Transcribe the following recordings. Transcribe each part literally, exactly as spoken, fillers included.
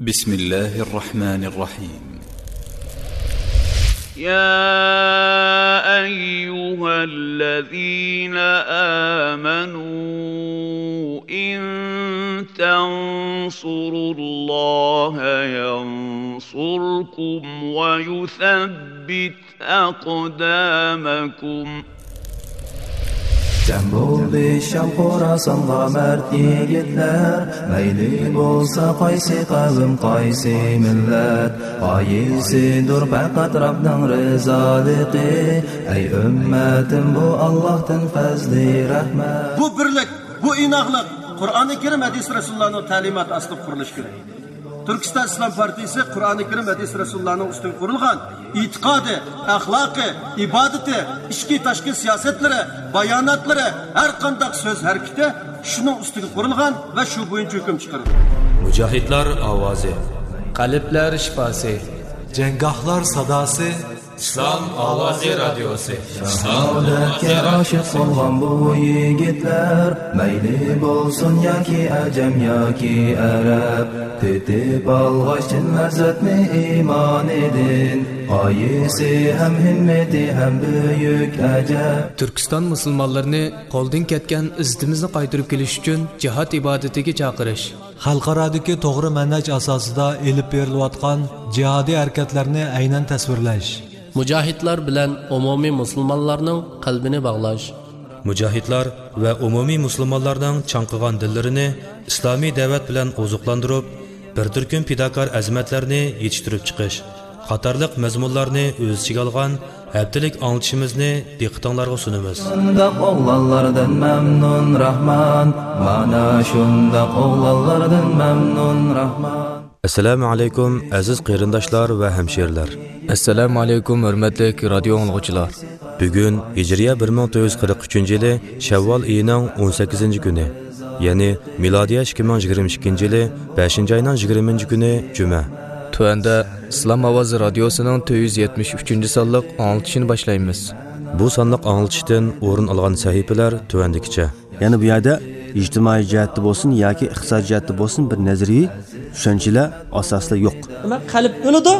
بسم الله الرحمن الرحيم. يا أيها الذين آمنوا إن تنصروا الله ينصركم ويثبت أقدامكم. جەم بولدى شام خوراسانغا مەرد يىگىتلەر، مەيلى بولسا قايسى قەۋم، قايسى مىللەت، غايىسىدۇر پەقەت رەبنىڭ رىزالىقى. ئەي ئۈممەتىم، بۇ ئاللاھتىن پەزلى رەھمەت. بۇ بىرلىك، بۇ ئىناقلىق قۇرئانى كەرىم، ھەدىس رەسۇلۇللانىڭ تەلىماتى ئاستىدا قۇرۇلۇشى كېرەك. تۈركىستان ئىسلام پارتىيىسى قۇرئانى كەرىم، ھەدىس رەسۇلۇللانىڭ ئۈستىگە قۇرۇلغان ئېتىقادى، ئەخلاقى، ئىبادىتى، ئىچكى تاشقى سىياسەتلىرى، باياناتلىرى، ھەر قانداق سۆز ھەرىكىتى شۇنىڭ ئۈستىگە قۇرۇلغان ۋە شۇ بويىچە ھۆكۈم چىقىرىدۇ. مۇجاھىدلار ئاۋازى. قەلبلەر شىپاسى. جەڭگاھلار ساداسى. ئىسلام ئاۋازى رادىيوسى. شاھادەتكە ئاشىق بولغان بۇ يىگىتلەر، مەيلى بولسۇن ياكى ئەجەم ياكى ئەرەب، تېتىپ ئالغاچ چىن لەززەتنى ئىمانىدىن، غايىسى ھەم ھىممىتى ھەم بۈيۈك ئەجەب. تۈركىستان مۇسۇلمانلىرىنى قولدىن كەتكەن ئىززىتىمىزنى قايتۇرۇپ كېلىش ئۈچۈن جىھاد ئىبادىتىگە چاقىرىش. خەلقئارادىكى توغرا مەنھەج ئاساسىدا ئېلىپ بېرىلىۋاتقان جىھادىي ھەرىكەتلەرنى ئەينەن تەسۋىرلەش. مۇجاھىدلار بىلەن ئومۇمىي مۇسۇلمانلارنىڭ قەلبىنى باغلاش. مۇجاھىدلار ۋە ئومۇمىي مۇسۇلمانلارنىڭ چاڭقىغان دىللىرىنى ئىسلامىي دەۋەت بىلەن ئوزۇقلاندۇرۇپ، بىر تۈركۈم پىداكار ئەزىمەتلەرنى يېتىشتۈرۈپ چىقىش قاتارلىق مەزمۇنلارنى ئۆز ئىچىگە ئالغان ھەپتىلىك ئاڭلىتىشىمىزنى دىققىتىڭلارغا سۇنىمىز. شۇنداق ئوغلانلاردىن مەمنۇن راھمان، مانا شۇنداق ئوغلانلاردىن مەمنۇن راھمان. ئەسسالامۇ ئەلەيكۇم، ئەزىز قېرىنداشلار ۋە ھەمشىرىلەر. ئەسسالامۇ ئەلەيكۇم، ھۆرمەتلىك رادىيو ئاڭلىغۇچىلار. بۈگۈن ھىجرىيە بىر مىڭ تۆت يۈز قىرىق ئۈچىنچى يىلى شەۋۋال ئېيىنىڭ ئون سەككىزىنچى كۈنى، يەنى مىلادىيە ئىككى مىڭ يىگىرمە ئىككىنچى يىلى بەشىنچى ئاينىڭ يىگىرمىنچى كۈنى جۈمە. تۆۋەندە ئىسلام ئاۋازى رادىيوسىنىڭ تۆت يۈز يەتمىش ئۈچىنچى سانلىق ئاڭلىتىشىنى باشلايمىز. بۇ سانلىق ئاڭلىتىشتىن ئورۇن ئالغان سەھىپىلەر تۆۋەندىكىچە. يەنى بۇ يەردە ئىجتىمائىي جەھەتتە بولسۇن ياكى ئىقتىسادىي جەھەتتە بولسۇن بىر نەزەرىيە چۈشەنچىلەر ئاساسىدا يوق. دېمەك، قەلب ئۆلىدۇ،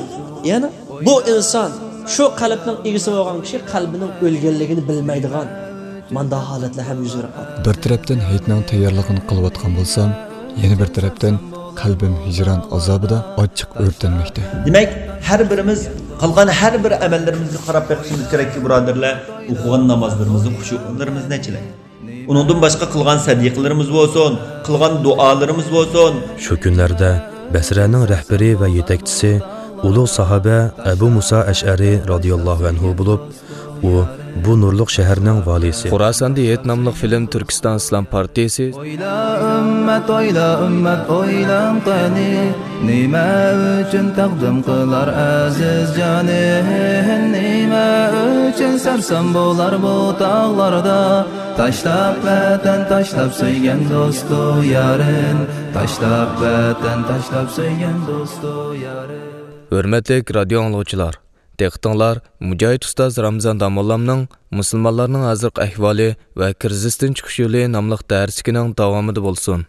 يەنى بۇ ئىنسان، شۇ قەلبنىڭ ئىگىسى بولغان كىشى قەلبىنىڭ ئۆلگەنلىكىنى بىلمەيدىغان مانداق ھالەتلەر ھەم يۈز بېرىپ قالدى. بىر تەرەپتىن ھېيتنىڭ تەييارلىقىنى قىلىۋاتقان بولسام، يەنە بىر تەرەپتىن قەلبىم ھىجران ئازابىدا ئاچچىق ئۆرتەنمەكتە. دېمەك، ھەر بىرىمىز قىلغان ھەر بىر ئەمەللىرىمىزگە قاراپ بېقىشىمىز كېرەككى، بۇرادەرلەر، ئوقۇغان نامازلىرىمىزنى، خۇشۇئلىرىمىزنى ئەچىلەي. ئۇنىڭدىن باشقا قىلغان سەدىقىلىرىمىز بولسۇن، قىلغان دۇئالىرىمىز بولسۇن. شۇ كۈنلەردە بەسرەنىڭ رەھبىرى ۋە يېتەكچىسى ئۇلۇغ ساھابە ئەبۇ مۇسا ئەشئەرى رازىياللاھۇ ئەنھۇ بولۇپ، ئۇ بۇ نۇرلۇق شەھەرنىڭ ۋالىسى. خوراساندا ھېيت ناملىق فىلىم تۈركىستان ئىسلام پارتىيىسى. ئويلا ئۈممەت، ئويلا ئۈممەت، ئويلاڭ قېنى، نېمە ئۈچۈن تەقدىم قىلار ئەزىز جانى؟ نېمە ئۈچۈن سەرسان بولار بۇ تاغلاردا؟ تاشلاپ ۋەتەن، تاشلاپ سۆيگەن دوستۇ يارىن، تاشلاپ ۋەتەن، تاشلاپ سۆيگەن دوستۇ يارىن. ھۆرمەتلىك رادىيو ئاڭلىغۇچىلار، دىققىتىڭلار مۇجاھىد ئۇستاز رامزان داموللامنىڭ مۇسۇلمانلارنىڭ ھازىرقى ئەھۋالى ۋە كىرىزىستىن چىقىش يولى ناملىق دەرسلىكىنىڭ داۋامىدا بولسۇن.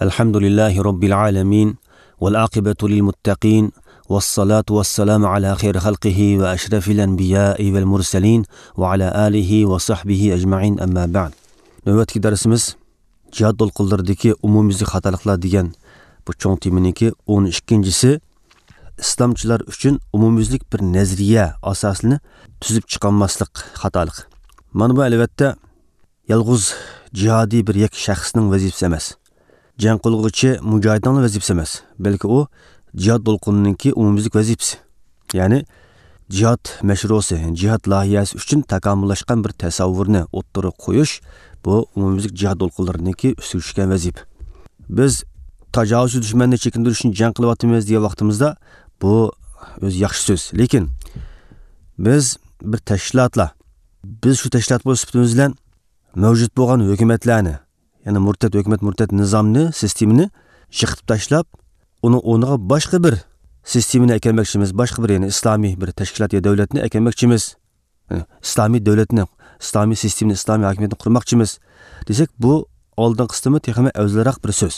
الحمد لله رب العالمين، والعاقبة للمتقين، والصلاة والسلام على خير خلقه وأشرف الأنبياء والمرسلين، وعلى آله وصحبه أجمعين، أما بعد. نۆۋەتتىكى دەرسىمىز جىھاد دولقۇنلىرىدىكى ئومۇميۈزلۈك خاتالىقلار دېگەن بۇ چوڭ تېمىنىڭكى ئون ئىككىنچىسى، ئىسلامچىلار ئۈچۈن ئومۇميۈزلۈك بىر نەزەرىيە ئاساسىنى تۈزۈپ چىقالماسلىق خاتالىقى. مانا بۇ، ئەلۋەتتە، يالغۇز جىھادىي بىر يەككە شەخسنىڭ ۋەزىپىسى ئەمەس. جەڭ قىلغۇچى مۇجاھىدنىڭلا ۋەزىپىسى ئەمەس، بەلكى ئۇ جىھاد دولقۇنىنىڭكى ئومۇميۈزلۈك ۋەزىپىسى. يەنى جىھاد مەشرۇسى، جىھاد لايىھەسى ئۈچۈن تاكامۇللاشقان بىر تەسەۋۋۇرنى ئوتتۇرىغا قويۇش، بۇ ئومۇميۈزلۈك جىھاد دولقۇنلىرىنىڭكى ئۈستىگە چۈشكەن ۋەزىپە. بىز تاجاۋۇزچى دۈشمەننى چېكىندۈرۈشنى جەڭ قىلىۋاتىمىز دېگەن ۋاقتىمىزدا، بۇ ئۆزى ياخشى سۆز. لېكىن بىز بىر تەشكىلاتلا، بىز شۇ تەشكىلات بولۇش سۈپىتىمىز بىلەن مەۋجۇت بولغان ھۆكۈمەتلەرنى، يەنى مۇرتەت ھۆكۈمەت، مۇرتەت نىزامنى، سىستېمىنى يىقىتىپ تاشلاپ، ئۇنىڭ ئورنىغا باشقا بىر سىستېمىنى ئەكەلمەكچىمىز، باشقا بىر، يەنى ئىسلامىي بىر تەشكىلات يا دۆلەتنى ئەكەلمەكچىمىز. ئىسلامىي دۆلەتنى، ئىسلامىي سىستېمىنى، ئىسلامىي ھاكىمىيەتنى قۇرماقچىمىز دېسەك، بۇ ئالدىنقى قىسمى تېخىمۇ ئەۋزەلرەك بىر سۆز.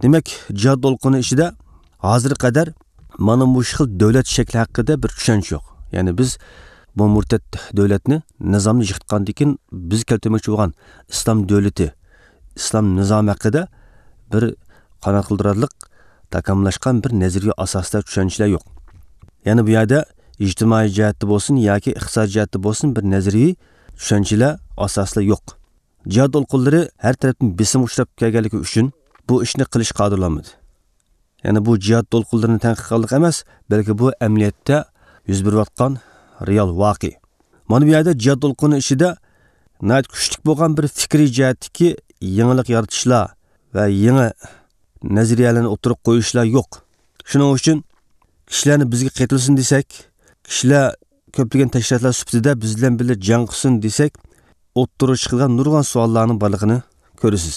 دېمەك، جىھاد دولقۇنى ئىچىدە ھازىرغا قەدەر مانا مۇشۇ خىل دۆلەت شەكلى ھەققىدە بىر چۈشەنچە يوق. يەنى بىز بۇ مۇرتەت دۆلەتنى، نىزامنى يىقىتقاندىن كېيىن بىز كەلتۈرمەكچى بولغان ئىسلام دۆلىتى، ئىسلام نىزامى ھەققىدە بىر قانات قىلدۇرارلىق تاكاملاشقان بىر نەزەرىيە ئاساسىدا چۈشەنچىلەر يوق. يەنى بۇ يەردە ئىجتىمائىي جەھەتتە بولسۇن ياكى ئىقتىسادىي جەھەتتە بولسۇن بىر نەزەرىيە چۈشەنچىلەر، ئاساسلار يوق. جىھاد دولقۇنلىرى ھەر تەرەپتىن بېسىمغا ئۇچراپ كەلگەنلىكى ئۈچۈن بۇ ئىشنى قىلىشقا قادىرلانمىدى. يەنى بۇ جىھاد دولقۇنلىرىنى تەنقىد قىلغانلىق ئەمەس، بەلكى بۇ ئەمەلىيەتتە يۈز بېرىۋاتقان رېئال ۋەقە. مانا بۇ يەردە جىھاد دولقۇنى ئىچىدە ناھايىتى كۈچلۈك بولغان بىر پىكرىي جەھەتتىكى يېڭىلىق يارىتىشلار ۋە يېڭى نەزەرىيەلەرنى ئوتتۇرىغا قويۇشلار يوق. شۇنىڭ ئۈچۈن كىشىلەرنى بىزگە قېتىلسۇن دېسەك، كىشىلەر كۆپلىگەن تەشكىلاتلار سۈپىتىدە بىز بىلەن بىللە جەڭ قىلسۇن دېسەك، ئوتتۇرىغا چىقىدىغان نۇرغۇن سوئاللارنىڭ بارلىقىنى كۆرىسىز.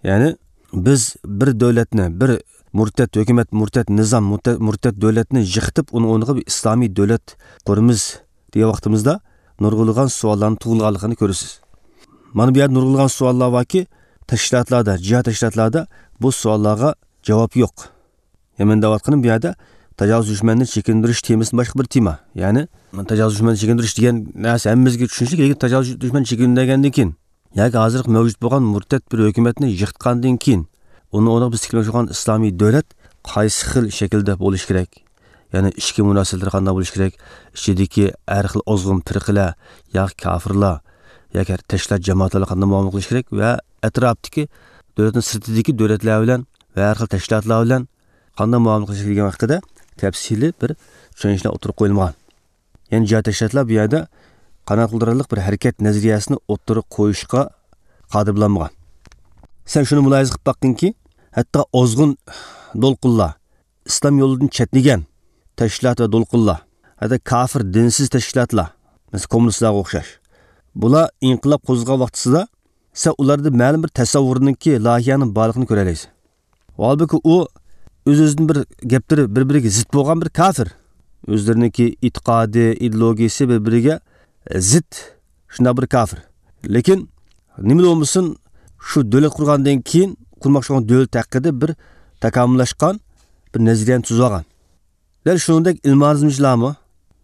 يەنى بىز بىر دۆلەتنى، بىر مۇرتەت ھۆكۈمەت، مۇرتەت نىزام، مۇرتەت، مۇرتەت دۆلەتنى يىقىتىپ، ئۇنىڭ ئورنىغا بىر ئىسلامىي دۆلەت قۇرىمىز دېگەن ۋاقتىمىزدا نۇرغۇنلىغان سوئاللارنىڭ تۇغۇلغانلىقىنى كۆرىسىز. مانا بۇ يەردە نۇرغۇنلىغان سوئاللار باركى، تەشكىلاتلاردا، جىھاد تەشكىلاتلاردا بۇ سوئاللارغا جاۋاب يوق. يەنە مەن دەۋاتقىنىم بۇ يەردە تاجاۋۇز دۈشمەننى چېكىندۈرۈش تېمىسى باشقا بىر تېما. يەنى تاجاۋۇز دۈشمەننى چېكىندۈرۈش دېگەن نەرسە ھەممىمىزگە چۈشىنىشلىك، لېكىن تاجاۋۇز دۈشمەننى چېكىندۈرگەندىن كېيىن ياكى ھازىرقى مەۋجۇت بولغان مۇرتەت بىر ھۆكۈمەتنى يىقىتقاندىن كېيىن، ئۇنىڭ ئورنىغا بىز تىكلىمەكچى بولغان ئىسلامىي دۆلەت قايسى خىل شەكىلدە بولۇشى كېرەك؟ يەنى ئىچكى مۇناسىۋەتلىرى قانداق بولۇشى كېرەك؟ ئىچىدىكى ھەر خىل ئازغۇن پىرقىلەر ياكى كافىرلار ياكى تەشكىلات جامائەتلەر بىلەن قانداق مۇئامىلە قىلىش كېرەك ۋە ئەتراپتىكى دۆلەتنىڭ سىرتىدىكى دۆلەتلەر بىلەن ۋە ھەر خىل تەشكىلاتلار بىلەن قانداق مۇئامىلە قىلىش كېرەكلىكى ھەققىدە تەپسىلىي بىر چۈشەنچىلەر ئوتتۇرىغا قويۇلمىغان. يەنى جىھاد تەشكىلاتلار بۇ يەردە قانات قىلدۇرارلىق بىر ھەرىكەت نەزەرىيەسىنى ئوتتۇرىغا قويۇشقا قادىر بولالمىغان. سەن شۇنى مۇلاھىزە قىلىپ باققىنكى، ھەتتا ئازغۇن دولقۇنلار، ئىسلام يولىدىن چەتنىگەن تەشكىلات ۋە دولقۇنلار، ھەتتا كافىر، دىنسىز تەشكىلاتلار، مەسىلەن، كوممۇنىستلارغا ئوخشاش، بۇلار ئىنقىلاب قوزغىغان ۋاقتىسىدا سەن ئۇلاردا مەلۇم بىر تەسەۋۋۇرنىڭكى، لايىھەنىڭ بارلىقىنى كۆرەلەيسەن. ھالبۇكى، ئۇ ئۆز-ئۆزىدىن بىر گەپلىرى بىر-بىرىگە زىت بولغان بىر كافىر. ئۆزلىرىنىڭكى ئېتىقادى، ئىدېئولوگىيىسى بىر-بىرىگە زىت شۇنداق بىر كافىر. لېكىن نېمىلا بولمىسۇن، شۇ دۆلەت قۇرغاندىن كېيىن قۇرماقچى بولغان دۆلەت ھەققىدە بىر تاكامۇللاشقان بىر نەزەرىيەنى تۈزۈۋالغان. دەل شۇنىڭدەك ئىلمانىزمچىلارمۇ،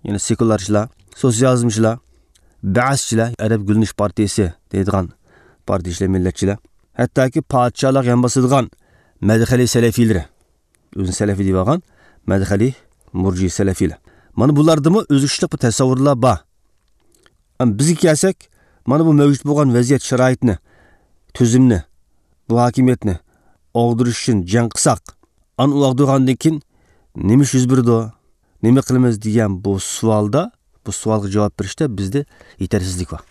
يەنى سېكۇلارچىلار، سوتسىيالىزمچىلار، بەئەسچىلەر، ئەرەب گۈللىنىش پارتىيىسى دەيدىغان پارتىيىچىلەر، مىللەتچىلەر، ھەتتاكى پادىشاھلارغا يان باسىدىغان مەدخەلى سەلەفىيلىرى، ئۆزىنى سەلەفىي دەپ ئالغان مەدخەلى مۇرجى سەلەفىيلەر. مانا بۇلاردىمۇ ئۆزگىچىلىك بىر تەسەۋۋۇرلار بار. ئەمما بىزگە كەلسەك، مانا بۇ مەۋجۇت بولغان ۋەزىيەت، شارائىتنى، تۈزۈمنى، بۇ ھاكىمىيەتنى ئاغدۇرۇش ئۈچۈن جەڭ قىلساق، ئانا ئۇ ئاغدۇرغاندىن كېيىن نېمە ئىش يۈز بېرىدۇ؟ نېمە قىلىمىز دېگەن بۇ سوئالدا، بۇ سوئالغا جاۋاب بېرىشتە بىزدە يېتەرسىزلىك بار.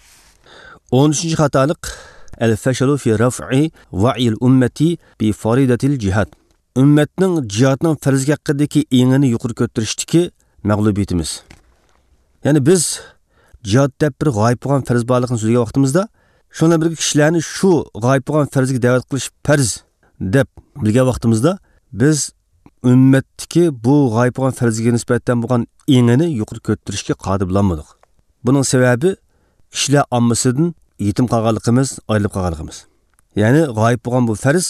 ئون ئۈچىنچى خاتالىق، الفشل في رفع وعي الأمة بفريضة الجهاد. ئۈممەتنىڭ جىھادنىڭ پەرزلىكى ھەققىدىكى ئېڭىنى يۇقىرى كۆتۈرۈشتىكى مەغلۇبىيىتىمىز. يەنى بىز جىھاد دەپ بىر غايىب بولغان پەرز بارلىقىنى سۆزلىگەن ۋاقتىمىزدا، شۇنىڭ بىلەن بىرگە كىشىلەرنى شۇ غايىب بولغان پەرزگە دەۋەت قىلىش پەرز دەپ بىلگەن ۋاقتىمىزدا، بىز ئۈممەتتىكى بۇ غايىب بولغان پەرزگە نىسبەتەن بولغان ئېڭىنى يۇقىرى كۆتۈرۈشكە قادىر بولالمىدۇق. بۇنىڭ سەۋەبى كىشىلەر ئاممىسىدىن يېتىم قالغانلىقىمىز، ئايرىلىپ قالغانلىقىمىز. يەنى غايىب بولغان بۇ پەرز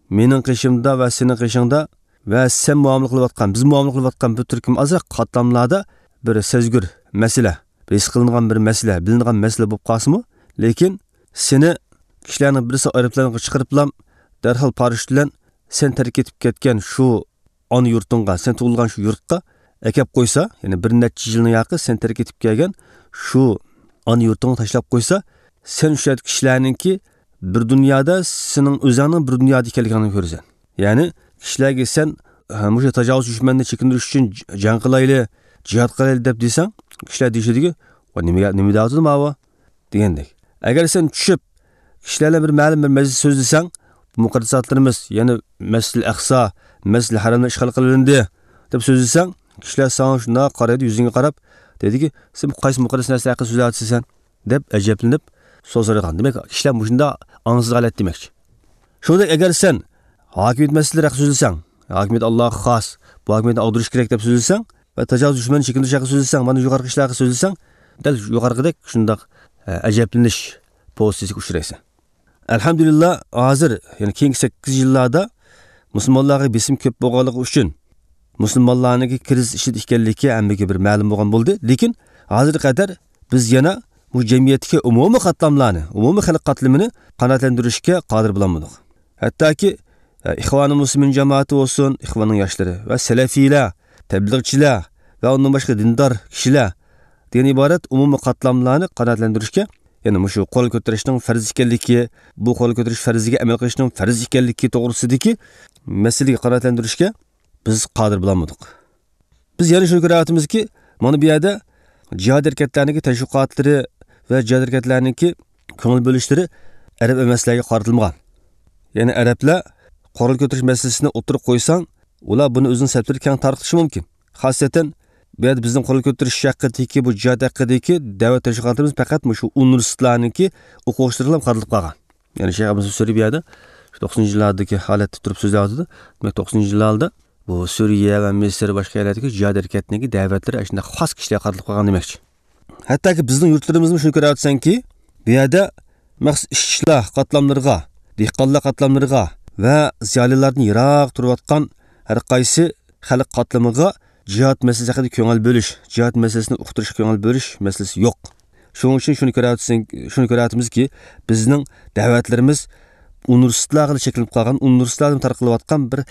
مېنىڭ قېشىمدا ۋە سېنىڭ قېشىڭدا ۋە سەن مۇئامىلە قىلىۋاتقان، بىز مۇئامىلە قىلىۋاتقان بۇ تۈركۈم ئازراق قاتلاملاردا بىر سەزگۈر مەسىلە، بىر ھېس قىلىنغان بىر مەسىلە، بىلىنىدىغان مەسىلە بولۇپ قالسىمۇ، لېكىن سېنى كىشىلەرنىڭ بىرسى ئايروپىلانغا چىقىرىپلا، دەرھال پاراشوت بىلەن سەن تەرك ئېتىپ كەتكەن شۇ ئانا يۇرتۇڭغا، سەن تۇغۇلغان شۇ يۇرتقا ئەكەپ قويسا، يەنى بىر نەچچە يىلنىڭ ياقى سەن تەرك ئېتىپ كەلگەن شۇ ئانا يۇرتۇڭغا تاشلاپ قويسا، سەن شۇ يەردىكى كىشىلەرنىڭكى بىر دۇنيادا، سېنىڭ ئۆزۈڭنىڭ بىر دۇنيادا ئىكەنلىكىڭنى كۆرىسەن. يەنى كىشىلەرگە سەن، ھە، مۇشۇ تاجاۋۇز دۈشمەننى چېكىندۈرۈش ئۈچۈن ج-، جەڭ قىلايلى، جىھاد قىلايلى دەپ دېسەڭ، كىشىلەر دېيىشىدىكى، «ۋاي، نېمە، نېمە دەۋاتىدۇ ماۋۇ؟» دېگەندەك. ئەگەر سەن چۈشۈپ، كىشىلەر بىلەن بىر مەلۇم بىر مەسىلە سۆزلىسەڭ، بۇ مۇقەددەساتلىرىمىز، يەنى مەسجىدىل ئەقسا، مەسجىدىل ھەرەملەر ئىشغال قىلىندى دەپ سۆزلىسەڭ، كىشىلەر ساڭا شۇنداق قارايدۇ، يۈزۈڭگە قاراپ، دەيدىكى، «سەن قايسى مۇقەددەس نەرسە ھەققىدە سۆزلەۋاتىسەن؟» دەپ ئەجەبلىنىپ، سوزۇلغان. دېمەك، كىشىلەر مۇشۇنداق ئاڭسىز ھالەت دېمەكچى. شۇنداق ئەگەر سەن ھاكىمىيەت مەسىلىلىرى ھەققىدە سۆزلىسەڭ، ھاكىمىيەت ئاللاغا خاس، بۇ ھاكىمىيەتنى ئاغدۇرۇش كېرەك دەپ سۆزلىسەڭ ۋە تاجاۋۇز دۈشمەننى چېكىندۈرۈش ھەققىدە سۆزلىسەڭ، مانا يۇقىرىقى ئىشلار ھەققىدە سۆزلىسەڭ، دەل يۇقىرىقىدەك شۇنداق، ئە، ئەجەبلىنىش پوزىتسىيىسىگە ئۇچرايسەن. ئەلھەمدۇلىللا، ھازىر، يەنى كېيىنكى سەككىز يىللاردا مۇسۇلمانلارغا بېسىم كۆپ بولغانلىقى ئۈچۈن، مۇسۇلمانلارنىڭكى كىرىزىس ئىچىدە ئىكەنلىكى ھەممىگە بىر مەلۇم بولغان بولدى. لېكىن ھازىرغا قەدەر بىز يەنە بۇ جەمئىيەتتىكى ئومۇمىي قاتلاملارنى، ئومۇمىي خەلق قاتلىمىنى قانائەتلەندۈرۈشكە قادىر بولالمىدۇق. ھەتتاكى، ئە، ئىخۋانۇ مۇسلىمىن جامائىتى بولسۇن، ئىخۋاننىڭ ياشلىرى ۋە سەلەفىيلەر، تەبلىغچىلەر ۋە ئۇندىن باشقا دىندار كىشىلەر دېگەن ئىبارەت ئومۇمىي قاتلاملارنى قانائەتلەندۈرۈشكە، يەنى مۇشۇ قورال كۆتۈرۈشنىڭ پەرز ئىكەنلىكى، بۇ قورال كۆتۈرۈش پەرزىگە ئەمەل قىلىشنىڭ پەرز ئىكەنلىكى توغرىسىدىكى مەسىلىگە قانائەتلەندۈرۈشكە بىز قادىر بولالمىدۇق. بىز يەنە شۇنى كۆرۈۋاتىمىزكى، مانا بۇ يەردە جىھاد ھەرىكەتلەرنىڭكى تەشۋىقاتلىرى ۋە جىھاد ھەرىكەتلەرنىڭكى كۆڭۈل بۆلۈشلىرى ئەرەب ئەمەسلەرگە قارىتىلمىغان. يەنى ئەرەبلەر قورال كۆتۈرۈش مەسىلىسىنى ئوتتۇرىغا قويساڭ، ئۇلار بۇنى ئۆزىنىڭ سەپلىرىگە كەڭ تارقىتىشى مۇمكىن. خاسسەتەن بۇ يەردە بىزنىڭ قورال كۆتۈرۈش ھەققىدىكى، بۇ جىھاد ھەققىدىكى دەۋەت تەشۋىقاتلىرىمىز پەقەت مۇشۇ ئۇنىۋېرسىتېتلارنىڭكى ئوقۇغۇچىلىرىغىلا قارىتىلىپ قالغان. يەنى شەيخ ئەبۇ سۈرى بۇ يەردە شۇ توقسىنىنچى يىللاردىكى ھالەتتە تۇرۇپ سۆزلەۋاتىدۇ. دېمەك، توقسىنىنچى يىللاردا بۇ سۈرىيە ۋە مىسىر، باشقا يەرلەردىكى جىھاد ھەرىكەتنىڭكى دەۋەتلىرى ئاشۇنداق خاس كىشىلەرگە قارىتىلىپ قالغان دېمەكچى. ھەتتاكى بىزنىڭ يۇرتلىرىمىزمۇ شۇنى كۆرۈۋاتىسەنكى، بۇ يەردە مەخسۇس ئىشچىلار قاتلاملىرىغا، دېھقانلار قاتلاملىرىغا ۋە زىيالىيلاردىن يىراق تۇرۇۋاتقان ھەر قايسى خەلق قاتلىمىغا جىھاد مەسىلىسى ھەققىدە كۆڭۈل بۆلۈش، جىھاد مەسىلىسىنى ئۇقتۇرۇشقا كۆڭۈل بۆلۈش مەسىلىسى يوق. شۇنىڭ ئۈچۈن شۇنى كۆرۈۋاتىسەن-، شۇنى كۆرۈۋاتىمىزكى، بىزنىڭ دەۋەتلىرىمىز ئۇنىۋېرسىتېتلارغىلا چەكلىنىپ قالغان، ئۇنىۋېرسىتېتلاردىن تارقىلىۋاتقان بىر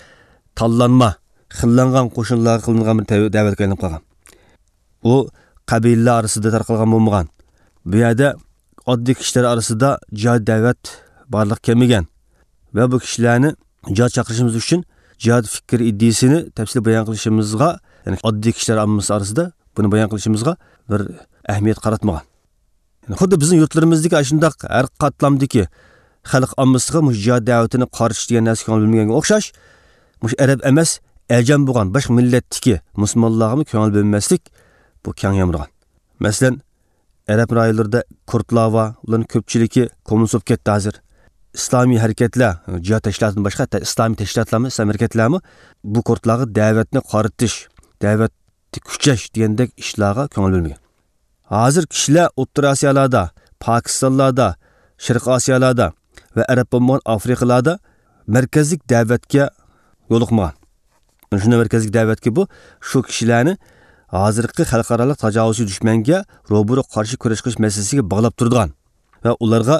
تاللانما، خىللانغان قوشۇنلارغا قىلىنغان بىر دەۋ-، دەۋەتكە ئايلىنىپ قالغان. ئۇ قەبىلىلەر ئارىسىدا تارقالغان بولمىغان. بۇ يەردە ئاددىي كىشىلەر ئارىسىدا جىھاد دەۋەت بارلىققا كەلمىگەن ۋە بۇ كىشىلەرنى جىھاد چاقىرىشىمىز ئۈچۈن جىھاد پىكرى ئىدىيىسىنى تەپسىلىي بايان قىلىشىمىزغا، يەنى ئاددىي كىشىلەر ئاممىسى ئارىسىدا بۇنى بايان قىلىشىمىزغا بىر ئەھمىيەت قاراتمىغان. يەنى خۇددى بىزنىڭ يۇرتلىرىمىزدىكى ئاشۇنداق ھەر قاتلامدىكى خەلق ئاممىسىغا مۇشۇ جىھاد دەۋىتىنى قارىتىش دېگەن نەرسىگە كۆڭۈل بۆلمىگەنگە ئوخشاش، مۇشۇ ئەرەب ئەمەس، ئەجەم بولغان باشقا مىللەتتىكى مۇسۇلمانلارغىمۇ كۆڭۈل بۆلمەسلىك بۇ كەڭ يامرىغان. مەسىلەن، ئەرەب رايونلىرىدا كۇردلار بار، ئۇلارنىڭ كۆپچىلىكى كوممۇنىست بولۇپ كەتتى ھازىر. ئىسلامىي ھەرىكەتلەر، جىھاد تەشكىلاتىدىن باشقا، ھەتتا ئىسلامىي تەشكىلاتلارمۇ، ئىسلامىي ھەرىكەتلەرمۇ بۇ كۇردلارغا دەۋەتنى قارىتىش، دەۋەتنى كۈچەش دېگەندەك ئىشلارغا كۆڭۈل بۆلمىگەن. ھازىر كىشىلەر ئوتتۇرا ئاسىيالاردا، پاكىستانلاردا، شەرقىي ئاسىيالاردا ۋە ئەرەب بولمىغان ئافرىقىلاردا مەركەزلىك دەۋەتكە يولۇقمىغان. شۇنداق مەركەزلىك دەۋەتكە بۇ، شۇ كىشىلەرنى ھازىرقى خەلقئارالىق تاجاۋۇزچى دۈشمەنگە روبىرو قارشى كۈرەش قىلىش مەسىلىسىگە باغلاپ تۇرىدىغان ۋە ئۇلارغا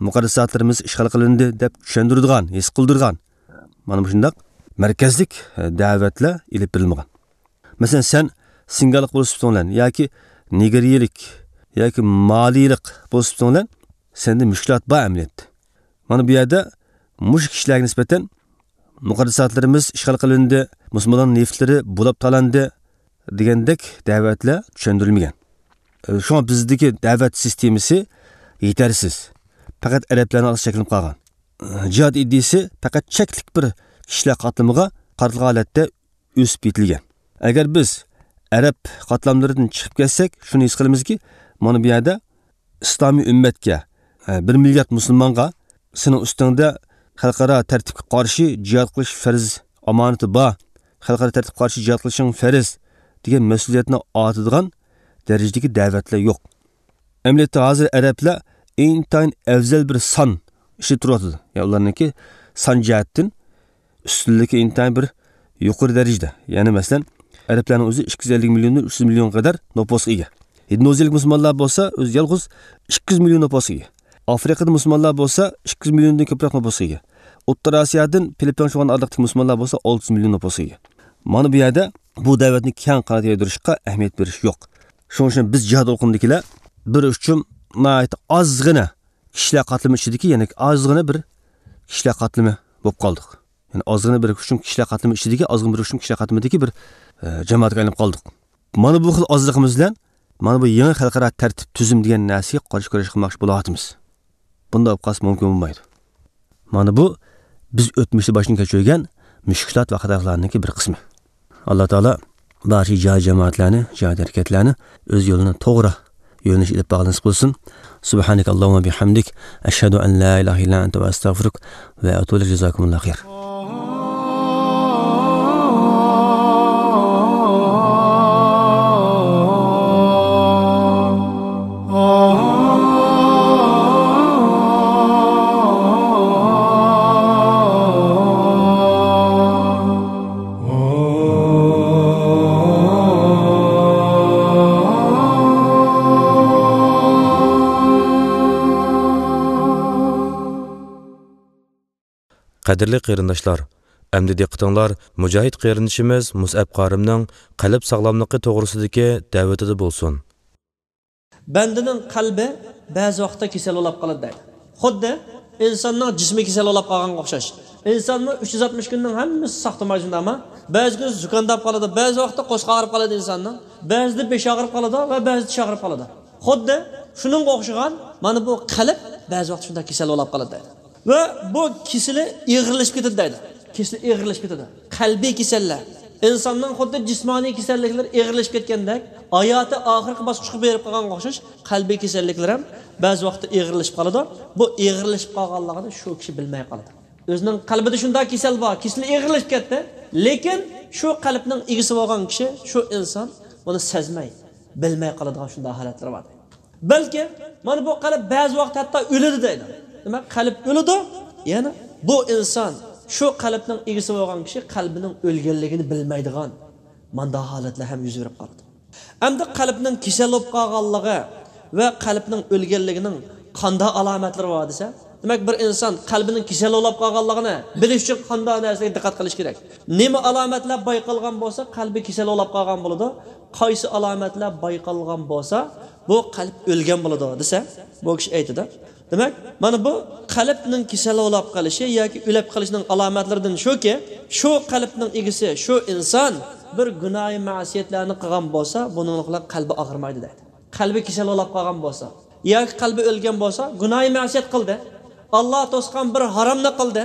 مۇقەددەساتلىرىمىز ئىشغال قىلىندى دەپ چۈشەندۈرىدىغان، ھېس قىلدۇرىدىغان، مانا مۇشۇنداق مەركەزلىك، ئە، دەۋەتلەر ئېلىپ بېرىلمىغان. مەسىلەن، سەن سىنگاللىق بولۇپ سۈپىتىڭ بىلەن ياكى نىگېرىيىلىك ياكى مالىيلىق بولۇپ سۈپىتىڭ بىلەن سەندە مۈشكۈلات بار ئەمەلىيەتتە. مانا بۇ يەردە مۇشۇ كىشىلەرگە نىسبەتەن مۇقەددەساتلىرىمىز ئىشغال قىلىندى، مۇسۇلمانلارنىڭ نېفىتلىرى بۇلاپ تالاندى دېگەندەك دەۋەتلەر چۈشەندۈرۈلمىگەن. شۇڭا بىزدىكى دەۋەت سىستېمىسى يېتەرسىز. پەقەت ئەرەبلەرنىڭ ئارىسىدا چەكلىنىپ قالغان. جىھاد ئىدىيىسى پەقەت چەكلىك بىر كىشىلەر قاتلىمىغا قارىتىلغان ھالەتتە ئۆسۈپ يېتىلگەن. ئەگەر بىز ئەرەب قاتلاملىرىدىن چىقىپ كەتسەك، شۇنى ھېس قىلىمىزكى، مانا بۇ يەردە ئىسلامىي ئۈممەتكە، ئە، بىر مىليارد مۇسۇلمانغا سېنىڭ ئۈستۈڭدە خەلقئارا تەرتىپكە قارشى جىھاد قىلىش پەرز ئامانىتى بار، خەلقئارا تەرتىپكە قارشى جىھاد قىلىشىڭ پەرز دېگەن مەسئۇلىيەتنى ئارتىدىغان دەرىجىدىكى دەۋەتلەر يوق. ئەمەلىيەتتە ھازىر ئەرەبلەر ئىنتايىن ئەۋزەل بىر سان ئىچىدە تۇرۇۋاتىدۇ. يەنى ئۇلارنىڭكى سان جەھەتتىن ئۈستۈنلۈكى ئىنتايىن بىر يۇقىرى دەرىجىدە. يەنى مەسىلەن، ئەرەبلەرنىڭ ئۆزى ئىككى يۈز ئەللىك مىليوندىن ئۈچ يۈز مىليونغا قەدەر نوپۇسقا ئىگە. ھىندونېزىيىلىك مۇسۇلمانلار بولسا ئۆزى يالغۇز ئىككى يۈز مىليون نوپۇسقا ئىگە. ئافرىقىدا مۇسۇلمانلار بولسا ئىككى يۈز مىليوندىن كۆپرەك نوپۇسقا ئىگە. ئوتتۇرا ئاسىيادىن فىلىپپىن شۇڭغان ئارىلىقتىكى مۇسۇلمانلار بولسا ئالتە يۈز مىليون نوپۇسقا ئىگە. مانا بۇ يەردە بۇ دەۋەتنى كەڭ قانات يايدۇرۇشقا ئەھمىيەت بېرىش يوق. شۇنىڭ ئۈچۈن بىز جىھاد ئولقۇمىدىكىلەر بىر ئۇچۇم ناھايىتى ئازغىنە كىشىلەر قاتلىمى ئىچىدىكى، يەنى ئازغىنە بىر كىشىلەر قاتلىمى بولۇپ قالدۇق. يەنى ئازغىنە بىر ئۇچۇم كىشىلەر قاتلىمى ئىچىدىكى، ئازغىنە بىر ئۇچۇم كىشىلەر قاتلىمىدىكى بىر، ئە، جامائەتكە ئايلىنىپ قالدۇق. مانا بۇ خىل ئازلىقىمىز بىلەن مانا بۇ يېڭى خەلقئارا تەرتىپ تۈزۈم دېگەن نەرسىگە قارشى كۈرەش قىلماقچى بولۇۋاتىمىز. بۇنداق بولۇپ قالسا مۇمكىن بولمايدۇ. مانا بۇ بىز ئۆتمۈشتە باشتىن كەچۈرگەن مۈشكۈلات ۋە خاتالىقلارنىڭكى بىر قىسمى. ئاللا تائالا بارچە جىھاد جامائەتلەرنى، جىھاد ھەرىكەتلەرنى ئۆز يولىنى توغرا يۆنىلىش ئېلىپ بارغىلى نېسىپ قىلسۇن. سبحانك اللهم وبحمدك، أشهد أن لا إله إلا أنت، أستغفرك وأتوب إليك. جزاكم الله خير. قەدىرلىك قېرىنداشلار، ئەمدى دىققىتىڭلار مۇجاھىد قېرىندىشىمىز مۇسئەب قارىمنىڭ قەلب ساغلاملىقى توغرىسىدىكى دەۋىتىدە بولسۇن. بەندىنىڭ قەلبى بەزى ۋاقىتتا كېسەل بولاپ قالىدۇ دەيدۇ. خۇددى ئىنساننىڭ جىسمى كېسەل بولاپ قالغانغا ئوخشاش. ئىنسانمۇ ئۈچ يۈز ئاتمىش كۈننىڭ ھەممىسى ساختىماي شۇنداقمۇ؟ بەزى كۈنى زۇكامداپ قالىدۇ، بەزى ۋاقىتتا قورسىقى ئاغرىپ قالىدۇ ئىنساننىڭ، بەزىدە بېشى ئاغرىپ قالىدۇ ۋە بەزىدە چىشى ئاغرىپ قالىدۇ. خۇددى شۇنىڭغا ئوخشىغان مانا بۇ قەلب بەزى ۋاقىتتا شۇنداق كېسەل بولاپ قالىدۇ دەيدۇ. ۋە بۇ كېسىلى ئېغىرلىشىپ كېتىدۇ دەيدۇ. كېسىلى ئېغىرلىشىپ كېتىدۇ. قەلبىي كېسەللەر. ئىنساننىڭ خۇددى جىسمانىي كېسەللىكلىرى ئېغىرلىشىپ كەتكەندەك، ھاياتى ئاخىرقى باسقۇچقا بېرىپ قالغانغا ئوخشاش، قەلبىي كېسەللىكلەر ھەم بەزى ۋاقىتتا ئېغىرلىشىپ قالىدۇ. بۇ ئېغىرلىشىپ قالغانلىقىنى شۇ كىشى بىلمەي قالىدۇ. ئۆزىنىڭ قەلبىدە شۇنداق كېسەل بار، كېسىلى ئېغىرلىشىپ كەتتى. لېكىن شۇ قەلبنىڭ ئىگىسى بولغان كىشى، شۇ ئىنسان بۇنى سەزمەي، بىلمەي قالىدىغان شۇنداق ھالەتلەر بار. بەلكى مانا بۇ قەلب بەزى ۋاقىت ھەتتا ئۆلىدۇ دەيدۇ. دېمەك، قەلب ئۆلىدۇ، يەنە بۇ ئىنسان، شۇ قەلبنىڭ ئىگىسى بولغان كىشى قەلبىنىڭ ئۆلگەنلىكىنى بىلمەيدىغان مانداق ھالەتلەر ھەم يۈز بېرىپ قالىدۇ. ئەمدى قەلبنىڭ كېسەل بولۇپ قالغانلىقى ۋە قەلبنىڭ ئۆلگەنلىكىنىڭ قانداق ئالامەتلىرى بار دېسە، دېمەك، بىر ئىنسان قەلبىنىڭ كېسەل بولۇپ قالغانلىقىنى بىلىش ئۈچۈن قانداق نەرسىگە دىققەت قىلىش كېرەك؟ نېمە ئالامەتلەر بايقالغان بولسا، قەلبى كېسەل بولۇپ قالغان بولىدۇ؟ قايسى ئالامەتلەر بايقالغان بولسا، بۇ قەلب ئۆلگەن بولىدۇ دېسە، بۇ كىشى ئېيتىدۇ. دېمەك، مانا بۇ قەلبنىڭ كېسەل بولاپ قېلىشى ياكى ئۆلۈپ قېلىشنىڭ ئالامەتلىرىدىن شۇكى، شۇ قەلبنىڭ ئىگىسى، شۇ ئىنسان بىر گۇناھى مەسىيەتلەرنى قىلغان بولسا، بۇنىڭ بىلەن قەلبى ئاغرىمايدۇ دەيدۇ. قەلبى كېسەل بولاپ قالغان بولسا ياكى قەلبى ئۆلگەن بولسا، گۇناھى مەسىيەت قىلدى، ئاللا توسقان بىر ھارامنى قىلدى،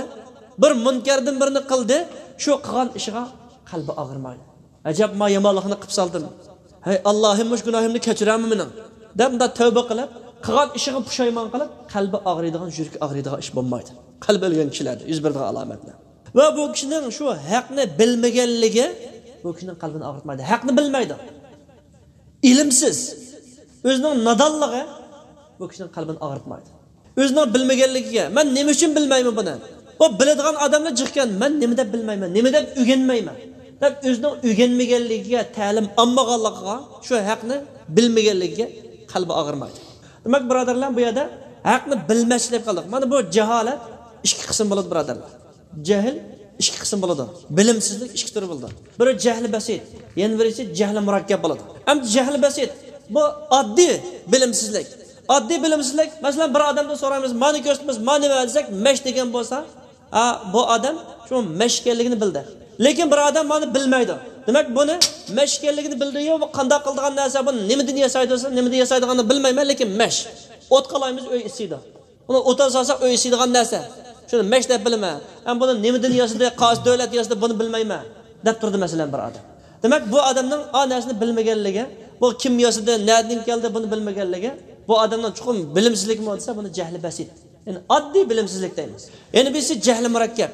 بىر مۇنكەردىن بىرنى قىلدى، شۇ قىلغان ئىشىغا قەلبى ئاغرىمايدۇ. ئەجەب، ما يامانلىقنى قىپ سالدىم. ھەي، ئاللاھىم، مۇشۇ گۇناھىمنى كەچۈرەرمۇ مېنىڭ؟ دەپ، مۇنداق تەۋبە قىلىپ، قىلغان ئىشىغا پۇشايمان قىلىپ، قەلبى ئاغرىيدىغان، يۈرىكى ئاغرىيدىغان ئىش بولمايدۇ. قەلبى ئۆلگەن كىشىلەردە يۈز بېرىدىغان ئالامەتلەر. ۋە بۇ كىشىنىڭ شۇ ھەقنى بىلمىگەنلىكى بۇ كىشىنىڭ قەلبىنى ئاغرىتمايدۇ. ھەقنى بىلمەيدۇ. ئىلىمسىز. ئۆزىنىڭ نادانلىقى بۇ كىشىنىڭ قەلبىنى ئاغرىتمايدۇ. ئۆزىنىڭ بىلمىگەنلىكىگە، مەن نېمە ئۈچۈن بىلمەيمەن بۇنى؟ بۇ بىلىدىغان ئادەملا جىقكەن، مەن نېمە دەپ بىلمەيمەن، نېمە دەپ ئۆگەنمەيمەن دەپ، ئۆزىنىڭ ئۆگەنمىگەنلىكىگە، تەلىم ئالمىغانلىقىغا، شۇ ھەقنى بىلمىگەنلىكىگە قەلبى ئاغرىمايدۇ. دېمەك، بۇرادەرلەر، بۇ يەردە ھەقنى بىلمەسلىك دەپ قالدۇق. مانا بۇ جاھالەت ئىككى قىسىم بولىدۇ، بۇرادەرلەر. جەھىل ئىككى قىسىم بولىدۇ. بىلىمسىزلىك ئىككى تۈر بولىدۇ. بىرى جەھلى بەسىت، يەنە بىرسى جەھلى مۇرەككەپ بولىدۇ. ئەمدى جەھلى بەسىت، بۇ ئاددىي بىلىمسىزلىك. ئاددىي بىلىمسىزلىك، مەسىلەن، بىر ئادەمدىن سورايمىز، مانى كۆرسىتىمىز، ما نېمە دېسەك، مەش دېگەن بولسا، ھا، بۇ ئادەم شۇ مەش ئىكەنلىكىنى بىلدى. لېكىن بىر ئادەم مانى بىلمەيدۇ. دېمەك، بۇنى مەش ئىكەنلىكىنى بىلدى، يا، بۇ قانداق قىلىدىغان نەرسە، بۇنى نېمىدىن ياسايدۇ دېسە، نېمىدىن ياسايدىغانلىقىنى بىلمەيمەن، لېكىن مەش. ئوت قالايمىز، ئۆي ئىسسىيدۇ. ئۇنى ئوتۇن سالساق ئۆي ئىسسىيدىغان نەرسە. شۇنى مەش دەپ بىلىمەن. ئەمما بۇنى نېمىدىن ياسىدى، قايسى دۆلەت ياسىدى، بۇنى بىلمەيمەن دەپ تۇردى، مەسىلەن، بىر ئادەم. دېمەك، بۇ ئادەمنىڭ ئا نەرسىنى بىلمىگەنلىكى، بۇ كىم ياسىدى، نەدىن كەلدى، بۇنى بىلمىگەنلىكى، بۇ ئادەمنىڭ چوقۇم بىلىمسىزلىكمۇ دېسە، بۇنى جەھلى بەسىت. يەنى ئاددىي بىلىمسىزلىك دەيمىز. يەنە بىرسى جەھلى مۇرەككەپ.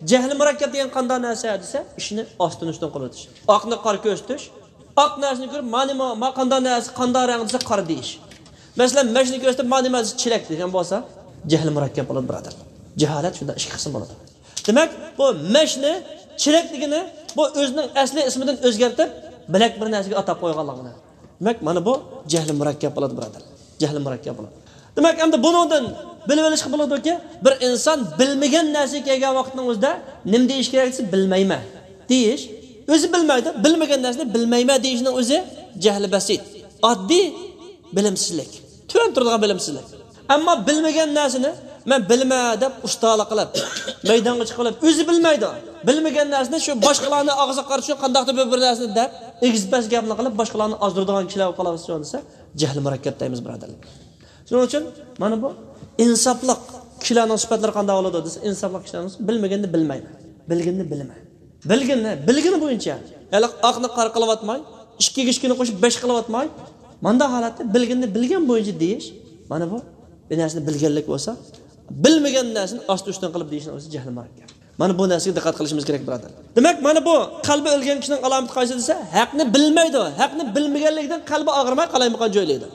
جەھلى مۇرەككەپ دېگەن قانداق نەرسە دېسە، ئىشنى ئاستىن ئۈستۈن قىلىۋېتىش. ئاقنى قارا كۆرسىتىش. ئاق نەرسىنى كۆرۈپ، مانى ما، ما قانداق نەرسە، قانداق رەڭ دېسە، قارا دېيىش. مەسىلەن، مەشنى كۆرسىتىپ، مانى ما دېسە، چېلەك دېگەن بولسا، جەھلى مۇرەككەپ بولىدۇ، بۇرادەرلەر. جاھالەت شۇنداق ئىككى قىسىم بولىدۇ. دېمەك، بۇ مەشنى، چېلەك دېگىنى، بۇ ئۆزىنىڭ ئەسلى ئىسمىدىن ئۆزگەرتىپ، بىلەك بىر نەرسىگە ئاتاپ قويغانلىقىنى. دېمەك، مانا بۇ جەھلى مۇرەككەپ بولىدۇ، بۇرادەرلەر. جەھلى مۇرەككەپ بولىدۇ. دېمەك، ئەمدى بۇنىڭدىن بىلىۋېلىشقا بولىدۇكى، بىر ئىنسان بىلمىگەن نەرسىگە كەلگەن ۋاقىتنىڭ ئۆزىدە نېمە دېيىش كېرەك دېسە، بىلمەيمەن دېيىش. ئۆزى بىلمەيدۇ، بىلمىگەن نەرسىنى بىلمەيمەن دېيىشنىڭ ئۆزى جەھلى بەسىت، ئاددىي بىلىمسىزلىك، تۆۋەن تۇرىدىغان بىلىمسىزلىك. ئەمما بىلمىگەن نەرسىنى مەن بىلىمەن دەپ ئۇستالىق قىلىپ، مەيدانغا چىقىپ، ئۆزى بىلمەيدۇ. بىلمىگەن نەرسىنى شۇ باشقىلارنى ئاغزىغا قارىتىشنى، قانداقتۇر بىر، بىر نەرسىنى دەپ، ئېگىز-پەس گەپنى قىلىپ، باشقىلارنى ئازدۇرىدىغان كىشىلەر بولۇپ قالغان دېسە، جەھلى مۇرەككەپ دەيمىز، بۇرادەرلەر. شۇنىڭ ئۈچۈن مانا بۇ ئىنساپلىق كىشىلەرنىڭ سۈپەتلىرى قانداق بولىدۇ دېسە، ئىنساپلىق كىشىلەرنىڭ بىلمىگەننى بىلمەيمەن، بىلگىنىنى بىلىمەن. بىلگىنىنى، بىلگىنى بويىچە، ھېلىقى ئاقنى قارا قىلىۋاتماي، ئىككىگە ئىككىنى قوشۇپ بەش قىلىۋاتماي، مانداق ھالەتتە بىلگىنىنى بىلگەن بويىچە دېيىش، مانا بۇ، بىر نەرسىنى بىلگەنلىك بولسا، بىلمىگەن نەرسىنى ئاستى ئۈستۈن قىلىپ دېيىشنىڭ ئۆزى جەھلىمانە گەپ. مانا بۇ نەرسىگە دىققەت قىلىشىمىز كېرەك، بۇرادەر. دېمەك، مانا بۇ قەلبى ئۆلگەن كىشىنىڭ ئالامىتى قايسى دېسە، ھەقنى بىلمەيدۇ، ھەقنى بىلمىگەنلىكتىن قەلبى ئاغرىماي قالايمىقان جۆيلەيدۇ.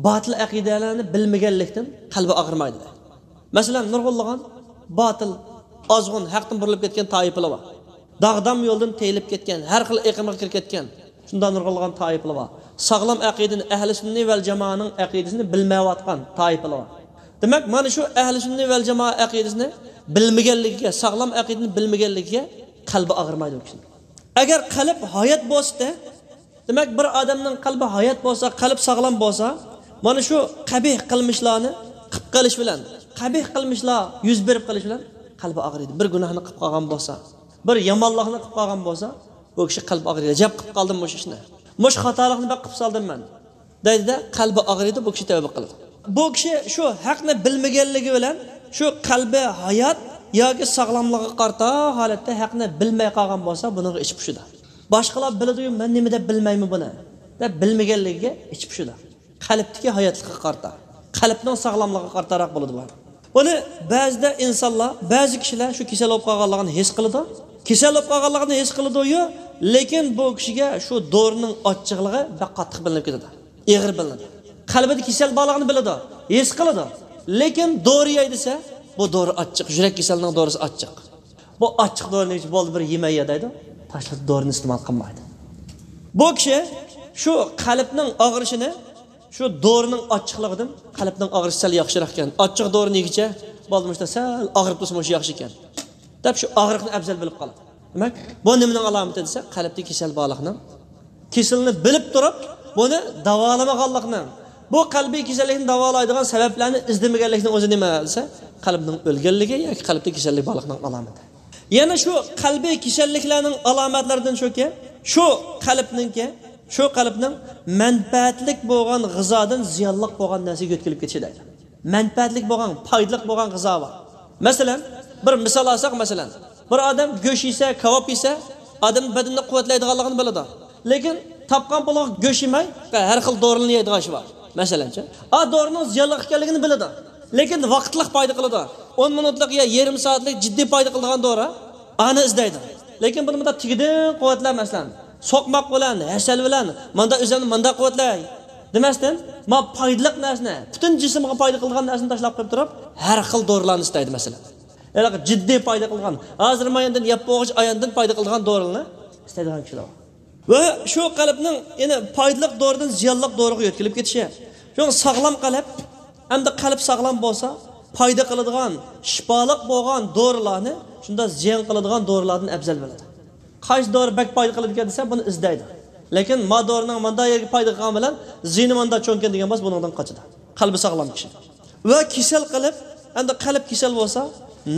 باتىل ئەقىدىلەرنى بىلمىگەنلىكتىن قەلبى ئاغرىمايدۇ. مەسىلەن، نۇرغۇنلىغان باتىل، ئازغۇن، ھەقتىن بۇرۇلۇپ كەتكەن تائىپىلار بار. داغدام يولدىن تېيىلىپ كەتكەن، ھەر خىل ئېقىمغا كىرىپ كەتكەن، شۇنداق نۇرغۇنلىغان تائىپىلار بار. ساغلام ئەقىدىنى، ئەھلى سۈننە ۋەل جامائەنىڭ ئەقىدىسىنى بىلمەيۋاتقان تائىپىلار بار. دېمەك، مانا شۇ ئەھلى سۈننە ۋەل جامائە ئەقىدىسىنى بىلمىگەنلىكىگە، ساغلام ئەقىدىنى بىلمىگەنلىكىگە قەلبى ئاغرىمايدۇ ئۇ كىشىنىڭ. ئەگەر قەلب ھايات بولسىدى، دېمەك، بىر ئادەمنىڭ قەلبى ھايات بولسا، قەلب ساغلام بولسا، مانا شۇ قەبىھ قىلمىشلارنى قىلىپ قېلىش بىلەن، قەبىھ قىلمىشلار يۈز بېرىپ قېلىش بىلەن قەلبى ئاغرىيدۇ. بىر گۇناھنى قىلىپ قالغان بولسا، بىر يامانلىقنى قىلىپ قالغان بولسا، بۇ كىشى قەلبى ئاغرىيدۇ. ئەجەب قىلىپ قالدىم مۇشۇ ئىشنى. مۇشۇ خاتالىقنى بەك قىلىپ سالدىم مەن، دەيدۇ-دە، قەلبى ئاغرىيدۇ، بۇ كىشى تەۋبە قىلىدۇ. بۇ كىشى شۇ ھەقنى بىلمىگەنلىكى بىلەن شۇ قەلبى ھايات ياكى ساغلاملىقىغا قارىتا ھالەتتە ھەقنى بىلمەي قالغان بولسا، بۇنىڭغا ئىچى پۇشىدۇ. باشقىلار بىلىدۇ-يۇ، مەن نېمە دەپ بىلمەيمەن بۇنى، دەپ بىلمىگەنلىكىگە ئىچى پۇشىدۇ. قەلبتىكى ھاياتلىققا قارىتا، قەلبنىڭ ساغلاملىقىغا قارىتاراق بولىدۇ بۇ. بۇنى بەزىدە ئىنسانلار، بەزى كىشىلەر شۇ كېسەل بولۇپ قالغانلىقىنى ھېس قىلىدۇ. كېسەل بولۇپ قالغانلىقىنى ھېس قىلىدۇ-يۇ، لېكىن بۇ كىشىگە شۇ دورىنىڭ ئاچچىقلىقى بەك قاتتىق بىلىنىپ كېتىدۇ. ئېغىر بىلىنىدۇ. قەلبىدە كېسەل بارلىقىنى بىلىدۇ، ھېس قىلىدۇ. لېكىن دورا يەي دېسە، بۇ دورا ئاچچىق، يۈرەك كېسىلىنىڭ دورىسى ئاچچىق. بۇ ئاچچىق دورىنى ئىچىپ، بولدى، بىر يېمەي يا دەيدۇ، تاشلاپ دورىنى ئىستېمال قىلمايدۇ. بۇ كىشى شۇ قەلبنىڭ ئاغرىشىنى شۇ دورىنىڭ ئاچچىقلىقىدىن، قەلبنىڭ ئاغرىشى سەل ياخشىراق ئىكەن، ئاچچىق دورىنى يېگۈچە، بولدى، مۇشۇنداق سەل ئاغرىپ تۇرسا مۇشۇ ياخشى ئىكەن، دەپ شۇ ئاغرىقنى ئەۋزەل بىلىپ قالىدۇ. دېمەك، بۇ نېمىنىڭ ئالامىتى دېسە، قەلبتە كېسەل بارلىقنىڭ. كېسىلنى بىلىپ تۇرۇپ، بۇنى داۋالىمىغانلىقنىڭ، بۇ قەلبىي كېسەللىكنى داۋالايدىغان سەۋەبلەرنى ئىزدىمىگەنلىكنىڭ ئۆزى نېمە دېسە، قەلبنىڭ ئۆلگەنلىكى ياكى قەلبتە كېسەللىك بارلىقنىڭ ئالامىتى. يەنە شۇ قەلبىي كېسەللىكلەرنىڭ ئالامەتلىرىدىن شۇكى، شۇ قەلبنىڭكى، شۇ قەلبنىڭ مەنپەئەتلىك بولغان غىزادىن زىيانلىق بولغان نەرسىگە يۆتكىلىپ كېتىشى دەيدۇ. مەنپەئەتلىك بولغان، پايدىلىق بولغان غىزا بار. مەسىلەن، بىر مىسال ئالساق، مەسىلەن، بىر ئادەم گۆش يېسە، كاۋاپ يېسە، ئادەمنىڭ بەدىنىنى قۇۋۋەتلەيدىغانلىقىنى بىلىدۇ. لېكىن تاپقان پۇلىغا گۆش يېمەي، ھەر خىل دورىلارنى يەيدىغان ئىشى بار. مەسىلەنچۇ، ئا دورىنىڭ زىيانلىق ئىكەنلىكىنى بىلىدۇ. لېكىن ۋاقىتلىق پايدا قىلىدۇ. ئون مىنۇتلۇق يا يېرىم سائەتلىك جىددىي پايدا قىلىدىغان دورا، ئانى ئىزدەيدۇ. لېكىن بۇنى مۇنداق تېگىدىن قۇۋۋەتلەپ، مەسىلەن، سوقماق بىلەن، ھەسەل بىلەن، ماندا ئۆزۈمنى ماندا قۇۋۋەتلەي دېمەستىن، ما پايدىلىق نەرسىنى، پۈتۈن جىسىمغا پايدا قىلىدىغان نەرسىنى تاشلاپ قويۇپ تۇرۇپ، ھەر خىل دورىلارنى ئىستەيدۇ، مەسىلەن. ھېلىقى جىددىي پايدا قىلغان، ھازىر ماياندىن يەپ بولغۇچە ئاياندىن پايدا قىلىدىغان دورىلارنى ئىستەيدىغان كىشىلەر بار. ۋە شۇ قەلبنىڭ يەنە پايدىلىق دورىدىن زىيانلىق دورىغا يۆتكىلىپ كېتىشى. شۇڭا ساغلام قەلب، ئەمدى قەلب ساغلام بولسا، پايدا قىلىدىغان، شىپالىق بولغان دورىلارنى شۇنداق زىيان قىلىدىغان دورىلاردىن ئەۋزەل بىلىدۇ. قايسى دورا بەك پايدا قىلىدىكەن دېسە، بۇنى ئىزدەيدۇ. لېكىن ما دورىنىڭ ماندا يەرگە پايدا قىلغان بىلەن زىيىنى ماندا چوڭكەن دېگەن بولسا، بۇنىڭدىن قاچىدۇ. قەلبى ساغلام كىشى. ۋە كېسەل قەلب، ئەمدى قەلب كېسەل بولسا،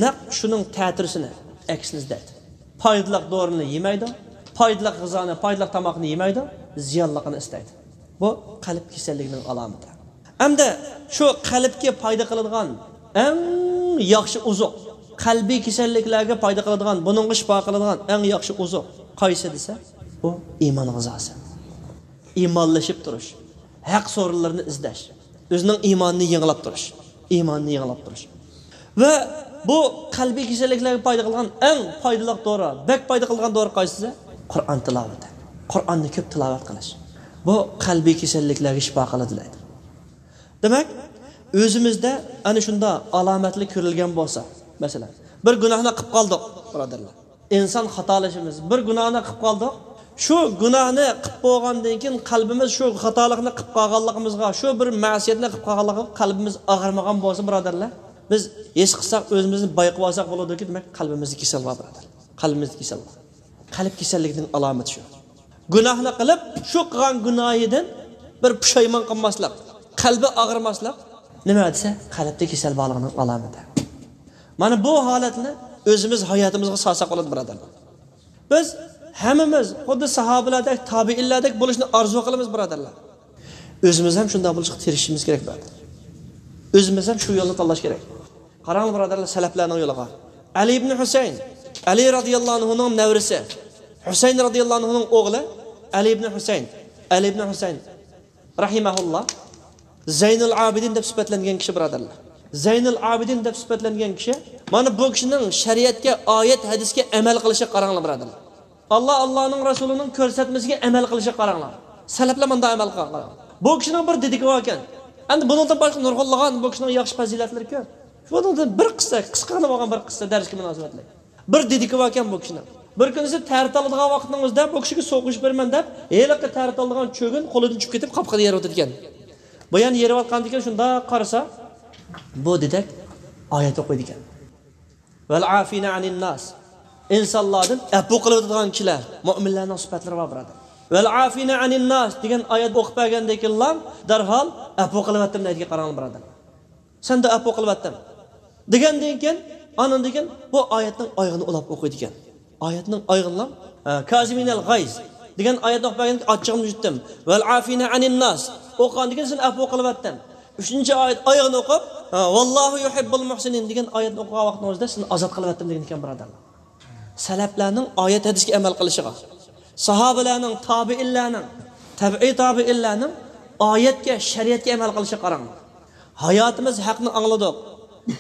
نەق شۇنىڭ تەتۈرىسىنى، ئەكسىنى ئىزدەيدۇ. پايدىلىق دورىنى يېمەيدۇ، پايدىلىق غىزانى، پايدىلىق تاماقنى يېمەيدۇ، زىيانلىقىنى ئىستەيدۇ. بۇ قەلب كېسەللىكىنىڭ ئالامىتى. ئەمدى شۇ قەلبكە پايدا قىلىدىغان ئەڭ ياخشى ئوزۇق، قەلبىي كېسەللىكلەرگە پايدا قىلىدىغان، بۇنىڭغا شىپا قىلىدىغان ئەڭ ياخشى ئوزۇق قايسى دېسە، بۇ ئىمان غىزاسى. ئىمانلىشىپ تۇرۇش، ھەق سورۇنلىرىنى ئىزدەش، ئۆزىنىڭ ئىمانىنى يېڭىلاپ تۇرۇش، ئىمانىنى يېڭىلاپ تۇرۇش. ۋە بۇ قەلبىي كېسەللىكلەرگە پايدا قىلغان ئەڭ پايدىلىق دورا، بەك پايدا قىلغان دورا قايسى دېسە، قۇرئان تىلاۋىتى. قۇرئاننى كۆپ تىلاۋەت قىلىش. بۇ قەلبىي كېسەللىكلەرگە شىپا قىلىدۇ دەيدۇ. دېمەك، ئۆزىمىزدە ئەنە شۇنداق ئالامەتلەر كۆرۈلگەن بولسا، مەسىلەن، بىر گۇناھنى قىلىپ قالدۇق، بۇرادەرلەر. ئىنسان خاتالىشىمىز، بىر گۇناھنى قىلىپ قالدۇق. شۇ گۇناھنى قىلىپ بولغاندىن كېيىن قەلبىمىز شۇ خاتالىقنى قىلىپ قالغانلىقىمىزغا، شۇ بىر مەسىيەتنى قىلىپ قالغانلىقىغا قەلبىمىز ئاغرىمىغان بولسا، بۇرادەرلەر، بىز ھېس قىلساق، ئۆزىمىزنى بايقىۋالساق بولىدۇكى، دېمەك، قەلبىمىزدە كېسەل بار، بۇرادەر. قەلبىمىزدە كېسەل بار. قەلب كېسەللىكىنىڭ ئالامىتى شۇ. گۇناھنى قىلىپ، شۇ قىلغان گۇناھىدىن بىر پۇشايمان قىلماسلىق، قەلبى ئاغرىماسلىق نېمە دېسە، قەلبتە كېسەل بارلىقىنىڭ ئالامىتى. مانا بۇ ھالەتنى ئۆزىمىز ھاياتىمىزغا سالساق بولىدۇ، بۇرادەرلەر. بىز ھەممىمىز خۇددى ساھابىلەردەك، تابىئىنلاردەك بولۇشنى ئارزۇ قىلىمىز، بۇرادەرلەر. ئۆزىمىز ھەم شۇنداق بولۇشقا تىرىشىشىمىز كېرەك، بۇرادەر. ئۆزىمىز ھەم شۇ يولنى تاللاش كېرەك. قاراڭلار، بۇرادەرلەر، سەلەپلەرنىڭ يولىغا. ئەلى ئىبنى ھۈسەين، ئەلى رازىياللاھۇ ئەنھۇنىڭ نەۋرىسى، ھۈسەين رازىياللاھۇ ئەنھۇنىڭ ئوغلى ئەلى ئىبنى ھۈسەين، ئەلى ئىبنى ھۈسەين. رەھىمەھۇللا زەينۇل ئابىدىن دەپ سۈپەتلەنگەن كىشى، بۇرادەرلەر. زەينۇل ئابىدىن دەپ سۈپەتلەنگەن كىشى، مانا بۇ كىشىنىڭ شەرىئەتكە، ئايەت، ھەدىسكە ئەمەل قىلىشىغا قاراڭلار، بۇرادەرلەر. ئاللا، ئاللانىڭ رەسۇلىنىڭ كۆرسەتمىسىگە ئەمەل قىلىشىغا قاراڭلار. سەلەپلەر مۇنداق ئەمەل قىلغان، قاراڭلار. بۇ كىشىنىڭ بىر دېدىكى باركەن. ئەمدى بۇنىڭدىن باشقا نۇرغۇنلىغان بۇ كىشىنىڭ ياخشى پەزىلەتلىرى كۆپ. شۇنىڭدىن بىر قىسسە، قىسقىغىنا بولغان بىر قىسسە دەرسكە مۇناسىۋەتلىك. بىر دېدىكى باركەن بۇ كىشىنىڭ. بىر كۈنىسى تەرەت ئالىدىغان ۋاقىتنىڭ ئۆزىدە بۇ كىشىگە سوقۇشۇپ بېرىمەن دەپ، ھېلىقى تەرەت ئالىدىغان چۆگۈن قولىدىن چۈشۈپ كېتىپ، قاپىقىدا يېرىۋاتىدىكەن. بۇ يەنە يېرىۋاتقاندىكىن شۇنداق قارىسا، بۇ دېدەك ئايەت ئوقۇيدىكەن. ۋەل ئافىنە ئەنىن ناس. ئىنسانلاردىن ئەپۇ قىلىۋېتىدىغان كىشىلەر، مۆمىنلەرنىڭ سۈپەتلىرى بار، بۇرادەر. ۋەل ئافىنە ئەنىن ناس دېگەن ئايەت ئوقۇپ بەرگەندىن كېيىنلا دەرھال ئەپۇ قىلىۋەتتىم دەيدىكەن، قاراڭلار، بۇرادەر. سەندە ئەپۇ قىلىۋەتتىم دېگەندىن كېيىن، ئاندىن كېيىن بۇ ئايەتنىڭ ئايىغىنى ئۇلاپ ئوقۇيدىكەن. ئايەتنىڭ ئايىغىنى، ھە، كازىمىنەل غايز دېگەن ئايەتنى ئوقۇپ بەرگەندىن كېيىن ئاچچىقىمنى يۇتتۇم. ۋەل ئافىنە ئەنىن ناس ئوقۇغاندىن كېيىن سېنى ئەپۇ قىلىۋەتتىم. ئۈچىنچى ئايەت ئايىغىنى ئوقۇپ، ھە، ۋاللاھۇ يۇھىببۇل مۇھسىنىن دېگەن ئايەتنى ئوقۇغان ۋاقتىڭىزدا سېنى ئازاد قىلىۋەتتىم دېگەن ئىكەن، بۇرادەرلەر. سەلەپلەرنىڭ ئايەت ھەدىسكە ئەمەل قىلىشىغا، ساھابىلەرنىڭ، تابىئىنلەرنىڭ، تەبىئىي تابىئىنلەرنىڭ ئايەتكە، شەرىئەتكە ئەمەل قىلىشىغا قاراڭ. ھاياتىمىز ھەقنى ئاڭلىدۇق،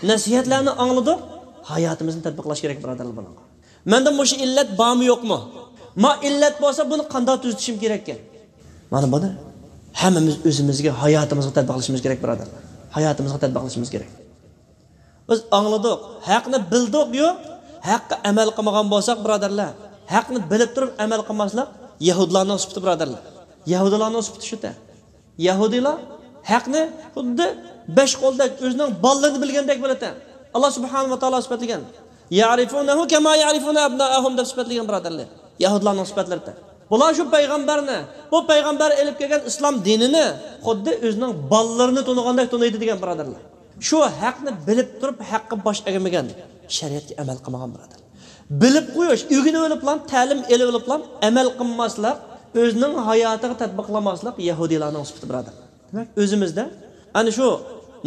نەسىھەتلەرنى ئاڭلىدۇق، ھاياتىمىزنى تەتبىقلاش كېرەك، بۇرادەرلەر، بۇنىڭغا. مەندە مۇشۇ ئىللەت بارمۇ يوقمۇ؟ ما ئىللەت بولسا بۇنى قانداق تۈزىتىشىم كېرەككەن؟ مانا بۇنى ھەممىمىز ئۆزىمىزگە، ھاياتىمىزغا تەتبىقلىشىمىز كېرەك، بۇرادەرلەر. ھاياتىمىزغا تەتبىقلىشىمىز كېرەك. بىز ئاڭلىدۇق، ھەقنى بىلدۇق-يۇ، ھەققە ئەمەل قىلمىغان بولساق، بۇرادەرلەر، ھەقنى بىلىپ تۇرۇپ ئەمەل قىلماسلىق يەھۇدىيلارنىڭ سۈپىتى، بۇرادەرلەر. يەھۇدىيلارنىڭ سۈپىتى شۇ-تە. يەھۇدىيلار ھەقنى خۇددى بەش قولدەك ئۆزىنىڭ بالىلىرىنى بىلگەندەك بىلىدىكەن. ئاللا سۇبھانەھۇ ۋە تائالا سۈپەتلىگەن. يەرىفۇنەھۇ كەما يەرىفۇنە ئەبنائەھۇم دەپ سۈپەتلىگەن، بۇرادەرلەر. يەھۇدىيلارنىڭ سۈپەتلىرى. بۇلار شۇ پەيغەمبەرنى، بۇ پەيغەمبەر ئېلىپ كەلگەن ئىسلام دىنىنى خۇددى ئۆزىنىڭ بالىلىرىنى تونۇغاندەك تونۇيدۇ دېگەن، بۇرادەرلەر. شۇ ھەقنى بىلىپ تۇرۇپ ھەققە باش ئەگمىگەن، شەرىئەتكە ئەمەل قىلمىغان، بۇرادەر. بىلىپ قويۇش، ئۆگىنىپ ئېلىپلا، تەلىم ئېلىپ ئېلىپلا ئەمەل قىلماسلىق، ئۆزىنىڭ ھاياتىغا تەتبىقلىماسلىق يەھۇدىيلارنىڭ سۈپىتى، بۇرادەر. دېمەك، ئۆزىمىزدە ئەنە شۇ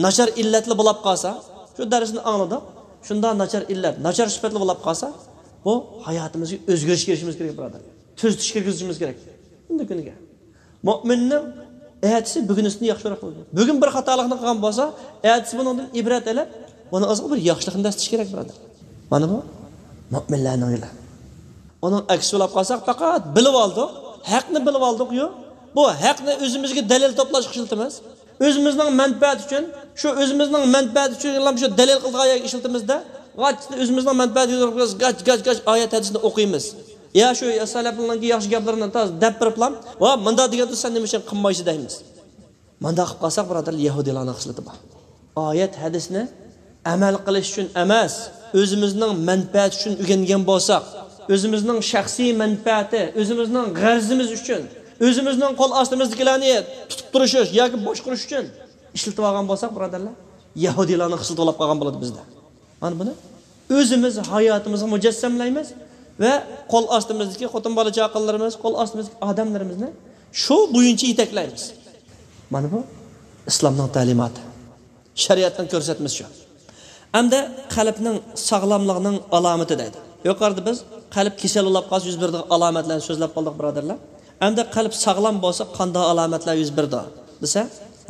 ناچار ئىللەتلا بولاپ قالسا، شۇ دەرسنى ئاڭلىدۇق، شۇنداق ناچار ئىللەت، ناچار سۈپەتلا بولاپ قالسا، بۇ ھاياتىمىزغا ئۆزگىرىش كىرىشىمىز كېرەك، بۇرادەر. تۈزىتىش كىرگۈزۈشىمىز كېرەك. كۈندە كۈنگە. مۆمىننىڭ ئەتىسى بۈگۈنىسىدىن ياخشىراق بولىدۇ. بۈگۈن بىر خاتالىقنى قىلغان بولسا، ئەتىسى بۇنىڭدىن ئىبرەت ئېلىپ، بۇنىڭ ئىزىغا بىر ياخشىلىقنى دەسسىتىش كېرەك، بۇرادەر. مانا بۇ مۆمىنلەرنىڭ يولى. ئۇنىڭ ئەكسىنى بولاپ قالساق، پەقەت بىلىۋالدۇق، ھەقنى بىلىۋالدۇقيۇ، بۇ ھەقنى ئۆزىمىزگە دەلىل توپلاشقا ئىشلىتىمىز. ئۆزىمىزنىڭ مەنپەئەتى ئۈچۈن، شۇ ئۆزىمىزنىڭ مەنپەئەتى ئۈچۈن شۇ دەلىل قىلىدىغان يەرگە ئىشلىتىمىزدە، غاچ، ئۆزىمىزنىڭ مەنپەئەتى ئۈچۈن غاچ، غاچ، غاچ ئايەت ھەدىسنى ئوقۇيمىز. يا شۇ سەلەپنىڭكى ياخشى گەپلىرىنى تاز دەپ بېرىپلا، ۋا مۇنداق دېگەندە سەن نېمە ئۈچۈن قىلمايسەن دەيمىز. مۇنداق قىلىپ قالساق، بۇرادەرلەر، يەھۇدىيلارنىڭ خىسلىتى بار. ئايەت ھەدىسنى ئەمەل قىلىش ئۈچۈن ئەمەس، ئۆزىمىزنىڭ مەنپەئەتى ئۈچۈن ئۆگەنگەن بولساق، ئۆزىمىزنىڭ شەخسىي مەنپەئەتى، ئۆزىمىزنىڭ غەرىزىمىز ئۈچۈن، ئۆزىمىزنىڭ قول ئاستىمىزدىكىلەرنى تۇتۇپ تۇرۇش ياكى باشقۇرۇش ئۈچۈن ئىشلىتىۋالغان بولساق، بۇرادەرلەر، يەھۇدىيلارنىڭ خىسلىتى بولاپ قالغان بولىدۇ بىزدە. مانا بۇنى ئۆزىمىز ھاياتىمىزغا مۇجەسسەملەيمىز ۋە قول ئاستىمىزدىكى خوتۇن بالا چاقىلىرىمىز، قول ئاستىمىزدىكى ئادەملىرىمىزنى شۇ بويىچە يېتەكلەيمىز. مانا بۇ ئىسلامنىڭ تەلىماتى، شەرىئەتنىڭ كۆرسەتمىسى شۇ. ئەمدى قەلبنىڭ ساغلاملىقىنىڭ ئالامىتى دەيدۇ. يۇقىرىدا بىز قەلب كېسەل بولاپ قالسا يۈز بېرىدىغان ئالامەتلەرنى سۆزلەپ قالدۇق، بۇرادەرلەر. ئەمدى قەلب ساغلام بولسا قانداق ئالامەتلەر يۈز بېرىدۇ دېسە،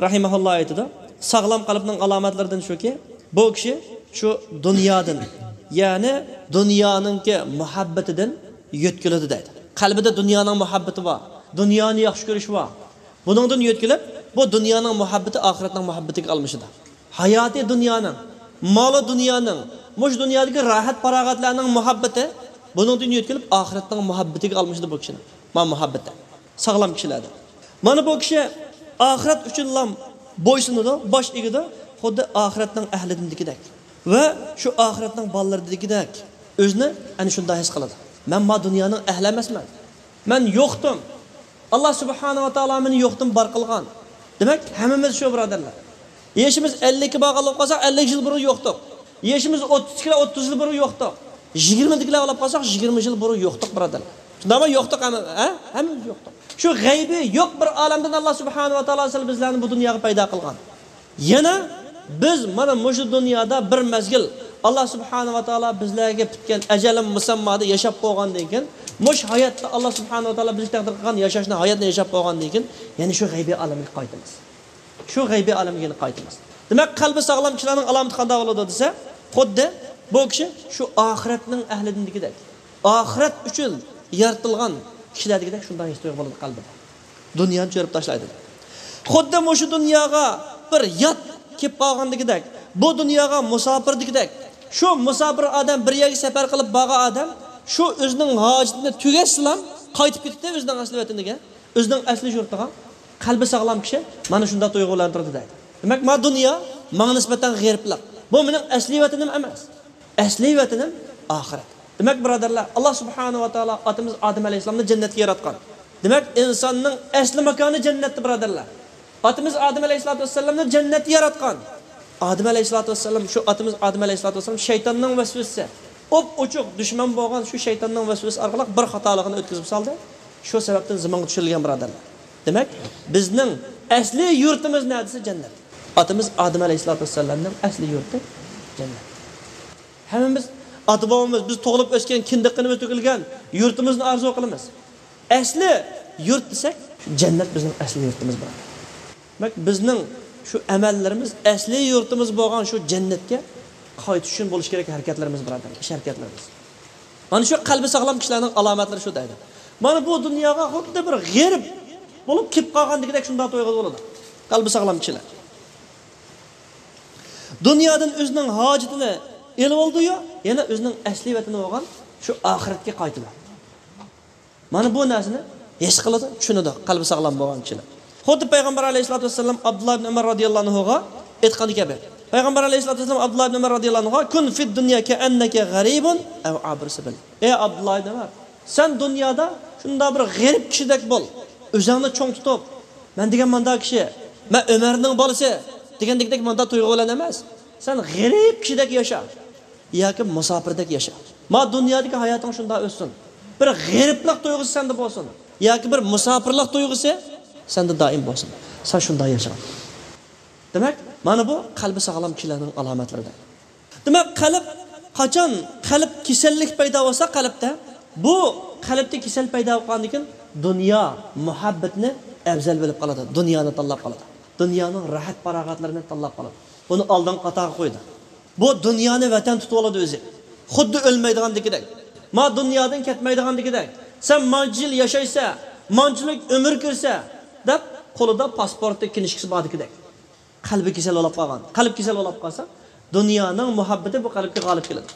رەھىمەھۇللا ئېيتىدۇ، ساغلام قەلبنىڭ ئالامەتلىرىدىن شۇكى، بۇ كىشى شۇ دۇنيادىن، يەنى دۇنيانىڭكى مۇھەببىتىدىن يۆتكىلىدۇ دەيدۇ. قەلبىدە دۇنيانىڭ مۇھەببىتى بار، دۇنيانى ياخشى كۆرۈشى بار. بۇنىڭدىن يۆتكىلىپ، بۇ دۇنيانىڭ مۇھەببىتى ئاخىرەتنىڭ مۇھەببىتىگە ئالمىشىدۇ. ھاياتى دۇنيانىڭ، مالى دۇنيانىڭ، مۇشۇ دۇنيادىكى راھەت پاراغەتلەرنىڭ مۇھەببىتى بۇنىڭدىن يۆتكىلىپ ئاخىرەتنىڭ مۇھەببىتىگە ئالمىشىدۇ بۇ كىشىنىڭ. مانا مۇھەببىتى. ساغلام كىشىلەردە. مانا بۇ كىشى ئاخىرەت ئۈچۈنلا بويسۇنىدۇ، باش ئېگىدۇ، خۇددى ئاخىرەتنىڭ ئەھلىدىنكىدەك. ۋە شۇ ئاخىرەتنىڭ بالىلىرىدىكىدەك ئۆزىنى ئەنە شۇنداق ھېس قىلىدۇ. مەن ما دۇنيانىڭ ئەھلى ئەمەسمەن. مەن يوقتۇم. ئاللا سۇبھانەھۇ ۋە تائالا مېنى يوقتىن بار قىلغان. دېمەك، ھەممىمىز شۇ، بۇرادەرلەر. يېشىمىز ئەللىككە بارغان بولۇپ قالساق، ئەللىك يىل بۇرۇن يوقتۇق. يېشىمىز ئوتتۇزدىكىلەر ئوتتۇز يىل بۇرۇن يوقتۇق. يىگىرمىدىكىلەر بولۇپ قالساق، يىگىرمە يىل بۇرۇن يوقتۇق، بۇرادەرلەر. شۇنداقمۇ؟ يوقتۇق ھەممە، ھە؟ ھەممىمىز يوقتۇق. شۇ غەيبىي يوق بىر ئالەمدىن ئاللا سۇبھانەھۇ ۋە تائالا سىلى بىزلەرنى بۇ دۇنياغا پەيدا قىلغان. يەنە بىز مانا مۇشۇ دۇنيادا بىر مەزگىل ئاللا سۇبھانەھۇ ۋە تائالا بىزلەرگە پۈتكەن ئەجەلى مۇسەممادا ياشاپ بولغاندىن كېيىن، مۇشۇ ھاياتتا ئاللا سۇبھانەھۇ ۋە تائالا بىزگە تەقدىر قىلغان ياشاشنى، ھاياتنى ياشاپ بولغاندىن كېيىن، يەنە شۇ غەيبىي ئالەمگە قايتىمىز. شۇ غەيبىي ئالەمگە يەنە قايتىمىز. دېمەك، قەلبى ساغلام كىشىلەرنىڭ ئالامىتى قانداق بولىدۇ دېسە، خۇددى بۇ كىشى شۇ ئاخىرەتنىڭ ئەھلىدىن دېگۈدەك، ئاخىرەت ئۈچۈن يارىتىلغان كىشىلەر دېگۈدەك شۇنداق ھېس تۇيغۇ بولىدۇ قەلبىدە. دۇنيانى چۆرۈپ تاشلايدۇ. خۇددى مۇشۇ دۇنياغا بىر يات كېلىپ قالغان دېگۈدەك، بۇ دۇنياغا مۇساپىر دېگۈدەك. شۇ مۇساپىر ئادەم، بىر يەرگە سەپەر قىلىپ بارغان ئادەم شۇ ئۆزىنىڭ ھاجىتىنى تۈگەتسىلا قايتىپ كېتىدۇ ئۆزىنىڭ ئەسلى ۋەتىنىگە، ئۆزىنىڭ ئەسلى يۇرتىغا. قەلبى ساغلام كىشى مانا شۇنداق تۇيغۇ بىلەن تۇرىدۇ دەيدۇ. دېمەك، ما دۇنيا ماڭا نىسبەتەن غېرىبلىق. بۇ مېنىڭ ئەسلىي ۋەتىنىم ئەمەس. ئەسلىي ۋەتىنىم ئاخىرەت. دېمەك، بۇرادەرلەر، ئاللا سۇبھانەھۇ ۋە تائالا ئاتىمىز ئادەم ئەلەيھىسسالامنى جەننەتكە ياراتقان. دېمەك، ئىنساننىڭ ئەسلى ماكانى جەننەتتە، بۇرادەرلەر. ئاتىمىز ئادەم ئەلەيھىسسالاتۇ ۋەسسالامنى جەننەتتە ياراتقان. ئادەم ئەلەيھىسسالاتۇ ۋەسسالام، شۇ ئاتىمىز ئادەم ئەلەيھىسسالاتۇ ۋەسسالام شەيتاننىڭ ۋەسۋەسىسى، ئوپئوچۇق دۈشمەن بولغان شۇ شەيتاننىڭ ۋەسۋەسىسى ئارقىلىق بىر خاتالىقنى ئۆتكۈزۈپ سالدى. شۇ سەۋەبتىن زېمىنغا چۈشۈرۈلگەن، بۇرادەرلەر. دېمەك، بىزنىڭ ئەسلى يۇرتىمىز نەدە دېسە، جەننەت. ئاتىمىز ئادەم ئەلەيھىسسالاتۇ ۋەسسالامنىڭ ئەسلى يۇرتى جەننەت. ھەممىمىز ئاتا-بوۋىمىز، بىز تۇغۇلۇپ ئۆسكەن، كىندىك قېنىمىز تۆكۈلگەن يۇرتىمىزنى ئارزۇ قىلىمىز. ئەسلى يۇرت دېسەك، شۇ جەننەت بىزنىڭ ئەسلى يۇرتىمىز، بۇرادەر. دېمەك، بىزنىڭ شۇ ئەمەللىرىمىز ئەسلى يۇرتىمىز بولغان شۇ جەننەتكە قايتىش ئۈچۈن بولۇشى كېرەك ھەرىكەتلىرىمىز، بۇرادەر، ئىش ھەرىكەتلىرىمىز. مانا شۇ قەلبى ساغلام كىشىلەرنىڭ ئالامەتلىرى شۇ دەيدۇ. مانا بۇ دۇنياغا خۇددى بىر غېرىب بولۇپ كېلىپ قالغاندىكىدەك شۇنداق تۇيغۇ بولىدۇ. قەلبى ساغلام كىشىلەر. دۇنيادىن ئۆزىنىڭ ھاجىتىنى ئېلىۋالىدۇ، يەنە ئۆزىنىڭ ئەسلى ۋەتىنى بولغان شۇ ئاخىرەتكە قايتىدۇ. مانا بۇ نەرسىنى ھېس قىلىدۇ، چۈشىنىدۇ قەلبى ساغلام بولغان كىشىلەر. خۇددى پەيغەمبەر ئەلەيھىسسالاتۇ ۋەسسالام ئابدۇللا ئىبن ئۆمەر رازىياللاھۇ ئەنھۇغا ئېيتقان كەبى. پەيغەمبەر ئەلەيھىسسالاتۇ ۋەسسالام ئابدۇللا ئىبن ئۆمەر رازىياللاھۇ ئەنھۇغا، «كۇن فىد دۇنيا كەئەننەكە غەرىبۇن ئەۋ ئابىر سەبىل.» ئەي ئابدۇللا ئىبن ئۆمەر، سەن دۇنيادا شۇنداق بىر غېرىب كىشىدەك بول. ئۆزۈڭنى چوڭ تۇتۇپ، مەن دېگەن مانداق كىشى، مەن ئۆمەرنىڭ بالىسى دېگەندەك مانداق تۇيغۇ بىلەن ئەمەس. سەن غېرىب كىشىدەك ياشا. ياكى مۇساپىردەك ياشا. ما دۇنيادىكى ھاياتىڭ شۇنداق ئۆتسۇن. بىر غېرىبلىق تۇيغۇسى سەندە بولسۇن. ياكى بىر مۇساپىرلىق تۇيغۇسى سەندە دائىم بولسۇن. سەن شۇنداق ياشا. دېمەك، مانا بۇ قەلبى ساغلام كىشىلەرنىڭ ئالامەتلىرىدىن. دېمەك، قەلب قاچان قەلب كېسەللىك پەيدا بولسا قەلبتە، بۇ قەلبتە كېسەل پەيدا بولغاندىن كېيىن دۇنيا مۇھەببىتىنى ئەۋزەل بىلىپ قالىدۇ، دۇنيانى تاللاپ قالىدۇ. دۇنيانىڭ راھەت پاراغەتلىرىنى تاللاپ قالىدۇ. بۇنى ئالدىنقى قاتارغا قويىدۇ. بۇ دۇنيانى ۋەتەن تۇتۇۋالىدۇ ئۆزى. خۇددى ئۆلمەيدىغاندىكىدەك. ما دۇنيادىن كەتمەيدىغاندىكىدەك. سەن مانچە يىل ياشايسەن، مانچىلىك ئۆمۈر كۆرسە، دەپ قولىدا پاسپورتى، كىنىشكىسى باردىكىدەك. قەلبى كېسەل بولۇپ قالغان. قەلب كېسەل بولۇپ قالسا، دۇنيانىڭ مۇھەببىتى بۇ قەلبكە غالىب كېلىدۇ.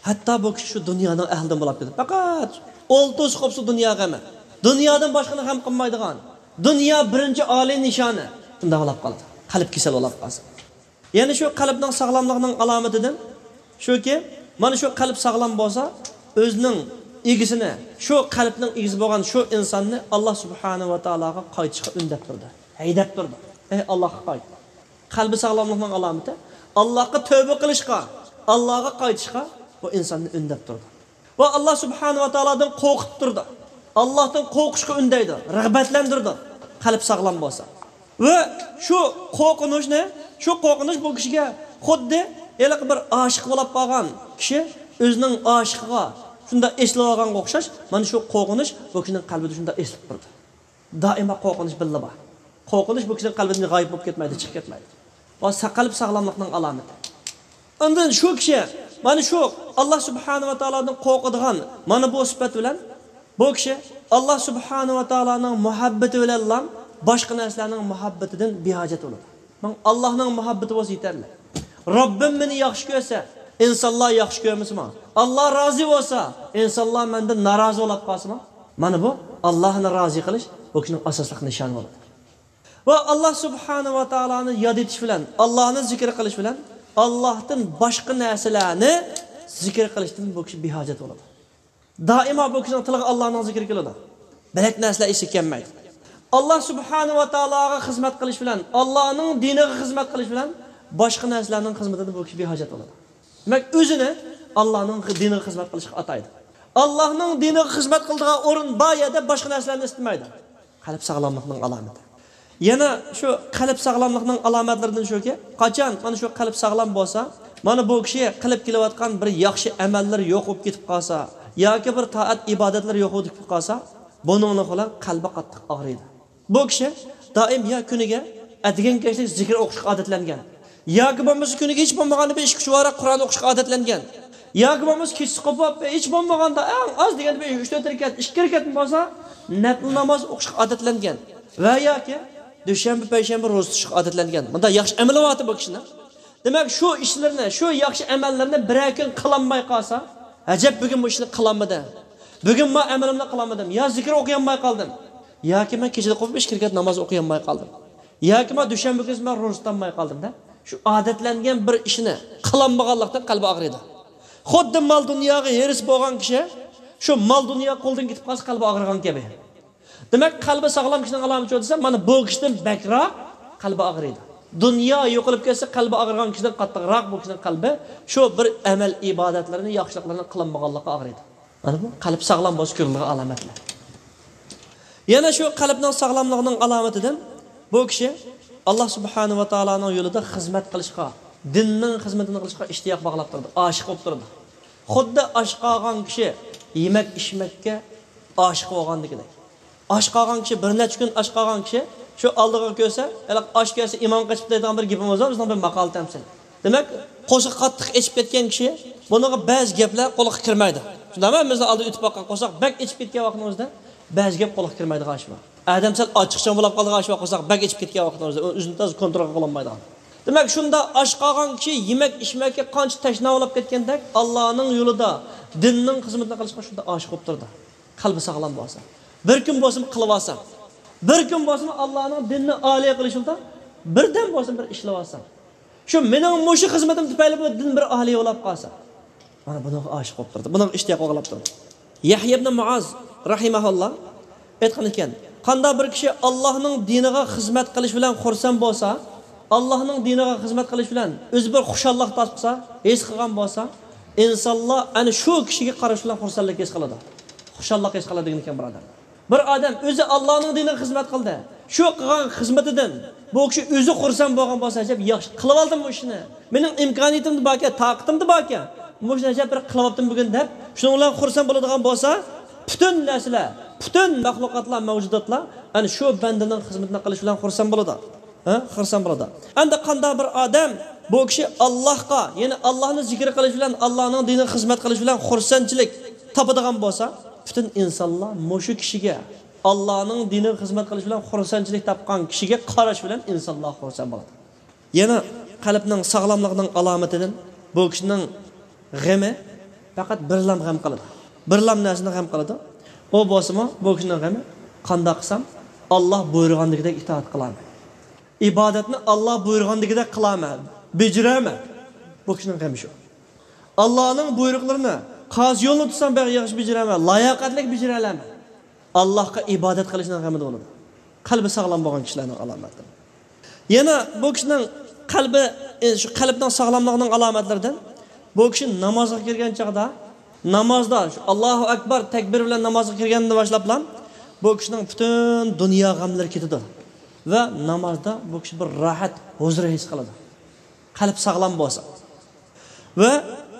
ھەتتا بۇ كىشى شۇ دۇنيانىڭ ئەھلىدىن بولاپ كېتىدۇ. پەقەت ئولتۇرسا قوپسا دۇنيا غېمى. دۇنيادىن باشقىنى غەم قىلمايدىغان. دۇنيا بىرىنچى ئالىي نىشانى. شۇنداق بولاپ قالىدۇ. قەلب كېسەل بولاپ قالسا. يەنە شۇ قەلبنىڭ ساغلاملىقىنىڭ ئالامىتىدىن شۇكى، مانا شۇ قەلب ساغلام بولسا، ئۆزىنىڭ ئىگىسىنى، شۇ قەلبنىڭ ئىگىسى بولغان شۇ ئىنساننى ئاللا سۇبھانەھۇ ۋە تائالاغا قايتىشقا ئۈندەپ تۇرىدۇ، ھەيدەپ تۇرىدۇ. ئەي ئاللاغا قايت. قەلبى ساغلاملىقنىڭ ئالامىتى، ئاللاغا تەۋبە قىلىشقا، ئاللاغا قايتىشقا بۇ ئىنساننى ئۈندەپ تۇرىدۇ. ۋە ئاللا سۇبھانەھۇ ۋە تائالادىن قورقۇتۇپ تۇرىدۇ. ئاللاھتىن قورقۇشقا ئۈندەيدۇ، رىغبەتلەندۈرىدۇ، قەلب ساغلام بولسا. ۋە شۇ قورقۇنچنى، شۇ قورقۇنچ بۇ كىشىگە خۇددى ھېلىقى بىر ئاشىق بولاپ قالغان كىشى ئۆزىنىڭ ئاشىقىغا شۇنداق ئېسىلىۋالغانغا ئوخشاش، مانا شۇ قورقۇنچ بۇ كىشىنىڭ قەلبىدە شۇنداق ئېسىلىپ تۇرىدۇ. دائىما قورقۇنچ بىللە بار. قورقۇنچ بۇ كىشىنىڭ قەلبىدىن غايىب بولۇپ كەتمەيدۇ، چىقىپ كەتمەيدۇ. ۋە سا-، قەلب ساغلاملىقنىڭ ئالامىتى. ئاندىن شۇ كىشى مانا شۇ ئاللا سۇبھانەھۇ ۋە تائالادىن قورقىدىغان مانا بۇ سۈپەت بىلەن، بۇ كىشى ئاللا سۇبھانەھۇ ۋە تائالانىڭ مۇھەببىتى بىلەنلا باشقا نەرسىلەرنىڭ مۇھەببىتىدىن بىھاجەت بولىدۇ. ماڭا ئاللانىڭ مۇھەببىتى بولسا يېتەرلىك. رەببىم مېنى ياخشى كۆرسە، ئىنسانلار ياخشى كۆرمىسە ماڭا، ئاللا رازى بولسا، ئىنسانلار مەندىن نارازى بولاپ قالسا ماڭا، مانا بۇ ئاللانى رازى قىلىش بۇ كىشىنىڭ ئاساسلىق نىشانى بولىدۇ. ۋە ئاللا سۇبھانەھۇ ۋە تائالانى ياد ئېتىش بىلەن، ئاللانى زىكىر قىلىش بىلەن، ئاللاھتىن باشقا نەرسىلەرنى زىكىر قىلىشتىن بۇ كىشى بىھاجەت بولىدۇ. دائىما بۇ كىشىنىڭ تىلىغا ئاللانىڭ زىكرى كېلىدۇ. بەلەك نەرسىلەر ئېسىگە كەلمەيدۇ. ئاللا سۇبھانەھۇ ۋە تائالاغا خىزمەت قىلىش بىلەن، ئاللانىڭ دىنىغا خىزمەت قىلىش بىلەن باشقا نەرسىلەرنىڭ خىزمىتىدىن بۇ كىشى بىھاجەت بولىدۇ. دېمەك، ئۆزىنى ئاللانىڭ دىنىغا خىزمەت قىلىشقا ئاتايدۇ. ئاللانىڭ دىنىغا خىزمەت قىلىدىغان ئورۇن بار يەردە باشقا نەرسىلەرنى ئىستىمەيدۇ. قەلب ساغلاملىقنىڭ ئالامىتى. يەنە شۇ قەلب ساغلاملىقنىڭ ئالامەتلىرىدىن شۇكى، قاچان مانا شۇ قەلب ساغلام بولسا، مانا بۇ كىشى قىلىپ كېلىۋاتقان بىر ياخشى ئەمەللىرى يوق بولۇپ كېتىپ قالسا، ياكى بىر تائەت ئىبادەتلىرى يوق بولۇپ كېتىپ قالسا، بۇنىڭلىق بىلەن قەلبى قاتتىق ئاغرىيدۇ. بۇ كىشى دائىم يا كۈنىگە ئەتىگەن كەچلىك زىكىر ئوقۇشقا ئادەتلەنگەن، ياكى بولمىسا كۈنىگە ھېچ بولمىغاندا بىر ئىككى ئۈچ ۋاراق قۇرئان ئوقۇشقا ئادەتلەنگەن، ياكى بولمىسا كېچىسى قوپۇپ ھېچ بولمىغاندا ئەڭ ئاز دېگەندە بىر ئۈچ تۆت رەكەت، ئىككى رەكەتمۇ بولسا نەپلى ناماز ئوقۇشقا ئادەتلەنگەن ۋە ياكى دۈشەنبە، پەيشەنبە روزا تۇتۇشقا ئادەتلەنگەن. بۇنداق ياخشى ئەمىلى بارتى بۇ كىشىنىڭ. دېمەك، شۇ ئىشلىرىنى، شۇ ياخشى ئەمەللىرىنى بىرەر كۈن قىلالماي قالسا، ئەجەب، بۈگۈن بۇ ئىشنى قىلالمىدىم، بۈگۈن ما ئەمىلىمنى قىلالمىدىم، يا زىكىر ئوقۇيالماي قالدىم، ياكى مەن كېچىدە قوپۇپ ئىككى رەكەت ناماز ئوقۇيالماي قالدىم، ياكى ما دۈشەنبە كۈنى مەن روزا تۇتالماي قالدىم دەپ، شۇ ئادەتلەنگەن بىر ئىشنى قىلالمىغانلىقتىن قەلبى ئاغرىيدۇ. خۇددى مال دۇنياغا ھېرىس بولغان كىشى شۇ مال دۇنيا قولدىن كېتىپ قالسا قەلبى ئاغرىغان كەبى. دېمەك، قەلبى ساغلام كىشىنىڭ ئالامىتى شۇ دېسە، مانا بۇ كىشىدىن بەكرەك قەلبى ئاغرىيدۇ. دۇنيا يوقىلىپ كەتسە، قەلبى ئاغرىغان كىشىدىن قاتتىقراق بۇ كىشىنىڭ قەلبى شۇ بىر ئەمەل ئىبادەتلىرىنى، ياخشىلىقلارنى قىلالمىغانلىققا ئاغرىيدۇ. مانا بۇ قەلب ساغلام بولسا كۆرۈلىدىغان ئالامەتلەر. يەنە شۇ قەلبنىڭ ساغلاملىقىنىڭ ئالامىتىدىن بۇ كىشى ئاللا سۇبھانەھۇ ۋە تائالانىڭ يولىدا خىزمەت قىلىشقا، دىننىڭ خىزمىتىنى قىلىشقا ئىشتىياق باغلاپ تۇرىدۇ، ئاشىق بولۇپ تۇرىدۇ. خۇددى ئاچ قالغان كىشى يېمەك ئىچمەككە ئاشىق بولغاندىكىدەك. ئاچ قالغان كىشى، بىر نەچچە كۈن ئاچ قالغان كىشى شۇ ئالدىغا كۆرسە، ھېلىقى ئاچ كەلسە ئىمان قېچىپ دەيدىغان بىر گېپىمىز بار، بىزنىڭ بىر ماقال تەمسىل. دېمەك، قورسىقى قاتتىق ئېچىپ كەتكەن كىشى، بۇنىڭغا بەزى گەپلەر قۇلىققا كىرمەيدۇ. شۇنداقمۇ؟ بىزنىڭ ئالدىدا ئۆتۈپ باققان قورساق بەك ئېچىپ كەتكەن ۋاقتىمىزدا بەزى گەپ قۇلىققا كىرمەيدىغان ئىش بار. ئادەم سەل ئاچچىقچان بولاپ قالىدىغان ئىش بار، قورساق بەك ئېچىپ كەتكەن ۋاقتىمىزدا ئۆزىنى تازا كونترول قىلالمايدىغان. دېمەك، شۇنداق ئاچ قالغان كىشى يېمەك ئىچمەككە قانچە تەشنا بولاپ كەتكەندەك، ئاللانىڭ يولىدا، دىننىڭ خىزمىتىنى قىلىشقا شۇنداق ئاشىق بولۇپ تۇرىدۇ. قەلبى ساغلام بولسا، بىر كۈن بولسىمۇ قىلىۋالسا، بىر كۈن بولسىمۇ ئاللانىڭ دىنىنى ئالىي قىلىش يولىدا بىردەم بولسىمۇ بىر ئىشلىۋالسا، شۇ مېنىڭ مۇشۇ خىزمىتىم تۈپەيلى بۇ دىن بىر ئالىي بولاپ قالسا، مانا بۇنىڭغا ئاشىق بولۇپ تۇرىدۇ، بۇنىڭغا ئىشتىياق باغلاپ تۇرىدۇ. يەھيا ئىبنى مۇئاز راھىمەھۇللا ئېيتقان ئىكەن، قانداق بىر كىشى ئاللاھنىڭ دىنىغا خىزمەت قىلىش بىلەن خۇرسەن بولسا، ئاللاھنىڭ دىنىغا خىزمەت قىلىش بىلەن ئۆزى بىر خۇشاللىق تاپسا، ھېس قىلغان بولسا، ئىنسانلار ئەنە شۇ كىشىگە قارىشى بىلەن خۇرسەنلىك ھېس قىلىدۇ، خۇشاللىق ھېس قىلىدۇ دېگەن ئىكەن، بۇرادەر. بىر ئادەم ئۆزى ئاللانىڭ دىنىغا خىزمەت قىلدى، شۇ قىلغان خىزمىتىدىن بۇ كىشى ئۆزى خۇرسەن بولغان بولسا، ئەجەب ياخشى قىلىۋالدىم بۇ ئىشنى، مېنىڭ ئىمكانىيىتىمدە باركەن، تاقىتىمدە باركەن، مۇشۇنى ئەجەب بىر قىلىۋاپتىم بۈگۈن دەپ، شۇنىڭ بىلەن خۇرسەن بولىدىغان بولسا، پۈتۈن نەرسىلەر، پۈتۈن مەخلۇقاتلار، مەۋجۇداتلار ئەنە شۇ بەندىنىڭ خىزمىتىنى قىلىش بىلەن خۇرسەن بولىدۇ. ھە؟ خۇرسەن بولىدۇ. ئەمدى قانداق بىر ئادەم بۇ كىشى ئاللاھقا، يەنى ئاللاھنى زىكىر قىلىش بىلەن، ئاللاھنىڭ دىنىغا خىزمەت قىلىش بىلەن خۇرسەنچىلىك تاپىدىغان بولسا، پۈتۈن ئىنسانلار مۇشۇ كىشىگە، ئاللاھنىڭ دىنىغا خىزمەت قىلىش بىلەن خۇرسەنچىلىك تاپقان كىشىگە قاراش بىلەن ئىنسانلار خۇرسەن بولىدۇ. يەنە قەلبنىڭ ساغلاملىقىنىڭ ئالامىتىدىن بۇ كىشىنىڭ غېمى پەقەت بىرلام غەم قىلىدۇ. بىرلام نەرسىنى غەم قىلىدۇ. ئۇ بولسىمۇ بۇ كىشىنىڭ غېمى، قانداق قىلسام ئاللاھ بۇيرۇغاندىكىدەك ئىتائەت قىلامەن. ئىبادەتنى ئاللاھ بۇيرۇغاندىكىدەك قىلامەن، بېجىرەمەن. بۇ كىشىنىڭ غېمى شۇ. ئاللاھنىڭ بۇيرۇقلىرىنى، قازى يولىنى تۇتسام بەك ياخشى بېجىرەمەن، لاياقەتلىك بېجىرەلەمەن. ئاللاھقا ئىبادەت قىلىشنىڭ غېمىدە بولىدۇ. قەلبى ساغلام بولغان كىشىلەرنىڭ ئالامەتلىرى. يەنە بۇ كىشىنىڭ قەلبى، ئى، شۇ قەلبنىڭ ساغلاملىقىنىڭ ئالامەتلىرىدىن، بۇ كىشى نامازغا كىرگەن چاغدا، نامازدا شۇ ئاللاھۇ ئەكبەر تەكبىر بىلەن نامازغا كىرگەندىن باشلاپلا بۇ كىشىنىڭ پۈتۈن دۇنيا غەملىرى كېتىدۇ ۋە نامازدا بۇ كىشى بىر راھەت، ھۇزۇر ھېس قىلىدۇ. قەلب ساغلام بولسا. ۋە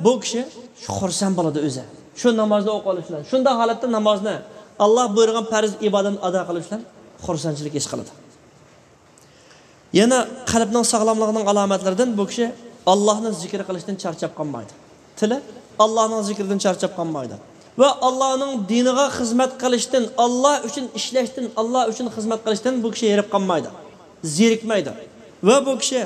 بۇ كىشى شۇ خۇرسەن بولىدۇ ئۆزى. شۇ نامازنى ئوقۇۋېلىش بىلەن، شۇنداق ھالەتتە نامازنى، ئاللاھ بۇيرۇغان پەرز ئىبادەتنى ئادا قىلىش بىلەن خۇرسەنچىلىك ھېس قىلىدۇ. يەنە قەلبنىڭ ساغلاملىقىنىڭ ئالامەتلىرىدىن بۇ كىشى ئاللاھنى زىكىر قىلىشتىن چارچاپ قالمايدۇ. تىلى ئاللاھنىڭ زىكرىدىن چارچاپ قالمايدۇ. ۋە ئاللاھنىڭ دىنىغا خىزمەت قىلىشتىن، ئاللاھ ئۈچۈن ئىشلەشتىن، ئاللاھ ئۈچۈن خىزمەت قىلىشتىن بۇ كىشى ھېرىپ قالمايدۇ، زېرىكمەيدۇ. ۋە بۇ كىشى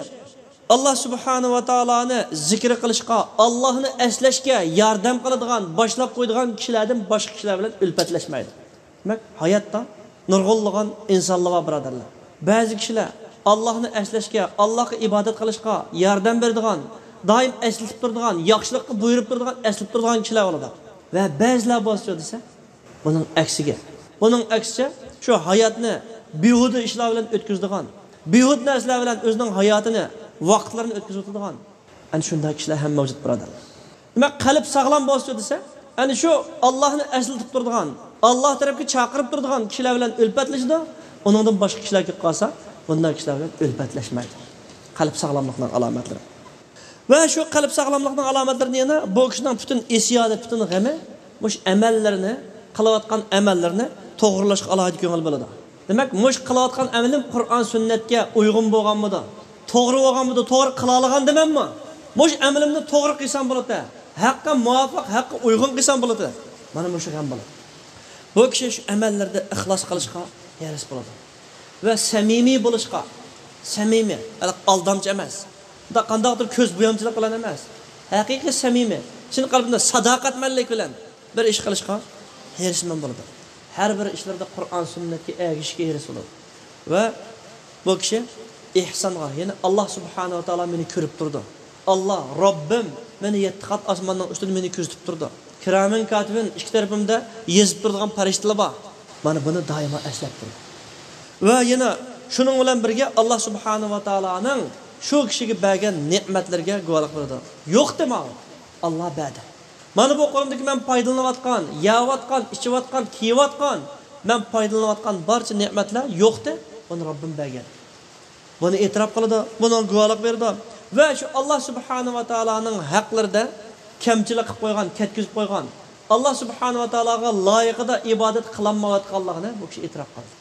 ئاللاھ سۇبھانەھۇ ۋە تائالانى زىكرى قىلىشقا، ئاللاھنى ئەسلەشكە ياردەم قىلىدىغان، باشلاپ قويىدىغان كىشىلەردىن باشقا كىشىلەر بىلەن ئۈلپەتلەشمەيدۇ. دېمەك، ھاياتتا نۇرغۇنلىغان ئىنسانلار بار، بۇرادەرلەر. بەزى كىشىلەر ئاللاھنى ئەسلەشكە، ئاللاھقا ئىبادەت قىلىشقا ياردەم بېرىدىغان، دائىم ئەسلىتىپ تۇرىدىغان، ياخشىلىققا بۇيرۇپ تۇرىدىغان، ئەسلىتىپ تۇرىدىغان كىشىلەر بولىدۇ. ۋە بەزىلەر بولسا دېسە، بۇنىڭ ئەكسىگە. بۇنىڭ ئەكسىچە، شۇ ھاياتنى بىھۇدە ئىشلار بىلەن ئۆتكۈزىدىغان، بىھۇدە نەرسىلەر بىلەن ئۆزىنىڭ ھاياتىنى، ۋاقىتلىرىنى ئۆتكۈزۈۋېتىدىغان، ئەنە شۇنداق كىشىلەر ھەم مەۋجۇت، بۇرادەرلەر. دېمەك، قەلب ساغلام بولسا دېسە، ئەنە شۇ ئاللاھنى ئەسلىتىپ تۇرىدىغان، ئاللاھ تەرەپكە چاقىرىپ تۇرىدىغان كىشىلەر بىلەن ئۈلپەتلىشىدۇ. ئۇنىڭدىن باشقا كىشىلەر كېلىپ قالسا، بۇنداق كىشىلەر بىلەن ئۈلپەتلەشمەيدۇ. قەلب ساغلاملىقنىڭ ئالامەتلىرى. ۋە شۇ قەلب ساغلاملىقنىڭ ئالامەتلىرىدىن يەنە بۇ كىشىنىڭ پۈتۈن ھېسسىياتى، پۈتۈن غېمى مۇشۇ ئەمەللىرىنى، قىلىۋاتقان ئەمەللىرىنى توغرىلاشقا ئالاھىدە كۆڭۈل بۆلىدۇ. دېمەك، مۇشۇ قىلىۋاتقان ئەمىلىم قۇرئان سۈننەتكە ئۇيغۇن بولغانمىدۇ؟ توغرا بولغانمىدۇ؟ توغرا قىلالىغاندىمەنمۇ؟ مۇشۇ ئەمىلىمنى توغرا قىلسام بولىدۇ. ھەققە مۇۋاپىق، ھەققە ئۇيغۇن قىلسام بولىدۇ. مانا مۇشۇ غەم بولىدۇ. بۇ كىشى شۇ ئەمەللىرىدە ئىخلاس قىلىشقا ھېرىس بولىدۇ. ۋە سەمىمىي بولۇشقا، سەمىمىي، ھېلىقى ئالدامچى ئەمەس. بۇنداق قانداقتۇر كۆز بويامچىلىق بىلەن ئەمەس. ھەقىقىي سەمىمىي، چىن قەلبىدە ساداقەتمەنلىك بىلەن بىر ئىش قىلىشقا ھېرىسمەن بولىدۇ. ھەر بىر ئىشلىرىدا قۇرئان سۈننەتكە ئەگىشىشكە ھېرىس بولىدۇ. ۋە بۇ كىشى ئېھسانغا، يەنى ئاللا سۇبھانەھۇ ۋە تائالا مېنى كۆرۈپ تۇرىدۇ. ئاللا، رەببىم مېنى يەتتە قات ئاسماننىڭ ئۈستىدە مېنى كۆزىتىپ تۇرىدۇ. كىرامەن كاتىبىن ئىككى تەرىپىمدە يېزىپ تۇرىدىغان پەرىشتىلەر بار. مانا بۇنى دائىما ئەسلەپ تۇرىدۇ. ۋە يەنە شۇنىڭ بىلەن بىرگە ئاللا سۇبھانەھۇ ۋە تائالانىڭ شۇ كىشىگە بەرگەن نېمەتلىرىگە گۇۋاھلىق بېرىدۇ. يوقتى ماڭا، ئاللا بەردى. مانا بۇ قولۇمدىكى مەن پايدىلىنىۋاتقان، يەۋاتقان، ئىچىۋاتقان، كىيىۋاتقان، مەن پايدىلىنىۋاتقان بارچە نېمەتلەر يوقتى، بۇنى رەببىم بەرگەن. بۇنى ئېتىراپ قىلىدۇ، بۇنىڭغا گۇۋاھلىق بېرىدۇ. ۋە شۇ ئاللا سۇبھانەھۇ ۋە تائالانىڭ ھەقلىرىدە كەمچىلىك قىلىپ قويغان، كەتكۈزۈپ قويغان، ئاللا سۇبھانەھۇ ۋە تائالاغا لايىقىدا ئىبادەت قىلالمايۋاتقانلىقىنى بۇ كىشى ئېتىراپ قىلدى.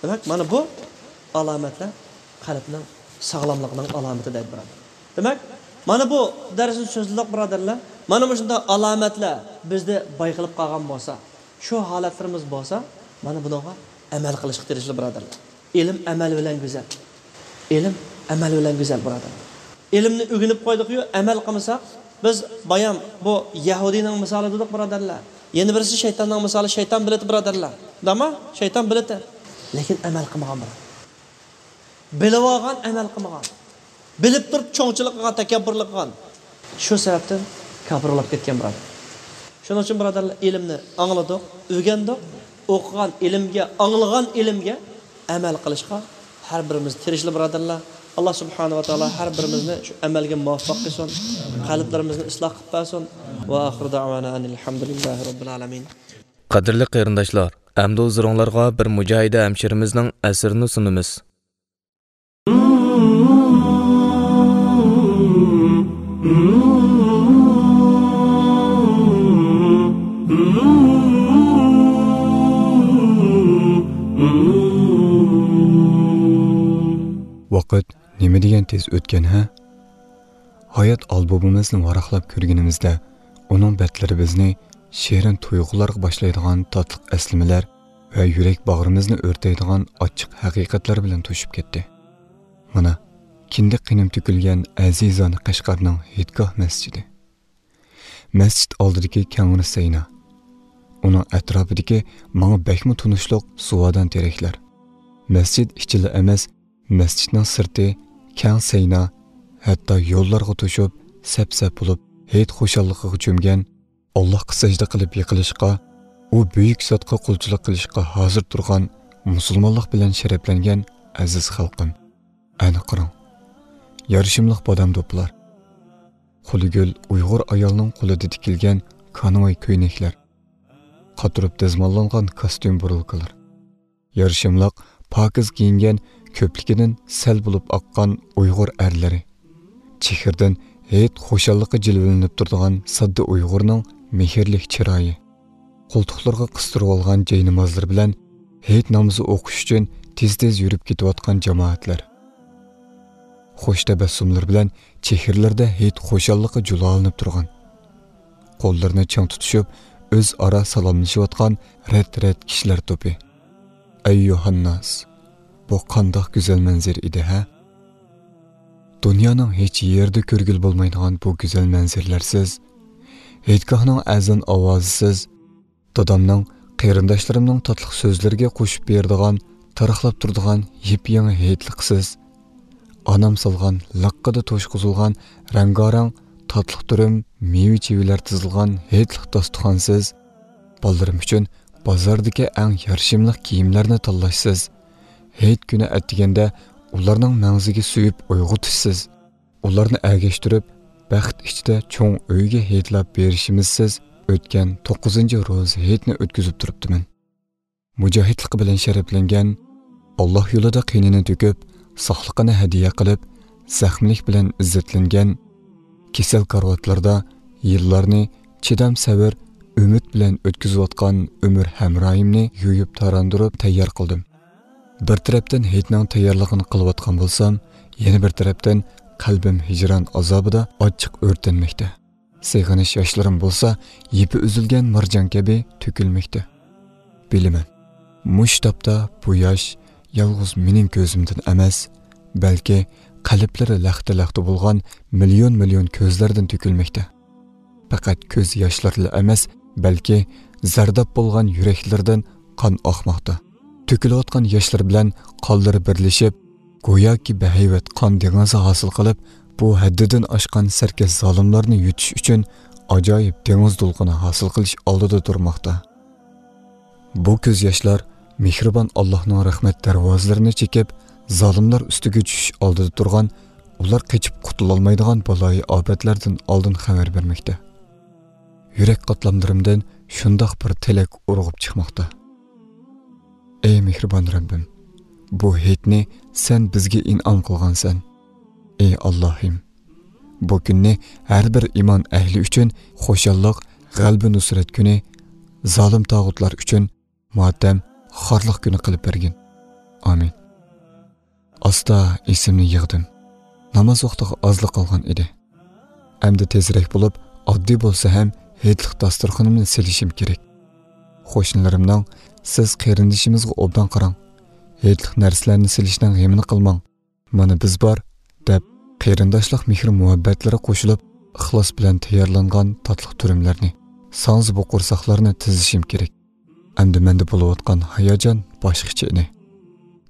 دېمەك، مانا بۇ ئالامەتلەر قەلبنىڭ ساغلاملىقىنىڭ ئالامىتى دەيدۇ، بۇرادەر. دېمەك، مانا بۇ دەرسنى سۆزلىدۇق، بۇرادەرلەر. مانا مۇشۇنداق ئالامەتلەر بىزدە بايقىلىپ قالغان بولسا، شۇ ھالەتلىرىمىز بولسا، مانا بۇنىڭغا ئەمەل قىلىشقا تىرىشىلى، بۇرادەرلەر. ئىلىم ئەمەل بىلەن گۈزەل. ئىلىم ئەمەل بىلەن گۈزەل، بۇرادەرلەر. ئىلىمنى ئۆگىنىپ قويدۇقيۇ، ئەمەل قىلمىساق، بىز بايام بۇ يەھۇدىينىڭ مىسالى دېدۇق، بۇرادەرلەر. يەنە بىرسى شەيتاننىڭ مىسالى، شەيتان بىلىتى، بۇرادەرلەر. دەما؟ شەيتان بىلىتى. لېكىن ئەمەل قىلمىغان، بۇرادەر. بىلىۋالغان، ئەمەل قىلمىغان. بىلىپ تۇرۇپ چوڭچىلىق قىلغان، تەكەببۇرلۇق قىلغان. شۇ سەۋەبتىن كاپىر بولاپ كەتكەن، بۇرادەر. شۇنىڭ ئۈچۈن، بۇرادەرلەر، ئىلىمنى ئاڭلىدۇق، ئۆگەندۇق، ئوقۇغان ئىلىمگە، ئاڭلىغان ئىلىمگە ئەمەل قىلىشقا ھەر بىرىمىز تىرىشىلى، بۇرادەرلەر. ئاللا سۇبھانەھۇ ۋە تائالا ھەر بىرىمىزنى شۇ ئەمەلگە مۇۋەپپەق قىلسۇن، قەلبلىرىمىزنى ئىسلاھ قىلىپ بەرسۇن. ۋە ئاخىرۇ دەئۋانا ئەنىل ھەمدۇلىللاھى رەببىل ئالەمىن. قەدىرلىك قېرىنداشلار، ئەمدى ھۇزۇرۇڭلارغا بىر مۇجاھىدە ھەمشىرىمىزنىڭ ئەسىرىنى سۇنىمىز. ۋاقىت نېمە دېگەن تېز ئۆتكەن، ھە؟ ھايات ئالبومىمىزنى ۋاراقلاپ كۆرگىنىمىزدە، ئۇنىڭ بەتلىرى بىزنى شېرىن تۇيغۇلارغا باشلايدىغان تاتلىق ئەسلىمىلەر ۋە يۈرەك باغرىمىزنى ئۆرتەيدىغان ئاچچىق ھەقىقەتلەر بىلەن توشۇپ كەتتى. مانا، كىندىك قېنىم تۆكۈلگەن ئەزىزانە قەشقەرنىڭ ھېيتگاھ مەسچىتى. مەسچىت ئالدىدىكى كەڭرى سەينا. ئۇنىڭ ئەتراپىدىكى ماڭا بەكمۇ تونۇشلۇق سۇۋادان تېرەكلەر. مەسچىت ئىچىلا ئەمەس، مەسچىتنىڭ سىرتى، كەڭ سەينا، ھەتتا يوللارغا توشۇپ، سەپ-سەپ بولۇپ، ھېيت خۇشاللىقىغا چۆمگەن، ئاللاھقا سەجدە قىلىپ يىقىلىشقا، ئۇ بۈيۈك زاتقا قۇلچىلىق قىلىشقا ھازىر تۇرغان مۇسۇلمانلىق بىلەن شەرەپلەنگەن ئەزىز خەلقىم. ئەنە قاراڭ، يارىشىملىق بادام دوپىلار، قولى گۈل ئۇيغۇر ئايالنىڭ قولىدا تىكىلگەن كانۋاي كۆينەكلەر، قاتۇرۇپ دەزماللانغان كاستيۇم بۇرۇلكىلار. يارىشىملىق، پاكىز كىيىنگەن، كۆپلۈكىدىن سەل بولۇپ ئاققان ئۇيغۇر ئەرلىرى. چېھرىدىن ھېيت خۇشاللىقى جىلۋىلىنىپ تۇرىدىغان ساددا ئۇيغۇرنىڭ مېھىرلىك چىرايى. قولتۇقلىرىغا قىستۇرۇۋالغان جاينامازلىرى بىلەن ھېيت نامىزى ئوقۇش ئۈچۈن تېز-تېز يۈرۈپ كېتىۋاتقان جامائەتلەر. خۇش تەبەسسۇملىرى بىلەن چېھرىلىرىدە ھېيت خۇشاللىقى جۇلالىنىپ تۇرغان، قوللىرىنى چىڭ تۇتۇشۇپ، ئۆزئارا سالاملىشىۋاتقان رەت-رەت كىشىلەر توپى. ئەييۇھەنناس، بۇ قانداق گۈزەل مەنزىرە ئىدى، ھە؟ دۇنيانىڭ ھېچ يېرىدە كۆرگىلى بولمايدىغان بۇ گۈزەل مەنزىرىلەرسىز، ھېيتگاھنىڭ ئەزان ئاۋازىسىز، دادامنىڭ، قېرىنداشلىرىمنىڭ تاتلىق سۆزلىرىگە قوشۇپ بېرىدىغان، تارىخلاپ تۇرىدىغان يېپيېڭى ھېيتلىقسىز، ئانام سالغان لىققىدە توشقۇزۇلغان رەڭگارەڭ تاتلىق دۈرۈم، مېۋە-چېۋىلەر تىزىلغان ھېيتلىق داستىخانسىز، بالىلىرىم ئۈچۈن بازاردىكى ئەڭ يارىشىملىق كىيىملەرنى تاللاشسىز، ھېيت كۈنى ئەتىگەندە ئۇلارنىڭ مەڭزىگە سۆيۈپ ئويغىتىشسىز، ئۇلارنى ئەگەشتۈرۈپ، بەخت ئىچىدە چوڭ ئۆيگە ھېيتلاپ بېرىشىمىزسىز ئۆتكەن توققۇزىنچى روزا ھېيتنى ئۆتكۈزۈپ تۇرۇپتىمەن. مۇجاھىدلىقى بىلەن شەرەپلەنگەن، ئاللاھ يولىدا قېنىنى تۆكۈپ، ساقلىقىنى ھەدىيە قىلىپ، زەخىملىك بىلەن ئىززەتلەنگەن، كېسەل كارىۋاتلىرىدا يىللارنى چىدام، سەۋر، ئۈمىد بىلەن ئۆتكۈزۈۋاتقان ئۆمۈر ھەمراھىمنى يۇيۇپ تاراندۇرۇپ تەييار قىلدىم. بىر تەرەپتىن ھېيتنىڭ تەييارلىقىنى قىلىۋاتقان بولسام، يەنە بىر تەرەپتىن قەلبىم ھىجران ئازابىدا ئاچچىق ئۆرتەنمەكتە. سېغىنىش ياشلىرىم بولسا يىپى ئۈزۈلگەن مارجان كەبى تۆكۈلمەكتە. بىلىمەن، مۇشۇ تاپتا بۇ ياش يالغۇز مېنىڭ كۆزۈمدىن ئەمەس، بەلكى قەلبلىرى لەختە-لەختە بولغان مىليون-مىليون كۆزلەردىن تۆكۈلمەكتە. پەقەت كۆز ياشلىرىلا ئەمەس، بەلكى زەرداب بولغان يۈرەكلىرىدىن قان ئاقماقتا. تۆكۈلۈۋاتقان ياشلار بىلەن قانلىرى بىرلىشىپ، گوياكى بەھەيۋەت قان دېڭىزى ھاسىل قىلىپ، بۇ ھەددىدىن ئاشقان سەركەش زالىملارنى يۇتۇش ئۈچۈن ئاجايىپ دېڭىز دولقۇنى ھاسىل قىلىش ئالدىدا تۇرماقتا. بۇ كۆز ياشلار مېھرىبان ئاللاھنىڭ رەھمەت دەرۋازىلىرىنى چېكىپ، زالىملار ئۈستىگە چۈشۈش ئالدىدا تۇرغان، ئۇلار قېچىپ قۇتۇلالمايدىغان بالايىي ئاپەتلەردىن ئالدىن خەۋەر بەرمەكتە. يۈرەك قاتلاملىرىمدىن شۇنداق بىر تىلەك ئۇرغۇپ چىقماقتا. ئەي مېھرىبان رەببىم، بۇ ھېيتنى سەن بىزگە ئىنئام قىلغانسەن. ئەي ئاللاھىم، بۇ كۈننى ھەر بىر ئىمان ئەھلى ئۈچۈن خۇشاللىق، غەلىبە نۇسرەت كۈنى، زالىم تاغۇتلار ئۈچۈن ماتەم، خارلىق كۈنى قىلىپ بەرگىن. ئامىن. ئاستا ئېسىمنى يىغدىم. ناماز ۋاقتىغا ئازلا قالغان ئىدى. ئەمدى تېزرەك بولۇپ، ئاددىي بولسا ھەم ھېيتلىق داستۇرخىنىمنى سېلىشىم كېرەك. قوشنىلىرىمنىڭ، «سىز قېرىندىشىمىزغا ئوبدان قاراڭ، ھېيتلىق نەرسىلەرنى سېلىشنىڭ غېمىنى قىلماڭ، مانا بىز بار» دەپ، قېرىنداشلىق مېھرى-مۇھەببەتلىرى قوشۇلۇپ، ئىخلاس بىلەن تەييارلانغان تاتلىق تۈرۈملەرنى، ساڭزا بۇ قورساقلارنى تىزىشىم كېرەك. ئەمدى مەندە بولۇۋاتقان ھاياجان باشقىچە ئىدى.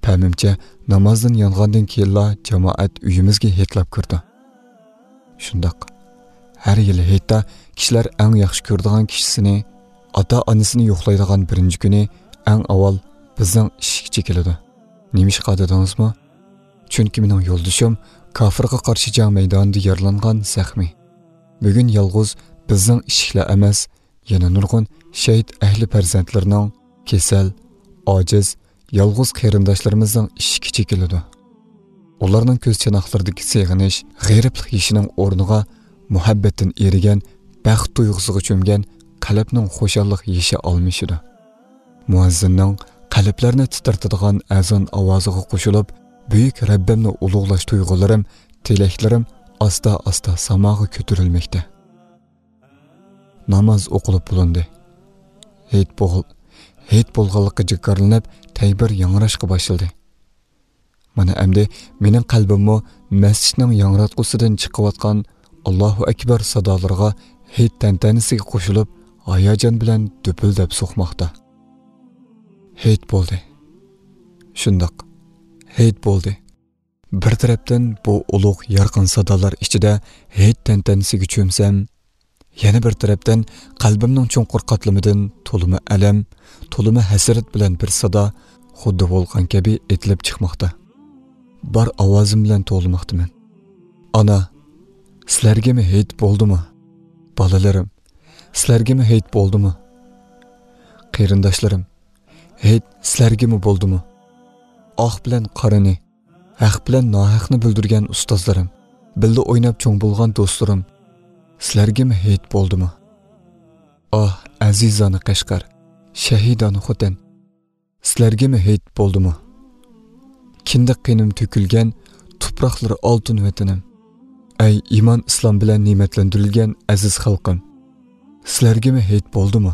پەمىمچە، نامازدىن يانغاندىن كېيىنلا جامائەت ئۆيىمىزگە ھېيتلاپ كىردى. شۇنداق، ھەر يىلى ھېيتتا كىشىلەر ئەڭ ياخشى كۆرىدىغان كىشىسىنى، ئاتا-ئانىسىنى يوقلايدىغان بىرىنچى كۈنى ئەڭ ئاۋۋال بىزنىڭ ئىشىككە چېكىلىدۇ. نېمىشقا دېدىڭىزمۇ؟ چۈنكى مېنىڭ يولدىشىم كاپىرغا قارشى جەڭ مەيدانىدا يارىلانغان زەخمىي. بۈگۈن يالغۇز بىزنىڭ ئىشىكلا ئەمەس، يەنە نۇرغۇن شەھىت ئەھلى پەرزەنتلىرىنىڭ، كېسەل، ئاجىز، يالغۇز قېرىنداشلىرىمىزنىڭ ئىشىكى چېكىلىدۇ. ئۇلارنىڭ كۆز چاناقلىرىدىكى سېغىنىش، غېرىبلىق يېشىنىڭ ئورنىغا مۇھەببەتتىن ئېرىگەن، بەخت تۇيغۇسىغا چۆمگەن قەلبنىڭ خۇشاللىق يېشى ئالمىشىدۇ. مۇئەززىننىڭ قەلبلەرنى تىترىتىدىغان ئەزان ئاۋازىغا قوشۇلۇپ، بۈيۈك رەببىمنى ئۇلۇغلاش تۇيغۇلىرىم، تىلەكلىرىم ئاستا-ئاستا ساماغا كۆتۈرۈلمەكتە. ناماز ئوقۇلۇپ بولۇندى. ھېيت بول-، ھېيت بولغانلىقى جاكارلىنىپ، تەكبىر ياڭراشقا باشلىدى. مانا ئەمدى مېنىڭ قەلبىممۇ مەسچىتنىڭ ياڭراتقۇسىدىن چىقىۋاتقان «ئاللاھۇ ئەكبەر» سادالىرىغا ھېيت تەنتەنىسىگە قوشۇلۇپ، ھاياجان بىلەن دۈپۈلدەپ سوقماقتا. ھېيت بولدى. شۇنداق، ھېيت بولدى. بىر تەرەپتىن بۇ ئۇلۇغ يارقىن سادالار ئىچىدە ھېيت تەنتەنىسىگە چۆمسەم، يەنە بىر تەرەپتىن قەلبىمنىڭ چوڭقۇر قاتلىمىدىن تولىمۇ ئەلەم، تولىمۇ ھەسرەت بىلەن بىر سادا خۇددى ۋولقان كەبى ئېتىلىپ چىقماقتا. بار ئاۋازىم بىلەن توۋلىماقتىمەن. ئانا، سىلەرگىمۇ ھېيت بولدىمۇ؟ بالىلىرىم، سىلەرگىمۇ ھېيت بولدىمۇ؟ قېرىنداشلىرىم، ھېيت سىلەرگىمۇ بولدىمۇ؟ ئاق بىلەن قارىنى، ھەق بىلەن ناھەقنى بىلدۈرگەن ئۇستازلىرىم، بىللە ئويناپ چوڭ بولغان دوستلىرىم، سىلەرگىمۇ ھېيت بولدىمۇ؟ ئاھ، ئەزىزانە قەشقەر، شەھىدانە خوتەن، سىلەرگىمۇ ھېيت بولدىمۇ؟ كىندىك قېنىم تۆكۈلگەن تۇپراقلىرى ئالتۇن ۋەتىنىم، ئەي ئىمان ئىسلام بىلەن نېمەتلەندۈرۈلگەن ئەزىز خەلقىم، سىلەرگىمۇ ھېيت بولدىمۇ؟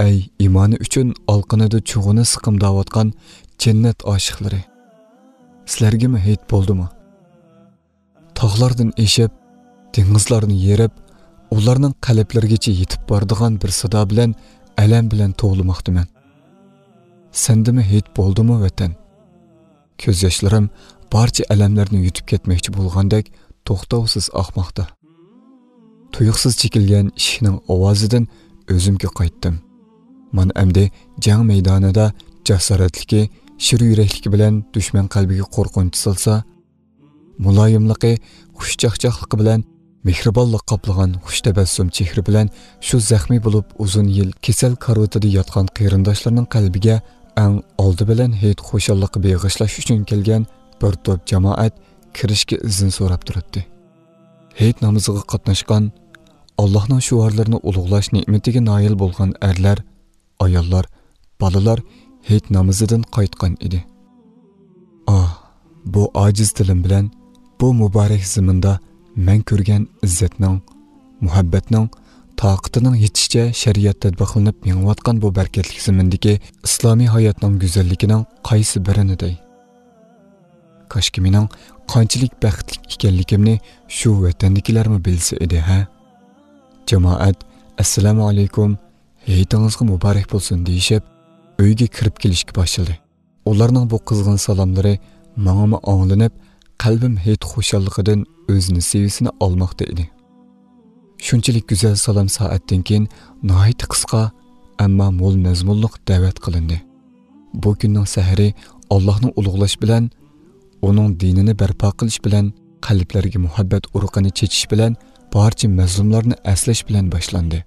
ئەي ئىمانى ئۈچۈن ئالقىنىدا چۇغىنى سىقىمداۋاتقان جەننەت ئاشىقلىرى، سىلەرگىمۇ ھېيت بولدىمۇ؟ تاغلاردىن ئېشىپ، دېڭىزلارنى يېرىپ، ئۇلارنىڭ قەلبلىرىگىچە يېتىپ بارىدىغان بىر سادا بىلەن ئەلەم بىلەن توۋلىماقتىمەن. سەندىمۇ ھېيت بولدىمۇ، ۋەتەن؟ كۆز ياشلىرىم بارچە ئەلەملەرنى يۇتۇپ كەتمەكچى بولغاندەك توختاۋسىز ئاقماقتا. تۇيۇقسىز چېكىلگەن ئىشىكنىڭ ئاۋازىدىن ئۆزۈمگە قايتتىم. مانا ئەمدى جەڭ مەيدانىدا جاسارەتلىكى، شىر يۈرەكلىكى بىلەن دۈشمەن قەلبىگە قورقۇنچ سالسا، مۇلايىملىقى، خۇشچاقچاقلىقى بىلەن مېھرىبانلىق قاپلىغان خۇش تەبەسسۇم چېھرە بىلەن شۇ زەخمىي بولۇپ ئۇزۇن يىل كېسەل كارىۋىتىدا ياتقان قېرىنداشلارنىڭ قەلبىگە ئەڭ ئالدى بىلەن ھېيت خۇشاللىقى بېغىشلاش ئۈچۈن كەلگەن بىر توپ جامائەت كىرىشكە ئىزىن سوراپ تۇراتتى. ھېيت نامىزىغا قاتناشقان، ئاللاھنىڭ شوئارلىرىنى ئۇلۇغلاش نېمىتىگە نايىل بولغان ئەرلەر، ئاياللار، بالىلار ھېيت نامىزىدىن قايتقان ئىدى. ئاھ، بۇ ئاجىز تىلىم بىلەن بۇ مۇبارەك زېمىندا مەن كۆرگەن ئىززەتنىڭ، مۇھەببەتنىڭ، تاقىتىنىڭ يېتىشىچە شەرىئەت تەتبىقلىنىپ مېڭىۋاتقان بۇ بەرىكەتلىك زېمىندىكى ئىسلامىي ھاياتنىڭ گۈزەللىكىنىڭ قايسى بىرىنى دەي؟ كاشكى مېنىڭ قانچىلىك بەختلىك ئىكەنلىكىمنى شۇ ۋەتەندىكىلەرمۇ بىلسە ئىدى، ھە؟ جامائەت، «ئەسسالامۇ ئەلەيكۇم، ھېيتىڭىزغا مۇبارەك بولسۇن» دېيىشىپ، ئۆيگە كىرىپ كېلىشكە باشلىدى. ئۇلارنىڭ بۇ قىزغىن سالاملىرى ماڭىمۇ ئاڭلىنىپ، قەلبىم ھېيت خۇشاللىقىدىن ئۆز نېسىۋىسىنى ئالماقتا ئىدى. شۇنچىلىك گۈزەل سالام سائەتتىن كېيىن ناھايىتى قىسقا، ئەمما مول مەزمۇنلۇق دەۋەت قىلىندى. بۇ كۈننىڭ سەھىرى ئاللاھنى ئۇلۇغلاش بىلەن، ئۇنىڭ دىنىنى بەرپا قىلىش بىلەن، قەلبلەرگە مۇھەببەت ئۇرۇقىنى چېچىش بىلەن، بارچە مەزلۇملارنى ئەسلەش بىلەن باشلاندى.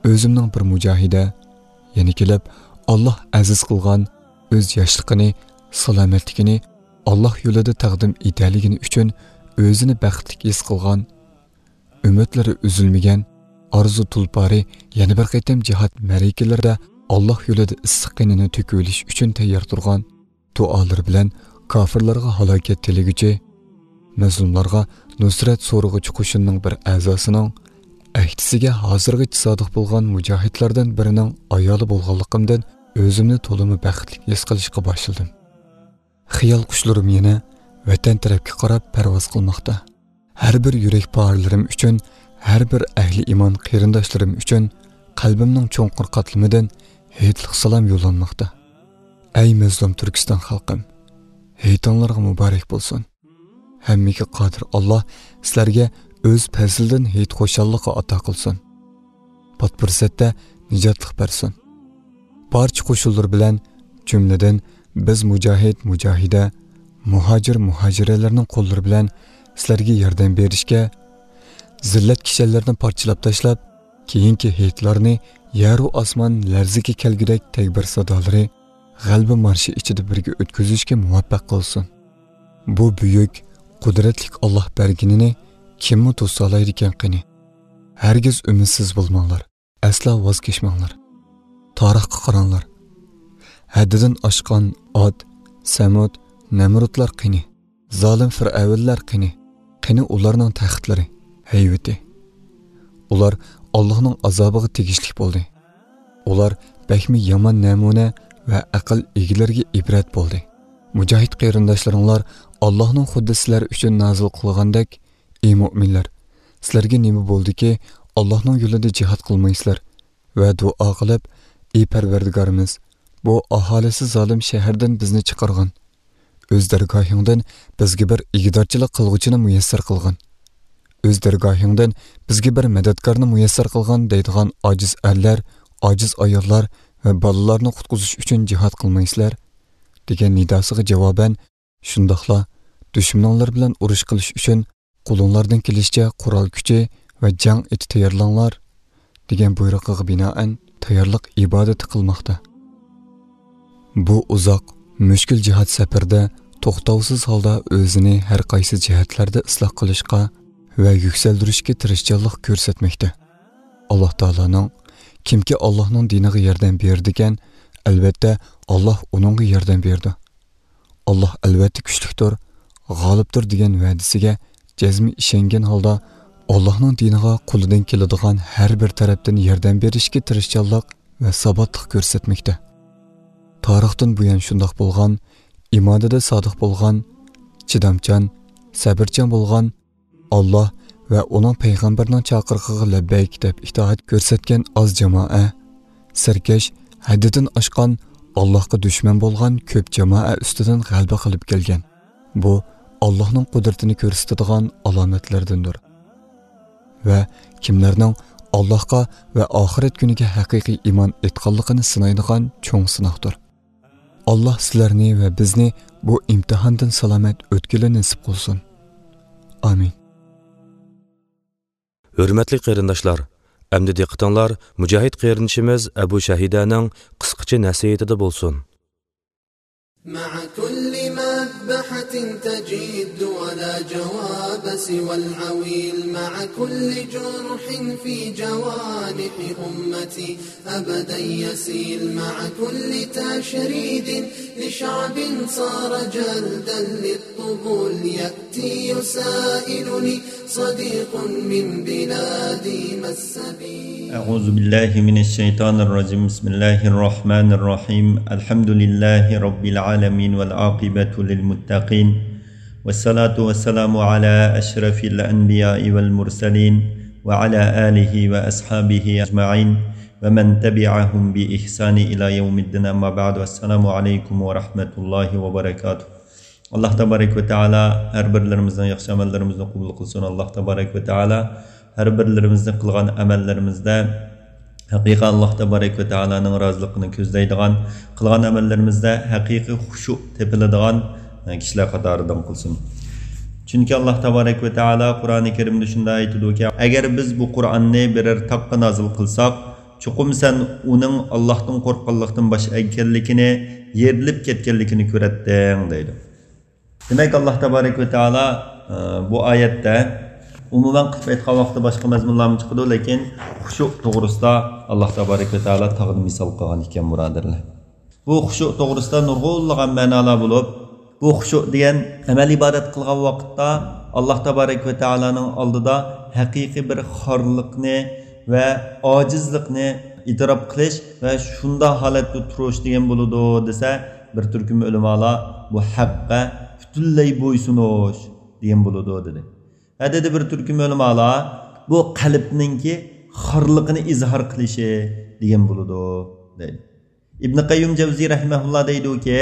ئۆزۈمنىڭ بىر مۇجاھىدە، يەنە كېلىپ، ئاللاھ ئەزىز قىلغان ئۆز ياشلىقىنى، سالامەتلىكىنى ئاللاھ يولىدا تەقدىم ئېتەلىگىنى ئۈچۈن ئۆزىنى بەختلىك ھېس قىلغان، ئۈمىدلىرى ئۈزۈلمىگەن، ئارزۇ تۇلپارى يەنە بىر قېتىم جىھاد مەرىكىلىرىدە ئاللاھ يولىدا ئىسسىق قېنىنى تۆكۈۋېلىش ئۈچۈن تەييار تۇرغان، دۇئالىرى بىلەن كاپىرلارغا ھالاكەت تىلىگۈچى، مەزلۇملارغا نۇسرەت سورىغۇچى قوشۇننىڭ بىر ئەزاسىنىڭ ئەھدىسىگە ھازىرغىچە سادىق بولغان مۇجاھىدلاردىن بىرىنىڭ ئايالى بولغانلىقىمدىن ئۆزۈمنى تولىمۇ بەختلىك ھېس قىلىشقا باشلىدىم. خىيال قۇشلىرىم يەنە ۋەتەن تەرەپكە قاراپ پەرۋاز قىلماقتا. ھەر بىر يۈرەك پارىلىرىم ئۈچۈن، ھەر بىر ئەھلى ئىمان قېرىنداشلىرىم ئۈچۈن قەلبىمنىڭ چوڭقۇر قاتلىمىدىن ھېيتلىق سالام يوللانماقتا. ئەي مەزلۇم تۈركىستان خەلقىم، ھېيتىڭلارغا مۇبارەك بولسۇن! ھەممىگە قادىر ئاللاھ سىلەرگە ئۆز پەزلىدىن ھېيت خۇشاللىقى ئاتا قىلسۇن. پات پۇرسەتتە نىجاتلىق بەرسۇن. بارچە قوشۇنلىرى بىلەن، جۈملىدىن بىز مۇجاھىد، مۇجاھىدە، مۇھاجىر، مۇھاجىرەلەرنىڭ قوللىرى بىلەن سىلەرگە ياردەم بېرىشكە، زىللەت كىشەنلىرىنى پارچىلاپ تاشلاپ، كېيىنكى ھېيتلارنى يەرۇ ئاسمان لەرزىگە كەلگۈدەك تەكبىر سادالىرى، غەلىبە مارشى ئىچىدە بىرگە ئۆتكۈزۈشكە مۇۋەپپەق قىلسۇن. بۇ بۈيۈك، قۇدرەتلىك ئاللاھ بەرگىنىنى كىممۇ توسالايدىكەن قېنى؟ ھەرگىز ئۈمىدسىز بولماڭلار، ئەسلا ۋاز كەچمەڭلار. تارىخقا قاراڭلار. ھەددىدىن ئاشقان ئاد، سەمۇد، نەمرۇتلار قېنى؟ زالىم فىرئەۋنلەر قېنى؟ قېنى ئۇلارنىڭ تەختلىرى، ھەيۋىتى؟ ئۇلار ئاللاھنىڭ ئازابىغا تېگىشلىك بولدى. ئۇلار بەكمۇ يامان نەمۇنە ۋە ئەقىل ئىگىلىرىگە ئىبرەت بولدى. مۇجاھىد قېرىنداشلىرىڭلار ئاللاھنىڭ خۇددى سىلەر ئۈچۈن نازىل قىلغاندەك، ئى مۆمىنلەر، سىلەرگە نېمە بولدىكى، ئاللاھنىڭ يولىدا جىھاد قىلمايسىلەر؟ ۋە دۇئا قىلىپ، ئى پەرۋەردىگارىمىز، بۇ ئاھالىسى زالىم شەھەردىن بىزنى چىقارغىن. ئۆز دەرگاھىڭدىن بىزگە بىر ئىگىدارچىلىق قىلغۇچىنى مۇيەسسەر قىلغىن. ئۆز دەرگاھىڭدىن بىزگە بىر مەدەتكارنى مۇيەسسەر قىلغىن دەيدىغان ئاجىز ئەرلەر، ئاجىز ئاياللار ۋە بالىلارنى قۇتقۇزۇش ئۈچۈن جىھاد قىلمايسىلەر؟ دېگەن نىداسىغا جاۋابەن، شۇنداقلا دۈشمىنىڭلار بىلەن ئۇرۇش قىلىش ئۈچۈن قولۇڭلاردىن كېلىشىچە قورال كۈچى ۋە جەڭ ئېتى تەييارلاڭلار، دېگەن بۇيرۇقىغا بىنائەن تەييارلىق ئىبادىتى قىلماقتا. بۇ ئۇزاق، مۈشكۈل جىھاد سەپىرىدە توختاۋسىز ھالدا ئۆزىنى ھەر قايسى جەھەتلەردە ئىسلاھ قىلىشقا ۋە يۈكسەلدۈرۈشكە تىرىشچانلىق كۆرسەتمەكتە. ئاللاھ تائالانىڭ، كىمكى ئاللاھنىڭ دىنىغا ياردەم بېرىدىكەن، ئەلۋەتتە، ئاللاھ ئۇنىڭغا ياردەم بېرىدۇ. ئاللاھ ئەلۋەتتە كۈچلۈكتۇر، غالىبتۇر دېگەن ۋەدىسىگە جەزمىي ئىشەنگەن ھالدا، ئاللاھنىڭ دىنىغا قولىدىن كېلىدىغان ھەر بىر تەرەپتىن ياردەم بېرىشكە تىرىشچانلىق ۋە ساباتلىق كۆرسەتمەكتە. تارىختىن بۇيان شۇنداق بولغان، ئىمانىدا سادىق بولغان، چىدامچان، سەبرچان بولغان، ئاللاھ ۋە ئۇنىڭ پەيغەمبىرىنىڭ چاقىرىقىغا لەببەيك دەپ ئىتائەت كۆرسەتكەن ئاز جامائە، سەركەش، ھەددىدىن ئاشقان، ئاللاھقا دۈشمەن بولغان كۆپ جامائە ئۈستىدىن غەلىبە قىلىپ كەلگەن. بۇ ئاللاھنىڭ قۇدرىتىنى كۆرسىتىدىغان ئالامەتلەردىندۇر. ۋە كىملەرنىڭ ئاللاھقا ۋە ئاخىرەت كۈنىگە ھەقىقىي ئىمان ئېيتقانلىقىنى سىنايدىغان چوڭ سىناقتۇر. ئاللاھ سىلەرنى ۋە بىزنى بۇ ئىمتىھاندىن سالامەت ئۆتكىلى نېسىپ قىلسۇن. ئامىن. ھۆرمەتلىك قېرىنداشلار، ئەمدى دىققىتىڭلار مۇجاھىد قېرىندىشىمىز ئەبۇ شەھىدەنىڭ قىسقىچە نەسىھىتىدە بولسۇن. مع كل مذبحة تجد لا جواب سوى العويل مع كل جرح في جوانح أمتي. أبدا يسيل مع كل تشريد لشعب صار جلدا للطبول. يأتي يسائلني صديق من بلادي ما السبيل. أعوذ بالله من الشيطان الرجيم. بسم الله الرحمن الرحيم. الحمد لله رب العالمين والعاقبة للمتقين. والصلاة والسلام على أشرف الأنبياء والمرسلين وعلى آله وأصحابه أجمعين ومن تبعهم بإحسان إلى يوم الدين، أما بعد، والسلام عليكم ورحمة الله وبركاته. ئاللاھ تابارەك ۋە تائالا ھەر بىرلىرىمىزنىڭ ياخشى ئەمەللىرىمىزنى قوبۇل قىلسۇن. ئاللاھ تابارەك ۋە تائالا ھەر بىرلىرىمىزنىڭ قىلغان ئەمەللىرىمىزدە ھەقىقەتەن ئاللاھ تابارەك ۋە تائالانىڭ رازىلىقىنى كۆزلەيدىغان، قىلغان ئەمەللىرىمىزدە ھەقىقىي خۇشۇ تېپىلىدىغان كىشىلەر قاتارىدىن قىلسۇن. چۈنكى ئاللاھ تابارەك ۋە تائالا قۇرئانى كەرىمدە شۇنداق ئېيتىدۇكى، ئەگەر بىز بۇ قۇرئاننى بىرەر تاغقا نازىل قىلساق، چوقۇم سەن ئۇنىڭ ئاللاھتىن قورققانلىقتىن باش ئەگكەنلىكىنى، يېرىلىپ كەتكەنلىكىنى كۆرەتتىڭ، دەيدۇ. دېمەك، ئاللاھ تابارەك ۋە تائالا، ئە، بۇ ئايەتتە ئومۇمەن قىلىپ ئېيتقان ۋاقىتتا باشقا مەزمۇنلارمۇ چىقىدۇ، لېكىن خۇشۇ توغرىسىدا ئاللاھ تابارەك ۋە تائالا تاغنى مىسال قىلغان ئىكەن، بۇرادەرلەر. بۇ خۇشۇ توغرىسىدا نۇرغۇنلىغان مەنالار بولۇپ، بۇ خۇشۇ دېگەن ئەمەل ئىبادەت قىلغان ۋاقىتتا ئاللاھ تابارەك ۋە تائالانىڭ ئالدىدا ھەقىقىي بىر خارلىقنى ۋە ئاجىزلىقنى ئېتىراپ قىلىش ۋە شۇنداق ھالەتتە تۇرۇش دېگەن بولىدۇ دېسە، بىر تۈركۈم ئۆلىمالار بۇ ھەققە پۈتۈنلەي بويسۇنۇش دېگەن بولىدۇ دېدى. ۋە دېدى بىر تۈركۈم ئۆلىمالار، بۇ قەلبنىڭكى خارلىقىنى ئىزھار قىلىشى دېگەن بولىدۇ دەيدۇ. ئىبن قەييۇم جەۋزىي رەھىمەھۇللا دەيدۇكى،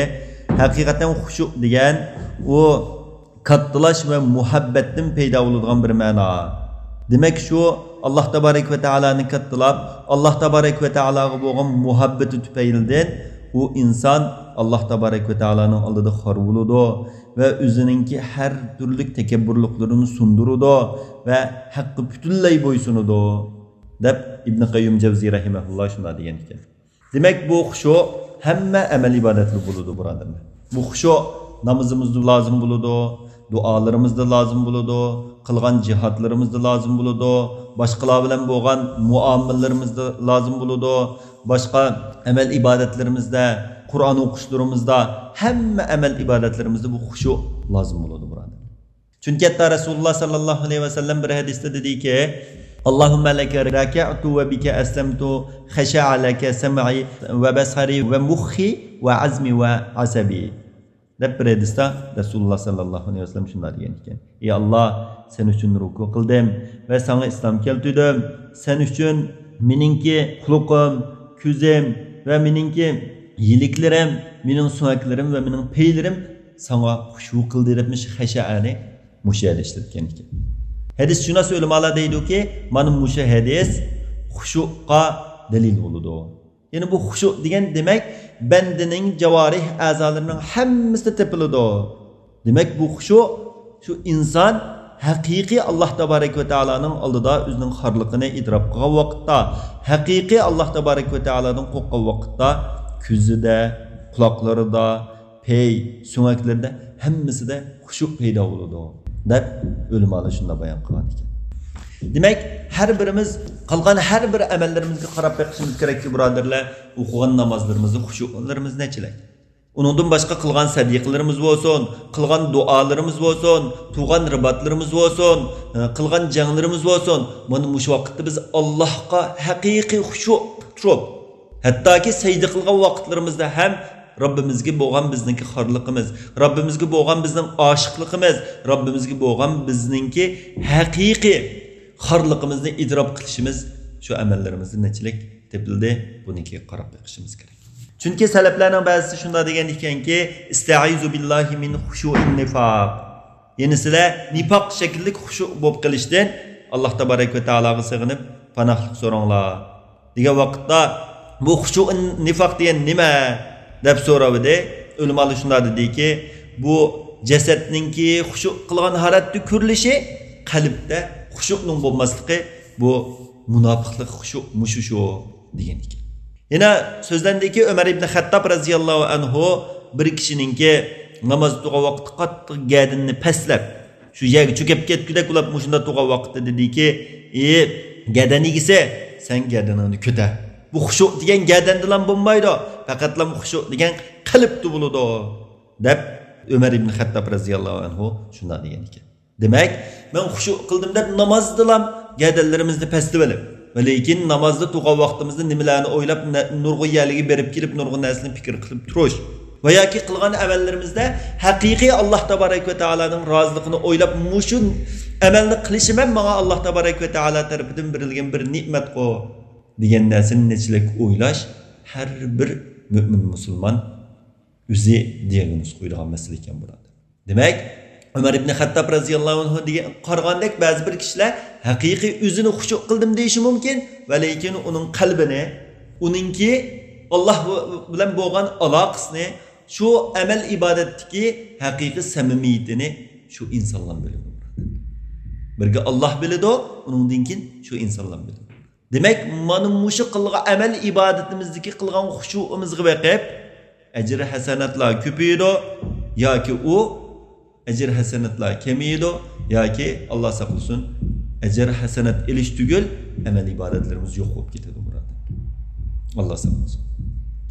ھەقىقەتەن خۇشۇ دېگەن ئۇ كاتتىلاش ۋە مۇھەببەتتىن پەيدا بولىدىغان بىر مەنا. دېمەك، شۇ ئاللاھ تابارەك ۋە تائالانى كاتتىلاپ، ئاللاھ تابارەك ۋە تائالاغا بولغان مۇھەببىتى تۈپەيلىدىن ئۇ ئىنسان ئاللاھ تابارەك ۋە تائالانىڭ ئالدىدا خار بولىدۇ ۋە ئۆزىنىڭكى ھەر تۈرلۈك تەكەببۇرلۇقلىرىنى سۇندۇرىدۇ ۋە ھەققە پۈتۈنلەي بويسۇنىدۇ، دەپ ئىبن قەييۇم جەۋزىي رەھىمەھۇللا شۇنداق دېگەن ئىكەن. دېمەك، بۇ خۇشۇ ھەممە ئەمەل ئىبادەتتە بولىدۇ، بۇرادەرلەر. بۇ خۇشۇ نامىزىمىزدا لازىم بولىدۇ، دۇئالىرىمىزدا لازىم بولىدۇ، قىلغان جىھادلىرىمىزدا لازىم بولىدۇ، باشقىلار بىلەن بولغان مۇئامىلىلىرىمىزدە لازىم بولىدۇ، باشقا ئەمەل ئىبادەتلىرىمىزدە، قۇرئان ئوقۇشلىرىمىزدا، ھەممە ئەمەل ئىبادەتلىرىمىزدە بۇ خۇشۇ لازىم بولىدۇ، بۇرادەرلەر. چۈنكى ھەتتا رەسۇلۇللا ساللاللاھۇ ئەلەيھى ۋەسەللەم بىر ھەدىستە دېدىكى، اللهم لك ركعت وبك أسلمت، خشع لك سمعي وبصري ومخي وعظمي وعصبي، دەپ بىر ھەدىستە رەسۇلۇللا ساللاللاھۇ ئەلەيھى ۋەسەللەم شۇنداق دېگەن ئىكەن، ئى ئاللا، سەن ئۈچۈن رۇكۇ قىلدىم ۋە ساڭا ئىسلام كەلتۈردۈم. سەن ئۈچۈن مېنىڭكى قۇلىقىم، كۆزۈم ۋە مېنىڭكى يىلىكلىرىم، مېنىڭ سۆڭەكلىرىم ۋە مېنىڭ پەيلىرىم ساڭا خۇشۇ قىلدى، دەپ مۇشۇ خەشەئەنى مۇشۇ يەردە ئىشلەتكەن ئىكەن. ھەدىسشۇناس ئۆلىمالار دەيدۇكى، مانا مۇشۇ ھەدىس خۇشۇغا دەلىل بولىدۇ. يەنى بۇ خۇشۇ دېگەن، دېمەك، بەندىنىڭ جاۋارىھ ئەزالىرىنىڭ ھەممىسىدە تېپىلىدۇ. دېمەك، بۇ خۇشۇ شۇ ئىنسان ھەقىقىي ئاللاھ تابارەك ۋە تائالانىڭ ئالدىدا ئۆزىنىڭ خارلىقىنى ئېتىراپ قىلغان ۋاقىتتا، ھەقىقىي ئاللاھ تابارەك ۋە تائالادىن قورققان ۋاقىتتا كۆزىدە، قۇلاقلىرىدا، پەي، سۆڭەكلىرىدە ھەممىسىدە خۇشۇ پەيدا بولىدۇ، دەپ ئۆلىمالار شۇنداق بايان قىلغان ئىكەن. دېمەك، ھەر بىرىمىز قىلغان ھەر بىر ئەمەللىرىمىزگە قاراپ بېقىشىمىز كېرەككى، بۇرادەرلەر، ئوقۇغان نامازلىرىمىزدا خۇشۇلىرىمىز نەچچىلىك؟ ئۇنىڭدىن باشقا قىلغان سەدىقىلىرىمىز بولسۇن، قىلغان دۇئالىرىمىز بولسۇن، تۇغقان رىباتلىرىمىز بولسۇن، قىلغان جەڭلىرىمىز بولسۇن، مانا مۇشۇ ۋاقىتتا بىز ئاللاھقا ھەقىقىي خۇشۇ تۇرۇپ، ھەتتاكى سەجدە قىلغان ۋاقىتلىرىمىزدا ھەم رەببىمىزگە بولغان بىزنىڭكى خارلىقىمىز، رەببىمىزگە بولغان بىزنىڭ ئاشىقلىقىمىز، رەببىمىزگە بولغان بىزنىڭكى ھەقىقىي خارلىقىمىزنى ئېتىراپ قىلىشىمىز شۇ ئەمەللىرىمىزدە نەچچىلىك تېپىلدى، بۇنىڭكىگە قاراپ بېقىشىمىز كېرەك. چۈنكى سەلەفلەرنىڭ بەزىسى شۇنداق دېگەن ئىكەنكى، ئىستەئىزۇ بىللاھى مىن خۇشۇئىن نىفاق. يەنى سىلەر نىفاق شەكىللىك خۇشۇ بولۇپ قېلىشتىن ئاللاھ تابارەك ۋە تائالاغا سېغىنىپ پاناھلىق سوراڭلار، دېگەن ۋاقىتتا، بۇ خۇشۇئىن نىفاق دېگەن نېمە؟ دەپ سوراۋىدى. ئۆلىمالار شۇنداق دېدىكى، بۇ جەسەتنىڭكى خۇشۇ قىلغان ھالەتتە كۆرۈلۈشى، قەلبتە خۇشۇنىڭ بولماسلىقى، بۇ مۇناپىقلىق خۇشۇ، مۇشۇ شۇ دېگەن ئىكەن. يەنە سۆزلەندىكى، ئۆمەر ئىبنى خەتتاب رەزىياللاھۇ ئەنھۇ بىر كىشىنىڭكى ناماز تۇرغان ۋاقىتتا قاتتىق گەدىنىنى پەسلەپ، شۇ يەرگە چۆكۈپ كەتكۈدەك بولۇپ، مۇشۇنداق تۇرغان ۋاقىتتا دېدىكى، ئى، گەدەن ئىگىسى، سەن گەدىنىڭنى كۆتەر. بۇ خۇشۇ دېگەن گەدەندىلا بولمايدۇ. پەقەتلا خۇشۇ دېگەن قەلبتە بولىدۇ، دەپ ئۆمەر ئىبن خەتتاب رەزىياللاھۇ ئەنھۇ شۇنداق دېگەن ئىكەن. دېمەك، مەن خۇشۇ قىلدىم دەپ نامازدىلا گەدەنلىرىمىزنى پەستىۋېلىپ، ۋە لېكىن نامازدا تۇرغان ۋاقتىمىزدا نېمىلەرنى ئويلاپ، نە-، نۇرغۇن يەرلەرگە بېرىپ كېلىپ، نۇرغۇن نەرسىنى پىكىر قىلىپ تۇرۇش ۋە ياكى قىلغان ئەمەللىرىمىزدە ھەقىقىي ئاللاھ تابارەك ۋە تائالانىڭ رازىلىقىنى ئويلاپ، مۇشۇ ئەمەلنى قىلىشىم ھەم ماڭا ئاللاھ تابارەك ۋە تائالا تەرىپىدىن بېرىلگەن بىر نېمەتقۇ، دېگەن نەرسىنى نەچچىلەك ئويلاش ھەر بىر مۆمىن مۇسۇلمان ئۆزى دىياگنوز قويىدىغان مەسىلە ئىكەن، بۇرادەر. دېمەك، ئۆمەر ئىبن خەتتاب رەزىياللاھۇ ئەنھۇ دېگەن، قارىغاندەك بەزى بىر كىشىلەر ھەقىقىي ئۆزىنى خۇشۇ قىلدىم دېيىشى مۇمكىن، ۋە لېكىن ئۇنىڭ قەلبىنى، ئۇنىڭكى ئاللاھ بىلەن بولغان ئالاقىسىنى، شۇ ئەمەل ئىبادەتتىكى ھەقىقىي سەمىمىيىتىنى شۇ ئىنسانلا بىلىدۇ. بىرگە ئاللاھ بىلىدۇ، ئۇنىڭدىن كېيىن شۇ ئىنسانلا بىلىدۇ. دېمەك، مانا مۇشۇ قىلغان ئەمەل ئىبادىتىمىزدىكى قىلغان خۇشۇئىمىزغا بېقىپ، ئەجىر ھەسەناتلار كۆپىيىدۇ ياكى ئۇ ئەجىر ھەسەناتلار كېمىيىدۇ ياكى، ئاللاھ ساقلىسۇن، ئەجىر ھەسەنات ئېلىش تۈگۈل، ئەمەل ئىبادەتلىرىمىز يوق بولۇپ كېتىدۇ، بۇرادەر. ئاللاھ ساقلىسۇن.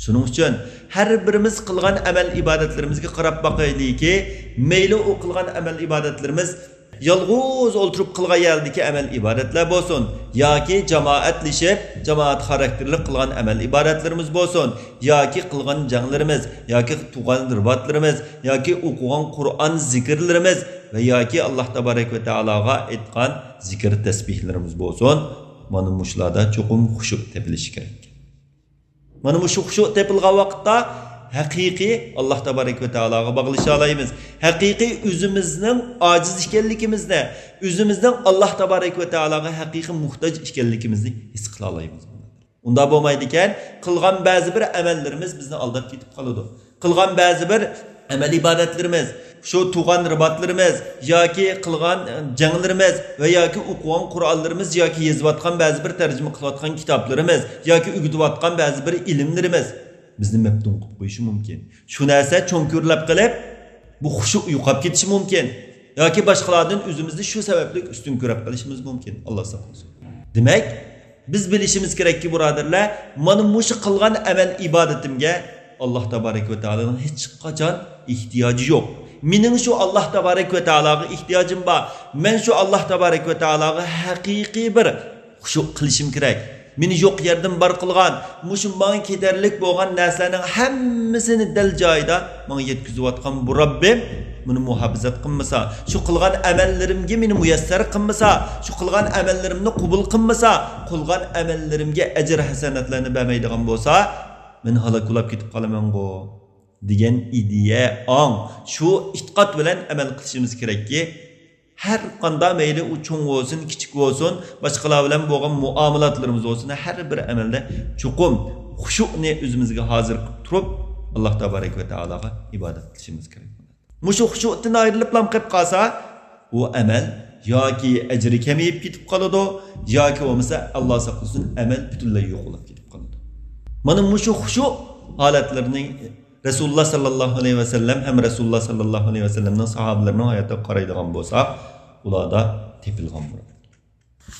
شۇنىڭ ئۈچۈن ھەر بىرىمىز قىلغان ئەمەل ئىبادەتلىرىمىزگە قاراپ باقايلىكى، مەيلى ئۇ قىلغان ئەمەل ئىبادەتلىرىمىز يالغۇز ئولتۇرۇپ قىلغان يەردىكى ئەمەل ئىبادەتلەر بولسۇن، ياكى جامائەتلىشىپ، جامائەت خاراكتېرلىك قىلغان ئەمەل ئىبادەتلىرىمىز بولسۇن، ياكى قىلغان جەڭلىرىمىز، ياكى تۇغان رىباتلىرىمىز، ياكى ئوقۇغان قۇرئان زىكىرلىرىمىز ۋە ياكى ئاللاھ تابارەك ۋە تائالاغا ئېيتقان زىكىر تەسبىھلىرىمىز بولسۇن، مانا مۇشۇلاردا چوقۇم خۇشۇ تېپىلىشى كېرەك. مانا مۇشۇ خۇشۇ تېپىلغان ۋاقىتتا ھەقىقىي ئاللاھ تابارەك ۋە تائالاغا باغلىشالايمىز. ھەقىقىي ئۆزىمىزنىڭ ئاجىز ئىكەنلىكىمىزنى، ئۆزىمىزنىڭ ئاللاھ تابارەك ۋە تائالاغا ھەقىقىي موھتاج ئىكەنلىكىمىزنى ھېس قىلالايمىز. ئۇنداق بولمايدىكەن، قىلغان بەزى بىر ئەمەللىرىمىز بىزنى ئالداپ كېتىپ قالىدۇ. قىلغان بەزى بىر ئەمەل ئىبادەتلىرىمىز، شۇ تۇغان رىباتلىرىمىز ياكى قىلغان، ئە، جەڭلىرىمىز ۋە ياكى ئوقۇغان قۇرئانلىرىمىز ياكى يېزىۋاتقان بەزى بىر تەرجىمە قىلىۋاتقان كىتابلىرىمىز ياكى ئۆگىتىۋاتقان بەزى بىر ئىلىملىرىمىز بىزنى مەپتۇن قىلىپ قويۇشى مۇمكىن. شۇ نەرسە چوڭ كۆرۈلۈپ قېلىپ، بۇ خۇشۇ يوقاپ كېتىشى مۇمكىن. ياكى باشقىلاردىن ئۆزىمىزنى شۇ سەۋەبلىك ئۈستۈن كۆرۈپ قېلىشىمىز مۇمكىن. ئاللاھ ساقلىسۇن. دېمەك، بىز بىلىشىمىز كېرەككى، بۇرادەرلەر، مانا مۇشۇ قىلغان ئەمەل ئىبادىتىمگە ئاللاھ تابارەك ۋە تائالانىڭ ھېچقاچان ئېھتىياجى يوق. مېنىڭ شۇ ئاللاھ تابارەك ۋە تائالاغا ئېھتىياجىم بار. مەن شۇ ئاللاھ تابارەك ۋە تائالاغا ھەقىقىي بىر خۇشۇ قىلىشىم كېرەك. مېنى يوق يەردىن بار قىلغان، مۇشۇ ماڭا كېتەرلىك بولغان نەرسىلەرنىڭ ھەممىسىنى دەل جايىدا ماڭا يەتكۈزۈۋاتقان بۇ رەببىم مېنى مۇھاپىزەت قىلمىسا، شۇ قىلغان ئەمەللىرىمگە مېنى مۇيەسسەر قىلمىسا، شۇ قىلغان ئەمەللىرىمنى قوبۇل قىلمىسا، قىلغان ئەمەللىرىمگە ئەجىر ھەسەناتلارنى بەرمەيدىغان بولسا، مەن ھالاك بولاپ كېتىپ قالىمەنغۇ، دېگەن ئىدىيە، ئاڭ، شۇ ئېتىقاد بىلەن ئەمەل قىلىشىمىز كېرەككى، ھەر قانداق، مەيلى ئۇ چوڭ بولسۇن، كىچىك بولسۇن، باشقىلار بىلەن بولغان مۇئامىلاتلىرىمىز بولسۇن، ھەر بىر ئەمەلدە چوقۇم خۇشۇئنى ئۆزىمىزگە ھازىر قىلىپ تۇرۇپ، ئاللاھ تابارەك ۋە تائالاغا ئىبادەت قىلىشىمىز كېرەك. مۇشۇ خۇشۇئتىن ئايرىلىپلا قېلىپ قالسا، ئۇ ئەمەل ياكى ئەجرى كېمىيىپ كېتىپ قالىدۇ، ياكى بولمىسا، ئاللاھ ساقلىسۇن، ئەمەل پۈتۈنلەي يوقىلىپ كېتىپ قالىدۇ. مانا مۇشۇ خۇشۇ ھالەتلىرىنى رەسۇلۇللاھ ساللاللاھۇ ئەلەيھى ۋەسەللەم ھەم رەسۇلۇللاھ ساللاللاھۇ ئەلەيھى ۋەسەللەمنىڭ ساھابىلىرىنىڭ ھاياتىغا قارايدىغان بولساق، ئۇلاردا تېپىلغان بۇ.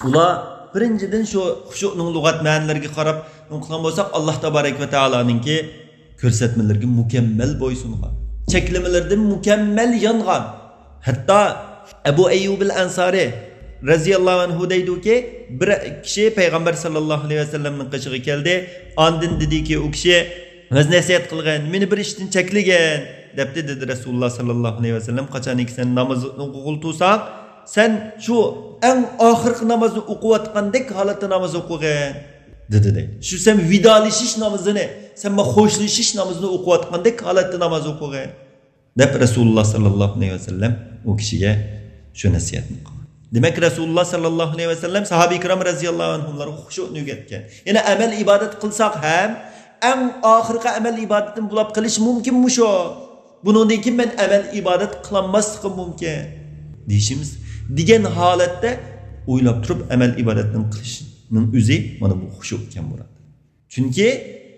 ئۇلار بىرىنچىدىن شۇ خۇشۇئنىڭ لۇغەت مەنىلىرىگە قاراپ نېمە قىلغان بولساق، ئاللاھ تابارەك ۋە تائالانىڭكى كۆرسەتمىلىرىگە مۇكەممەل بويسۇنغان، چەكلىمىلىرىدىن مۇكەممەل يانغان. ھەتتا ئەبۇ ئەييۇبىل ئەنسارى رەزىياللاھۇ ئەنھۇ دەيدۇكى، بىر كىشى پەيغەمبەر ساللاللاھۇ ئەلەيھى ۋەسەللەمنىڭ قېشىغا كەلدى. ئاندىن دېدىكى، ئۇ كىشى، ۋەز نەسىھەت قىلغىن، مېنى بىر ئىشتىن چەكلىگىن، دەپتۇ، دېدى رەسۇلۇللاھ ساللاللاھۇ ئەلەيھى ۋەسەللەم. قاچانكى سەن نامازنى ئوقۇغىلى تۇرساڭ، سەن شۇ ئەڭ ئاخىرقى نامازنى ئوقۇۋاتقاندەك ھالەتتە ناماز ئوقۇغىن، دېدى، دەيدۇ. شۇ سەن ۋىدالىشىش نامىزىنى، سەن مانا خوشلىشىش نامىزىنى ئوقۇۋاتقاندەك ھالەتتە ناماز ئوقۇغىن، دەپ رەسۇلۇللاھ ساللاللاھۇ ئەلەيھى ۋەسەللەم ئۇ كىشىگە شۇ نەسىھەتنى قىلغان. دېمەك، رەسۇلۇللاھ ساللاللاھۇ ئەلەيھى ۋەسەللەم ساھابە كىرام رەزىياللاھۇ ئەنھۇملارغا خۇشۇئنى ئۆگەتكەن. يەنە ئەمەل ئىبادەت قىلساق ھەم، ئەڭ ئاخىرقى ئەمەل ئىبادىتىدىن بولاپ قېلىشى مۇمكىن مۇشۇ. بۇنىڭدىن كېيىن مەن ئەمەل ئىبادەت قىلالماسلىقىم مۇمكىن، دېيىشىمىز. دېگەن ھالەتتە ئويلاپ تۇرۇپ ئەمەل ئىبادەتنى قىلىشنىڭ ئۆزى مانا بۇ خۇشۇ ئىكەن، بۇرادەر. چۈنكى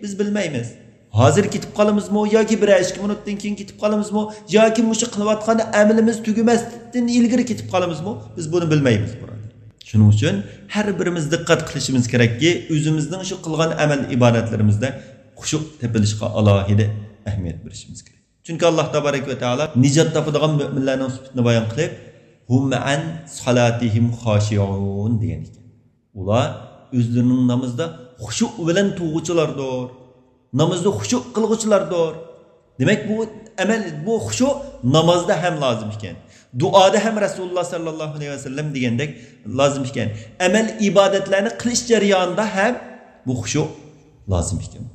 بىز بىلمەيمىز. ھازىر كېتىپ قالىمىزمۇ ياكى بىرەر ئىككى مىنۇتتىن كېيىن كېتىپ قالىمىزمۇ ياكى مۇشۇ قىلىۋاتقان ئەمىلىمىز تۈگىمەستىن ئىلگىرى كېتىپ قالىمىزمۇ، بىز بۇنى بىلمەيمىز، بۇرادەر. شۇنىڭ ئۈچۈن ھەر بىرىمىز دىققەت قىلىشىمىز كېرەككى، ئۆزىمىزنىڭ شۇ قىلغان ئەمەل ئىبادەتلىرىمىزدە خۇشۇ تېپىلىشقا ئالاھىدە ئەھمىيەت بېرىشىمىز كېرەك. چۈنكى ئاللاھ تابارەك ۋە تائالا نىجات تاپىدىغان مۆمىنلەرنىڭ سۈپىتىنى بايان قىلىپ، ھۇم ئەن سالاتىھىم خاشىئۇن دېگەن ئىكەن. ئۇلار ئۆزلىرىنىڭ نامىزىدا خۇشۇ بىلەن تۇرغۇچىلاردۇر. نامىزدا خۇشۇ قىلغۇچىلاردۇر. دېمەك، بۇ ئەمەل، بۇ خۇشۇ نامازدا ھەم لازىم ئىكەن. دۇئادا ھەم رەسۇلۇللاھ ساللاللاھۇ ئەلەيھى ۋەسەللەم دېگەندەك لازىم ئىكەن. ئەمەل ئىبادەتلەرنى قىلىش جەريانىدا ھەم بۇ خۇشۇ لازىم ئىكەن.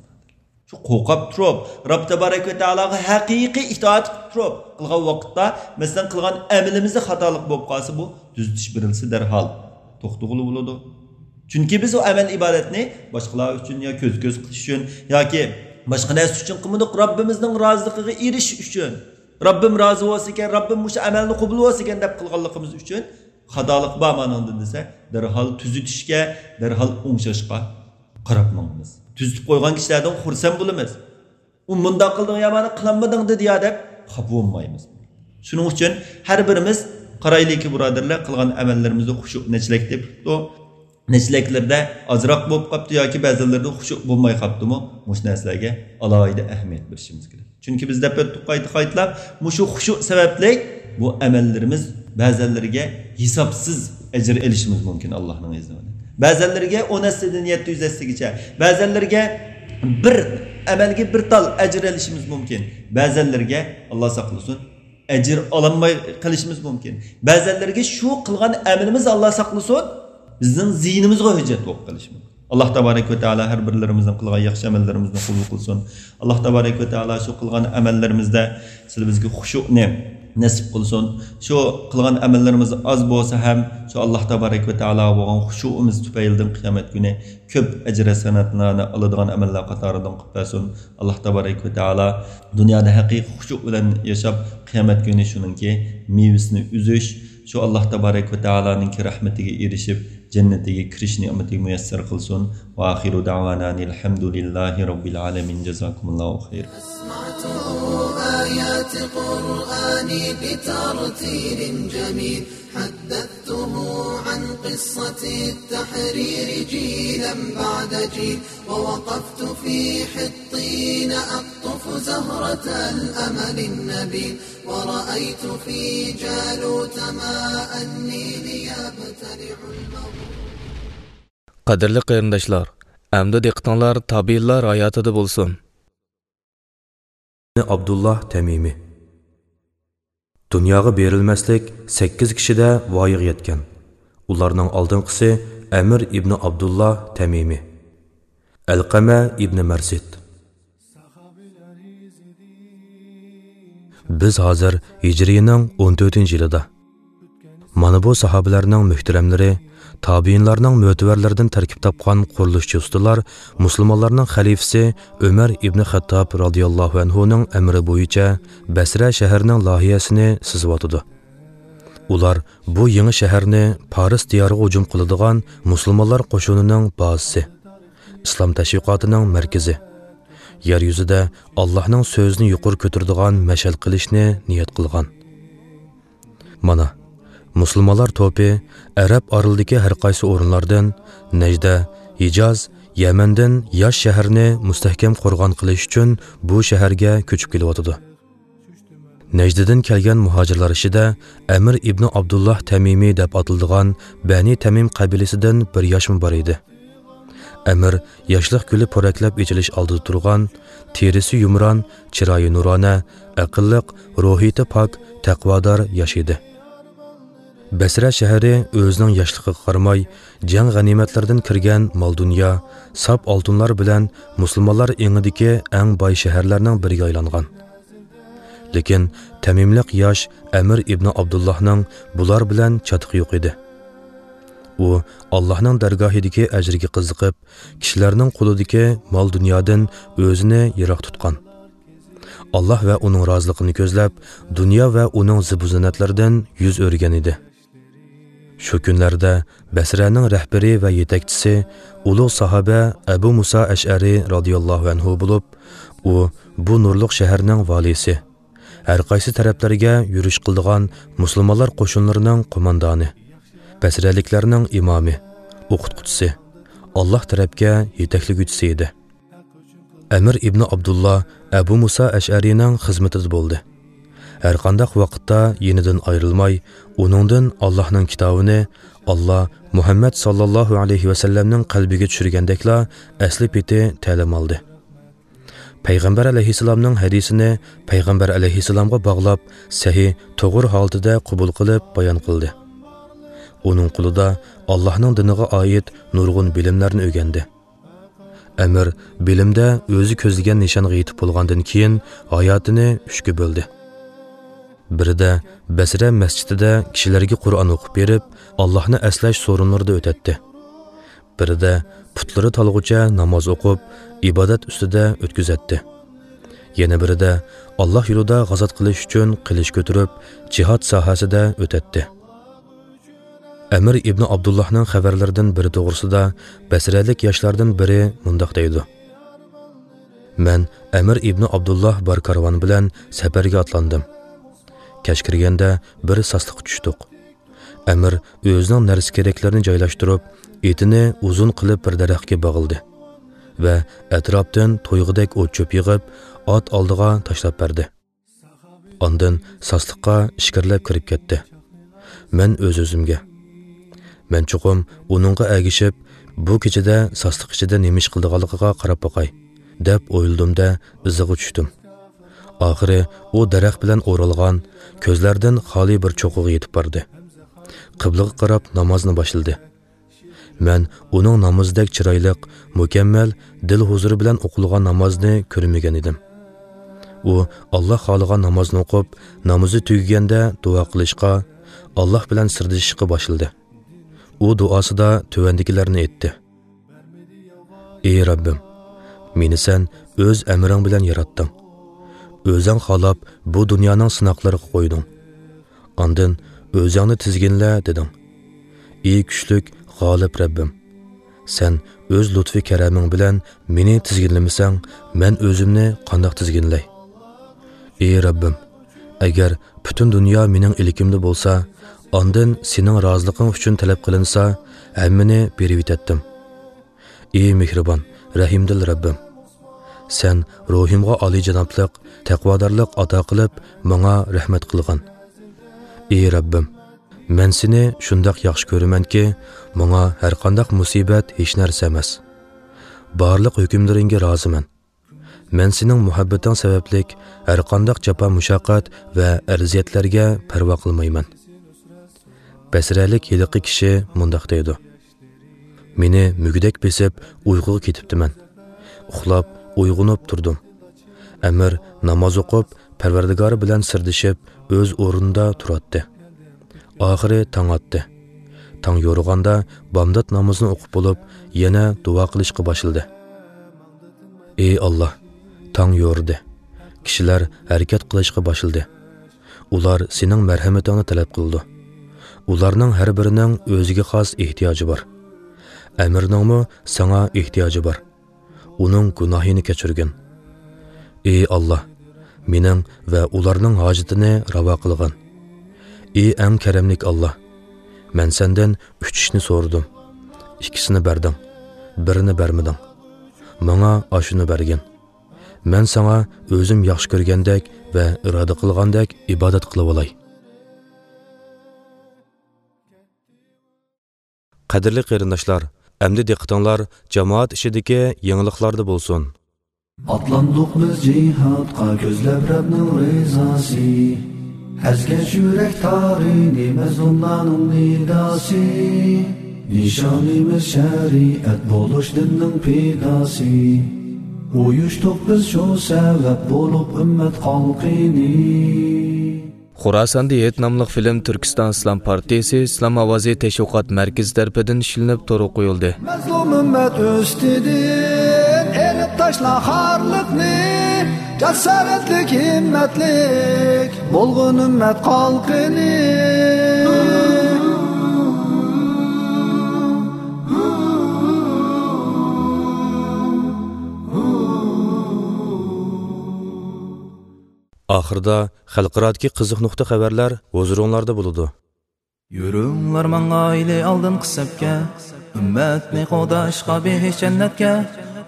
شۇ قورقۇپ تۇرۇپ، رەب تەبارەك ۋە تائالاغا ھەقىقىي ئىتائەت قىلىپ تۇرۇپ قىلغان ۋاقىتتا، مەسىلەن، قىلغان ئەمىلىمىزدە خاتالىق بولۇپ قالسا، بۇ تۈزىتىش بېرىلسە دەرھال توختىغىلى بولىدۇ. چۈنكى بىز ئۇ ئەمەل ئىبادەتنى باشقىلار ئۈچۈن يا كۆز-كۆز قىلىش ئۈچۈن ياكى باشقا نەرسە ئۈچۈن قىلمىدۇق، رەببىمىزنىڭ رازىلىقىغا ئېرىشىش ئۈچۈن، رەببىم رازى بولسىكەن، رەببىم مۇشۇ ئەمەلنى قوبۇل بولسىكەن دەپ قىلغانلىقىمىز ئۈچۈن خاتالىق بار مانىڭدا دېسە، دەرھال تۈزىتىشكە، دەرھال ئوڭشاشقا قاراپ ماڭىمىز. تۈزىتىپ قويغان كىشىلەردىن خۇرسەن بولىمىز. ئۇ مۇنداق قىلدىڭ يا مانا قىلالمىدىڭ دېدى يا دەپ خاپا بولمايمىز. شۇنىڭ ئۈچۈن ھەر بىرىمىز قارايلىكى، بۇرادەرلەر، قىلغان ئەمەللىرىمىزدە خۇشۇ نەچچىلەك تېپىپتۇ، نەچچىلەكلىرىدە ئازراق بولۇپ قاپتۇ ياكى بەزىلىرىدە خۇشۇ بولماي قاپتىمۇ، مۇشۇ نەرسىلەرگە ئالاھىدە ئەھمىيەت بېرىشىمىز كېرەك. چۈنكى بىز دەپ ئۆتتۇق قايتا-قايتىلاپ، مۇشۇ خۇشۇ سەۋەبلىك بۇ ئەمەللىرىمىز بەزەنلىرىگە ھېسابسىز ئەجىر ئېلىشىمىز مۇمكىن، ئاللاھنىڭ ئىزنى بىلەن. بەزەنلىرىگە ئون ھەسسىدىن يەتتە يۈز ھەسسىگىچە، بەزەنلىرىگە بىر ئەمەلگە بىر تال ئەجىر ئېلىشىمىز مۇمكىن. بەزەنلىرىگە، ئاللا ساقلىسۇن، ئەجىر ئالالماي قېلىشىمىز مۇمكىن. بەزەنلىرىگە شۇ قىلغان ئەمىلىمىز، ئاللا ساقلىسۇن، بىزنىڭ زىيىنىمىزغا ھۆججەت بولۇپ قېلىشى مۇمكىن. ئاللا تابارەك ۋە تائالا ھەر بىرلىرىمىزنىڭ قىلغان ياخشى ئەمەللىرىمىزنى قوبۇل قىلسۇن. ئاللا تابارەك ۋە تائالا شۇ قىلغان ئەمەللىرىمىزدە سىلى بىزگە خۇشۇنى نەسىپ قىلسۇن. شۇ قىلغان ئەمەللىرىمىز ئاز بولسا ھەم، شۇ ئاللا تابارەك ۋە تائالاغا بولغان خۇشۇئىمىز تۈپەيلىدىن قىيامەت كۈنى كۆپ ئەجىر ھەسەناتلارنى ئالىدىغان ئەمەللەر قاتارىدىن قىلىپ بەرسۇن. ئاللا تابارەك ۋە تائالا دۇنيادا ھەقىقىي خۇشۇ بىلەن ياشاپ، قىيامەت كۈنى شۇنىڭكى مېۋىسىنى ئۈزۈش، شۇ ئاللا تابارەك ۋە تائالانىڭكى رەھمىتىگە ئېرىشىپ، جەننىتىگە كىرىش نېمىتىگە مۇيەسسەر قىلسۇن. ۋە ئاخىرۇ دەۋانا ئەنىل ھەمدۇلىللاھى رەببىل ئالەمىن. جازاكۇمۇللاھۇ خەيرا. أسمعته آيات قرآني بترتيل جميل. حدثته عن قصة التحرير جيلا بعد جيل. ووقفت في حطين أقطف زهرة الأمل النبيل. ورأيت في جالوت ماء النيل يبتلع المغرور. قەدىرلىك قېرىنداشلار، ئەمدى دىققىتىڭلار تابىئىنلار ھاياتىدا بولسۇن. ئابدۇللا تەمىمى. دۇنياغا بېرىلمەسلىك سەككىز كىشىدە ۋايىغا يەتكەن. ئۇلارنىڭ ئالدىنقىسى ئەمىر ئىبنى ئابدۇللا تەمىمى، ئەلقەمە ئىبنى مەرسىد. بىز ھازىر ھىجرىينىڭ ئون تۆتىنچى يىلىدا. مانا بۇ ساھابىلەرنىڭ مۆھتەرەملىرى، تابىئىنلارنىڭ مۆتىۋەرلىرىدىن تەركىب تاپقان قۇرۇلۇشچى ئۇستىلار مۇسۇلمانلارنىڭ خەلىپىسى ئۆمەر ئىبنى خەتتاب رازىياللاھۇ ئەنھۇنىڭ ئەمرى بويىچە بەسرە شەھىرىنىڭ لايىھەسىنى سىزىۋاتىدۇ. ئۇلار بۇ يېڭى شەھەرنى پارس دىيارىغا ھۇجۇم قىلىدىغان مۇسۇلمانلار قوشۇنىنىڭ بازىسى، ئىسلام تەشۋىقاتىنىڭ مەركىزى، يەر يۈزىدە ئاللاھنىڭ سۆزىنى يۇقىرى كۆتۈرىدىغان مەشئەل قىلىشنى نىيەت قىلغان. مانا، مۇسۇلمانلار توپى ئەرەب ئارىلىدىكى ھەر قايسى ئورۇنلاردىن، نەجدە، ھىجاز، يەمەندىن ياش شەھەرنى مۇستەھكەم قورغان قىلىش ئۈچۈن بۇ شەھەرگە كۆچۈپ كېلىۋاتىدۇ. نەجدىدىن كەلگەن مۇھاجىرلار ئىچىدە ئەمىر ئىبنى ئابدۇللاھ تەمىمى دەپ ئاتىلىدىغان بەنى تەمىم قەبىلىسىدىن بىر ياشمۇ بار ئىدى. ئەمىر ياشلىق گۈلى پورەكلەپ ئېچىلىش ئالدىدا تۇرغان، تېرىسى يۇمران، چىرايى نۇرانە، ئەقىللىق، روھىيىتى پاك، تەقۋادار ياش ئىدى. بەسرە شەھىرى ئۆزىنىڭ ياشلىقىغا قارىماي، جەڭ غەنىيمەتلىرىدىن كىرگەن مال-دۇنيا، ساپ ئالتۇنلار بىلەن مۇسۇلمانلار ئېڭىدىكى ئەڭ باي شەھەرلەرنىڭ بىرىگە ئايلانغان. لېكىن تەمىملىق ياش ئەمىر ئىبنى ئابدۇللاھنىڭ بۇلار بىلەن چاتىقى يوق ئىدى. ئۇ ئاللاھنىڭ دەرگاھىدىكى ئەجىرگە قىزىقىپ، كىشىلەرنىڭ قولىدىكى مال-دۇنيادىن ئۆزىنى يىراق تۇتقان. ئاللاھ ۋە ئۇنىڭ رازىلىقىنى كۆزلەپ، دۇنيا ۋە ئۇنىڭ زىبۇ-زىننەتلىرىدىن يۈز ئۆرۈگەن ئىدى. شۇ كۈنلەردە بەسرەنىڭ رەھبىرى ۋە يېتەكچىسى ئۇلۇغ ساھابە ئەبۇ مۇسا ئەشئەرى رازىياللاھۇ ئەنھۇ بولۇپ، ئۇ بۇ نۇرلۇق شەھەرنىڭ ۋالىيسى، ھەر قايسى تەرەپلەرگە يۈرۈش قىلىدىغان مۇسۇلمانلار قوشۇنلىرىنىڭ قوماندانى، بەسرەلىكلەرنىڭ ئىمامى، ئوقۇتقۇچىسى، ئاللاھ تەرەپكە يېتەكلىگۈچىسى ئىدى. ئەمىر ئىبنى ئابدۇللا ئەبۇ مۇسا ئەشئەرىنىڭ خىزمىتىدە بولدى. ھەرقانداق ۋاقىتتا يېنىدىن ئايرىلماي، ئۇنىڭدىن ئاللاھنىڭ كىتابىنى، ئاللا مۇھەممەد ساللاللاھۇ ئەلەيھى ۋەسەللەمنىڭ قەلبىگە چۈشۈرگەندەكلا ئەسلى پېتى تەلىم ئالدى. پەيغەمبەر ئەلەيھىسسالامنىڭ ھەدىسىنى پەيغەمبەر ئەلەيھىسسالامغا باغلاپ، سەھىھ، توغرا ھالىتىدە قوبۇل قىلىپ بايان قىلدى. ئۇنىڭ قولىدا ئاللاھنىڭ دىنىغا ئائىت نۇرغۇن بىلىملەرنى ئۆگەندى. ئەمىر بىلىمدە ئۆزى كۆزلىگەن نىشانغا يېتىپ بولغاندىن كېيىن ھاياتىنى ئۈچكە بۆلدى. بىرىدە بەسرە مەسچىتىدە كىشىلەرگە قۇرئان ئوقۇپ بېرىپ، ئاللاھنى ئەسلەش سورۇنلىرىدا ئۆتەتتى. بىرىدە پۇتلىرى تالغۇچە ناماز ئوقۇپ، ئىبادەت ئۈستىدە ئۆتكۈزەتتى. يەنە بىرىدە ئاللاھ يولىدا غازات قىلىش ئۈچۈن قىلىچ كۆتۈرۈپ، جىھاد ساھەسىدە ئۆتەتتى. ئەمىر ئىبنى ئابدۇللاھنىڭ خەۋەرلىرىدىن بىرى توغرىسىدا بەسرەلىك ياشلاردىن بىرى مۇنداق دەيدۇ: مەن ئەمىر ئىبنى ئابدۇللاھ بار كارۋان بىلەن سەپەرگە ئاتلاندىم. كەچ كىرگەندە بىر ساسلىققا چۈشتۇق. ئەمىر ئۆزىنىڭ نەرسە-كېرەكلىرىنى جايلاشتۇرۇپ، ئېتىنى ئۇزۇن قىلىپ بىر دەرەخكە باغلىدى ۋە ئەتراپتىن تويغۇدەك ئوت-چۆپ يىغىپ، ئات ئالدىغا تاشلاپ بەردى. ئاندىن ساسلىققا ئىچكىرىلەپ كىرىپ كەتتى. مەن ئۆز-ئۆزۈمگە، مەن چوقۇم ئۇنىڭغا ئەگىشىپ، بۇ كېچىدە ساسلىق ئىچىدە نېمە ئىش قىلىدىغانلىقىغا قاراپ باقاي، دەپ ئويلىدىم-دە، ئىزىغا چۈشتۈم. ئاخىرى ئۇ دەرەخ بىلەن ئورالغان، كۆزلەردىن خالىي بىر چوققىغا يېتىپ باردى. قىبلىغا قاراپ نامازنى باشلىدى. مەن ئۇنىڭ نامىزىدەك چىرايلىق، مۇكەممەل، دىل ھۇزۇرى بىلەن ئوقۇلغان نامازنى كۆرمىگەن ئىدىم. ئۇ ئاللاھ خالىغان نامازنى ئوقۇپ، نامىزى تۈگىگەندە دۇئا قىلىشقا، ئاللاھ بىلەن سىردىشىشقا باشلىدى. ئۇ دۇئاسىدا تۆۋەندىكىلەرنى ئېيتتى: ئى رەببىم، مېنى سەن ئۆز ئەمرىڭ بىلەن ياراتتىڭ. ئۆزۈڭ خالاپ بۇ دۇنيانىڭ سىناقلىرىغا قويدۇڭ. ئاندىن ئۆزۈڭنى تىزگىنلە دېدىڭ. ئى كۈچلۈك، غالىب رەببىم، سەن ئۆز لۇتپى-كەرەمىڭ بىلەن مېنى تىزگىنلىمىسەڭ، مەن ئۆزۈمنى قانداق تىزگىنلەي؟ ئى رەببىم، ئەگەر پۈتۈن دۇنيا مېنىڭ ئىلكىمدە بولسا، ئاندىن سېنىڭ رازىلىقىڭ ئۈچۈن تەلەپ قىلىنسا، ھەممىنى بېرىۋېتەتتىم. ئى مېھرىبان، رەھىمدىل رەببىم، سەن روھۇمغا ئالىيجانابلىق، تەقۋادارلىق ئاتا قىلىپ، ماڭا رەھمەت قىلغىن. ئى رەببىم، مەن سېنى شۇنداق ياخشى كۆرىمەنكى، ماڭا ھەرقانداق مۇسىبەت ھېچ نەرسە ئەمەس. بارلىق ھۆكۈملىرىڭگە رازىمەن. مەن سېنىڭ مۇھەببىتىڭ سەۋەبلىك ھەرقانداق جاپا-مۇشەققەت ۋە ئەزىيەتلەرگە پەرۋا قىلمايمەن. بەسرەلىك ھېلىقى كىشى مۇنداق دەيدۇ: مېنى مۈگدەك بېسىپ، ئۇيقۇغا كېتىپتىمەن. ئۇخلاپ، ئويغىنىپ تۇردۇم. ئەمىر ناماز ئوقۇپ، پەرۋەردىگارى بىلەن سىردىشىپ، ئۆز ئورنىدا تۇراتتى. ئاخىرى تاڭ ئاتتى. تاڭ يورۇغاندا بامدات نامىزىنى ئوقۇپ بولۇپ، يەنە دۇئا قىلىشقا باشلىدى. ئى ئاللاھ، تاڭ يورۇدى. كىشىلەر ھەرىكەت قىلىشقا باشلىدى. ئۇلار سېنىڭ مەرھەمىتىڭنى تەلەپ قىلىدۇ. ئۇلارنىڭ ھەر بىرىنىڭ ئۆزىگە خاس ئېھتىياجى بار. ئەمىرنىڭمۇ ساڭا ئېھتىياجى بار. ئۇنىڭ گۇناھىنى كەچۈرگىن. ئى ئاللاھ، مېنىڭ ۋە ئۇلارنىڭ ھاجىتىنى راۋا قىلغىن. ئى ئەڭ كەرەملىك ئاللاھ، مەن سەندىن ئۈچ ئىشنى سورىدىم. ئىككىسىنى بەردىڭ، بىرىنى بەرمىدىڭ. ماڭا ئاشۇنى بەرگىن. مەن ساڭا ئۆزۈم ياخشى كۆرگەندەك ۋە ئىرادە قىلغاندەك ئىبادەت قىلىۋالاي. قەدىرلىك قېرىنداشلار، ئەمدى دىققىتىڭلار جامائەت ئىچىدىكى يېڭىلىقلاردا بولسۇن. ئاتلاندۇق بىز جىھادقا، كۆزلەپ رەبنىڭ رىزاسى. ئەزگەش يۈرەك تارىنى، مەزلۇملارنىڭ نىداسى. نىشانىمىز شەرىئەت بولۇش دىننىڭ پىداسى. ئۇيۇشتۇق بىز شۇ سەۋەب بولۇپ ئۈممەت خەلقىنى. خوراساندا ھېيت ناملىق فىلىم تۈركىستان ئىسلام پارتىيىسى ئىسلام ئاۋازى تەشۋىقات مەركىزى تەرىپىدىن ئىشلىنىپ تورغا قويۇلدى. مەزلۇم ئۈممەت ئۈستىدىن ئېلىپ تاشلا خارلىقنى، جاسارەتلىك، ھىممەتلىك بولغىن ئۈممەت خەلقىنى. ئاخىرىدا خەلقئارادىكى قىزىق نۇقتا خەۋەرلەر ھۇزۇرۇڭلاردا بولىدۇ. يۈرۈڭلار ماڭايلى ئالدىنقى سەپكە، ئۈممەتنى قوغداشقا بېھىش جەننەتكە.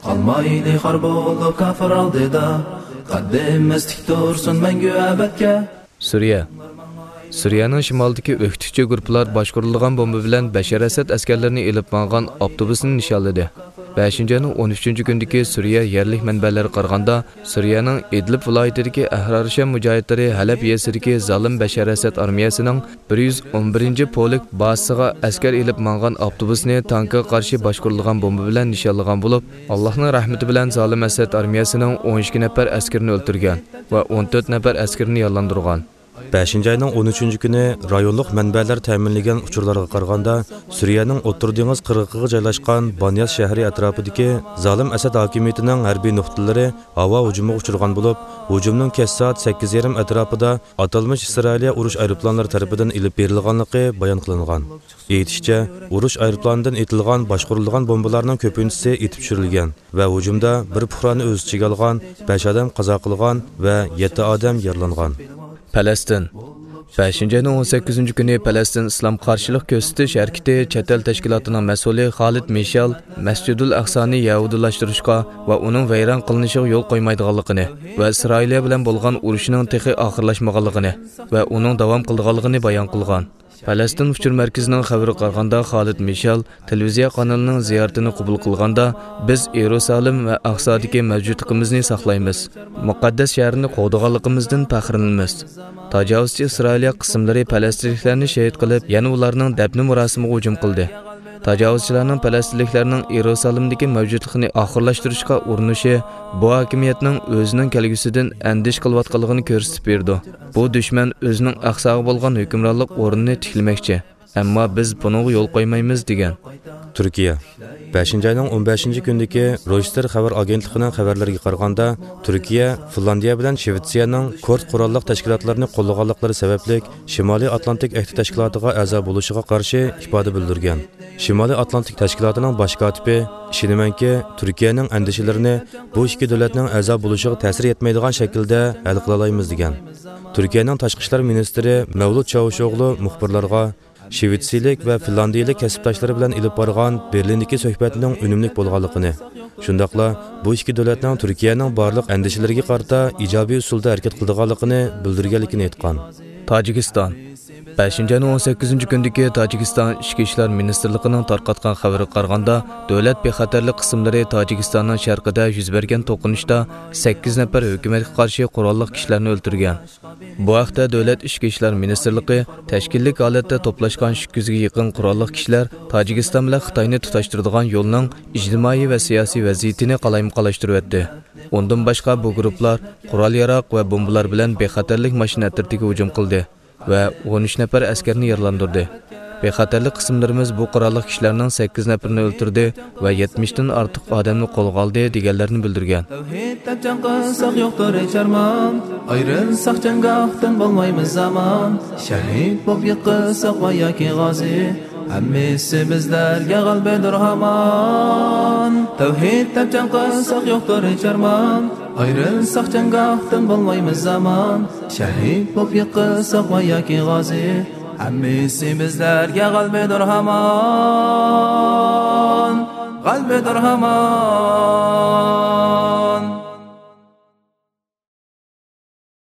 قالمايلى خار بولۇپ كاپىر ئالدىدا، قەددىمىز تىك تۇرسۇن مەڭگۈ ئەبەدكە. سۈرىيە. سۈرىيەنىڭ شىمالىدىكى ئۆكتىچى گۇرۇپپىلار باشقۇرۇلىدىغان بومبا بىلەن بەشار ئەسەد ئەسكەرلىرىنى ئېلىپ ماڭغان ئاپتوبۇسنى نىشانلىدى. بەشىنچى ئاينىڭ ئون ئۈچىنچى كۈنىدىكى سۈرىيە يەرلىك مەنبەلەرگە قارىغاندا، سۈرىيەنىڭ ئىدلىب ۋىلايىتىدىكى ئەھرار شام مۇجاھىدلىرى ھەلەب يېزىسىدىكى زالىم بەشار ئەسەد ئارمىيەسىنىڭ بىر يۈز ئون بىرىنچى پولك بازىسىغا ئەسكەر ئېلىپ ماڭغان ئاپتوبۇسنى تانكىغا قارشى باشقۇرۇلغان بومبا بىلەن نىشانلىغان بولۇپ، ئاللاھنىڭ رەھمىتى بىلەن زالىم ئەسەد ئارمىيەسىنىڭ ئون ئىككى نەپەر ئەسكىرىنى ئۆلتۈرگەن ۋە ئون تۆت نەپەر ئەسكىرىنى يارىلاندۇرغان. بەشىنچى ئاينىڭ ئون ئۈچىنچى كۈنى رايونلۇق مەنبەلەر تەمىنلىگەن ئۇچۇرلارغا قارىغاندا، سۈرىيەنىڭ ئوتتۇرا دېڭىز قىرغىقىغا جايلاشقان بانياس شەھىرى ئەتراپىدىكى زالىم ئەسەد ھاكىمىيىتىنىڭ ھەربىي نۇقتىلىرى ھاۋا ھۇجۇمىغا ئۇچرىغان بولۇپ، ھۇجۇمنىڭ كەچ سائەت سەككىز يېرىم ئەتراپىدا ئاتالمىش ئىسرائىلىيە ئۇرۇش ئايروپىلانلىرى تەرىپىدىن ئېلىپ بېرىلغانلىقى بايان قىلىنغان. ئېيتىشىچە، ئۇرۇش ئايروپىلانىدىن ئېتىلغان باشقۇرۇلىدىغان بومبىلارنىڭ كۆپىنچىسى ئېتىپ چۈشۈرۈلگەن ۋە ھۇجۇمدا بىر پۇقرانى ئۆز ئىچىگە ئالغان بەش ئادەم قازا قىلغان ۋە يەتتە ئادەم يارىلانغان. پەلەستىن. بەشىنچى ئاينىڭ ئون سەككىزىنچى كۈنى پەلەستىن ئىسلام قارشىلىق كۆرسىتىش ھەرىكىتى چەت ئەل تەشكىلاتىنىڭ مەسئۇلى خالىد مىشال مەسجىدۇل ئەقسانى يەھۇدىيلاشتۇرۇشقا ۋە ئۇنىڭ ۋەيران قىلىنىشىغا يول قويمايدىغانلىقىنى ۋە ئىسرائىلىيە بىلەن بولغان ئۇرۇشىنىڭ تېخى ئاخىرلاشمىغانلىقىنى ۋە ئۇنىڭ داۋام قىلىدىغانلىقىنى بايان قىلغان. پەلەستىن ئۇچۇر مەركىزىنىڭ خەۋىرىگە قارىغاندا، خالىد مىشال تېلېۋىزىيە قانىلىنىڭ زىيارىتىنى قوبۇل قىلغاندا، بىز يېرۇسالىم ۋە ئەقسادىكى مەۋجۇتلۇقىمىزنى ساقلايمىز، مۇقەددەس شەھەرنى قوغدىغانلىقىمىزدىن پەخىرلىنىمىز. تاجاۋۇزچى ئىسرائىلىيە قىسىملىرى پەلەستىنلىكلەرنى شېھىت قىلىپ، يەنە ئۇلارنىڭ دەپنە مۇراسىمىغا ھۇجۇم قىلدى. تاجاۋۇزچىلارنىڭ پەلەستىنلىكلەرنىڭ يېرۇسالىمدىكى مەۋجۇتلۇقىنى ئاخىرلاشتۇرۇشقا ئۇرۇنۇشى بۇ ھاكىمىيەتنىڭ ئۆزىنىڭ كەلگۈسىدىن ئەندىشە قىلىۋاتقانلىقىنى كۆرسىتىپ بېرىدۇ. بۇ دۈشمەن ئۆزىنىڭ ئەقساغا بولغان ھۆكۈمرانلىق ئورنىنى تىكلىمەكچى، ئەمما بىز بۇنىڭغا يول قويمايمىز، دېگەن. تۈركىيە. بەشىنچى ئاينىڭ ئون بەشىنچى كۈنىدىكى رويتېر خەۋەر ئاگېنتلىقىنىڭ خەۋەرلىرىگە قارىغاندا، تۈركىيە فىنلاندىيە بىلەن شىۋېتسىيەنىڭ كۇرد قوراللىق تەشكىلاتلىرىنى قوللىغانلىقلىرى سەۋەبلىك شىمالىي ئاتلانتىك ئەھدى تەشكىلاتىغا ئەزا بولۇشىغا قارشى ئىپادە بىلدۈرگەن. شىمالىي ئاتلانتىك تەشكىلاتىنىڭ باش كاتىپى، ئىشىنىمەنكى، تۈركىيەنىڭ ئەندىشىلىرىنى بۇ ئىككى دۆلەتنىڭ ئەزا بولۇشىغا تەسىر يەتمەيدىغان شەكىلدە ھەل قىلالايمىز، دېگەن. تۈركىيەنىڭ تاشقى ئىشلار مىنىستىرى مەۋلۇت چاۋۇشئوغلۇ مۇخبىرلارغا شىۋېتسىيىلىك ۋە فىنلاندىيىلىك كەسىپداشلىرى بىلەن ئېلىپ بارغان بېرلىندىكى سۆھبەتنىڭ ئۈنۈملۈك بولغانلىقىنى، شۇنداقلا بۇ ئىككى دۆلەتنىڭ تۈركىيەنىڭ بارلىق ئەندىشىلىرىگە قارىتا ئىجابىي ئۇسۇلدا ھەرىكەت قىلىدىغانلىقىنى بىلدۈرگەنلىكىنى ئېيتقان. تاجىكىستان. بەشىنچى ئاينىڭ ئون سەككىزىنچى كۈنىدىكى تاجىكىستان ئىچكى ئىشلار مىنىستىرلىقىنىڭ تارقاتقان خەۋىرىگە قارىغاندا، دۆلەت بىخەتەرلىك قىسىملىرى تاجىكىستاننىڭ شەرقىدە يۈز بەرگەن توقۇنۇشتا سەككىز نەپەر ھۆكۈمەتكە قارشى قوراللىق كىشىلەرنى ئۆلتۈرگەن. بۇ ھەقتە دۆلەت ئىچكى ئىشلار مىنىستىرلىقى تەشكىللىك ھالەتتە توپلاشقان ئىككى يۈزگە يېقىن قوراللىق كىشىلەر تاجىكىستان بىلەن خىتاينى تۇتاشتۇرىدىغان يولنىڭ ئىجتىمائىي ۋە سىياسىي ۋەزىيىتىنى قالايمىقانلاشتۇرۇۋەتتى. ئۇندىن باشقا، بۇ گۇرۇپپىلار قورال-ياراغ ۋە بومبىلار بىلەن بىخەتەرلىك ماشىنا ئەترىتىگە ھۇجۇم قىلدى ۋە ئون ئۈچ نەپەر ئەسكەرنى يارىلاندۇردى. بىخەتەرلىك قىسىملىرىمىز بۇ قوراللىق كىشىلەرنىڭ سەككىز نەپىرىنى ئۆلتۈردى ۋە يەتمىشتىن ئارتۇق ئادەمنى قولغا ئالدى، دېگەنلەرنى بىلدۈرگەن. تەۋھىد دەپ جەڭ قىلساق يوقتۇر ھېچ ئارمان، ئايرىلساق جەڭگاھتىن بولمايمىز ئامان. شەھىد بولۇپ يىقىلساق ۋە ياكى غازى، ھەممىسى بىزلەرگە غەلىبىدۇر ھامان. تەۋھىد دەپ جەڭ قىلساق يوقتۇر ھېچ ئارمان، ئايرىلساق جەڭگاھتىن بولمايمىز ئامان. شەھىد بولۇپ يىقىلساق ۋە ياكى غازى، ھەممىسى بىزلەرگە غەلىبىدۇر ھامان، غەلىبىدۇر ھامان.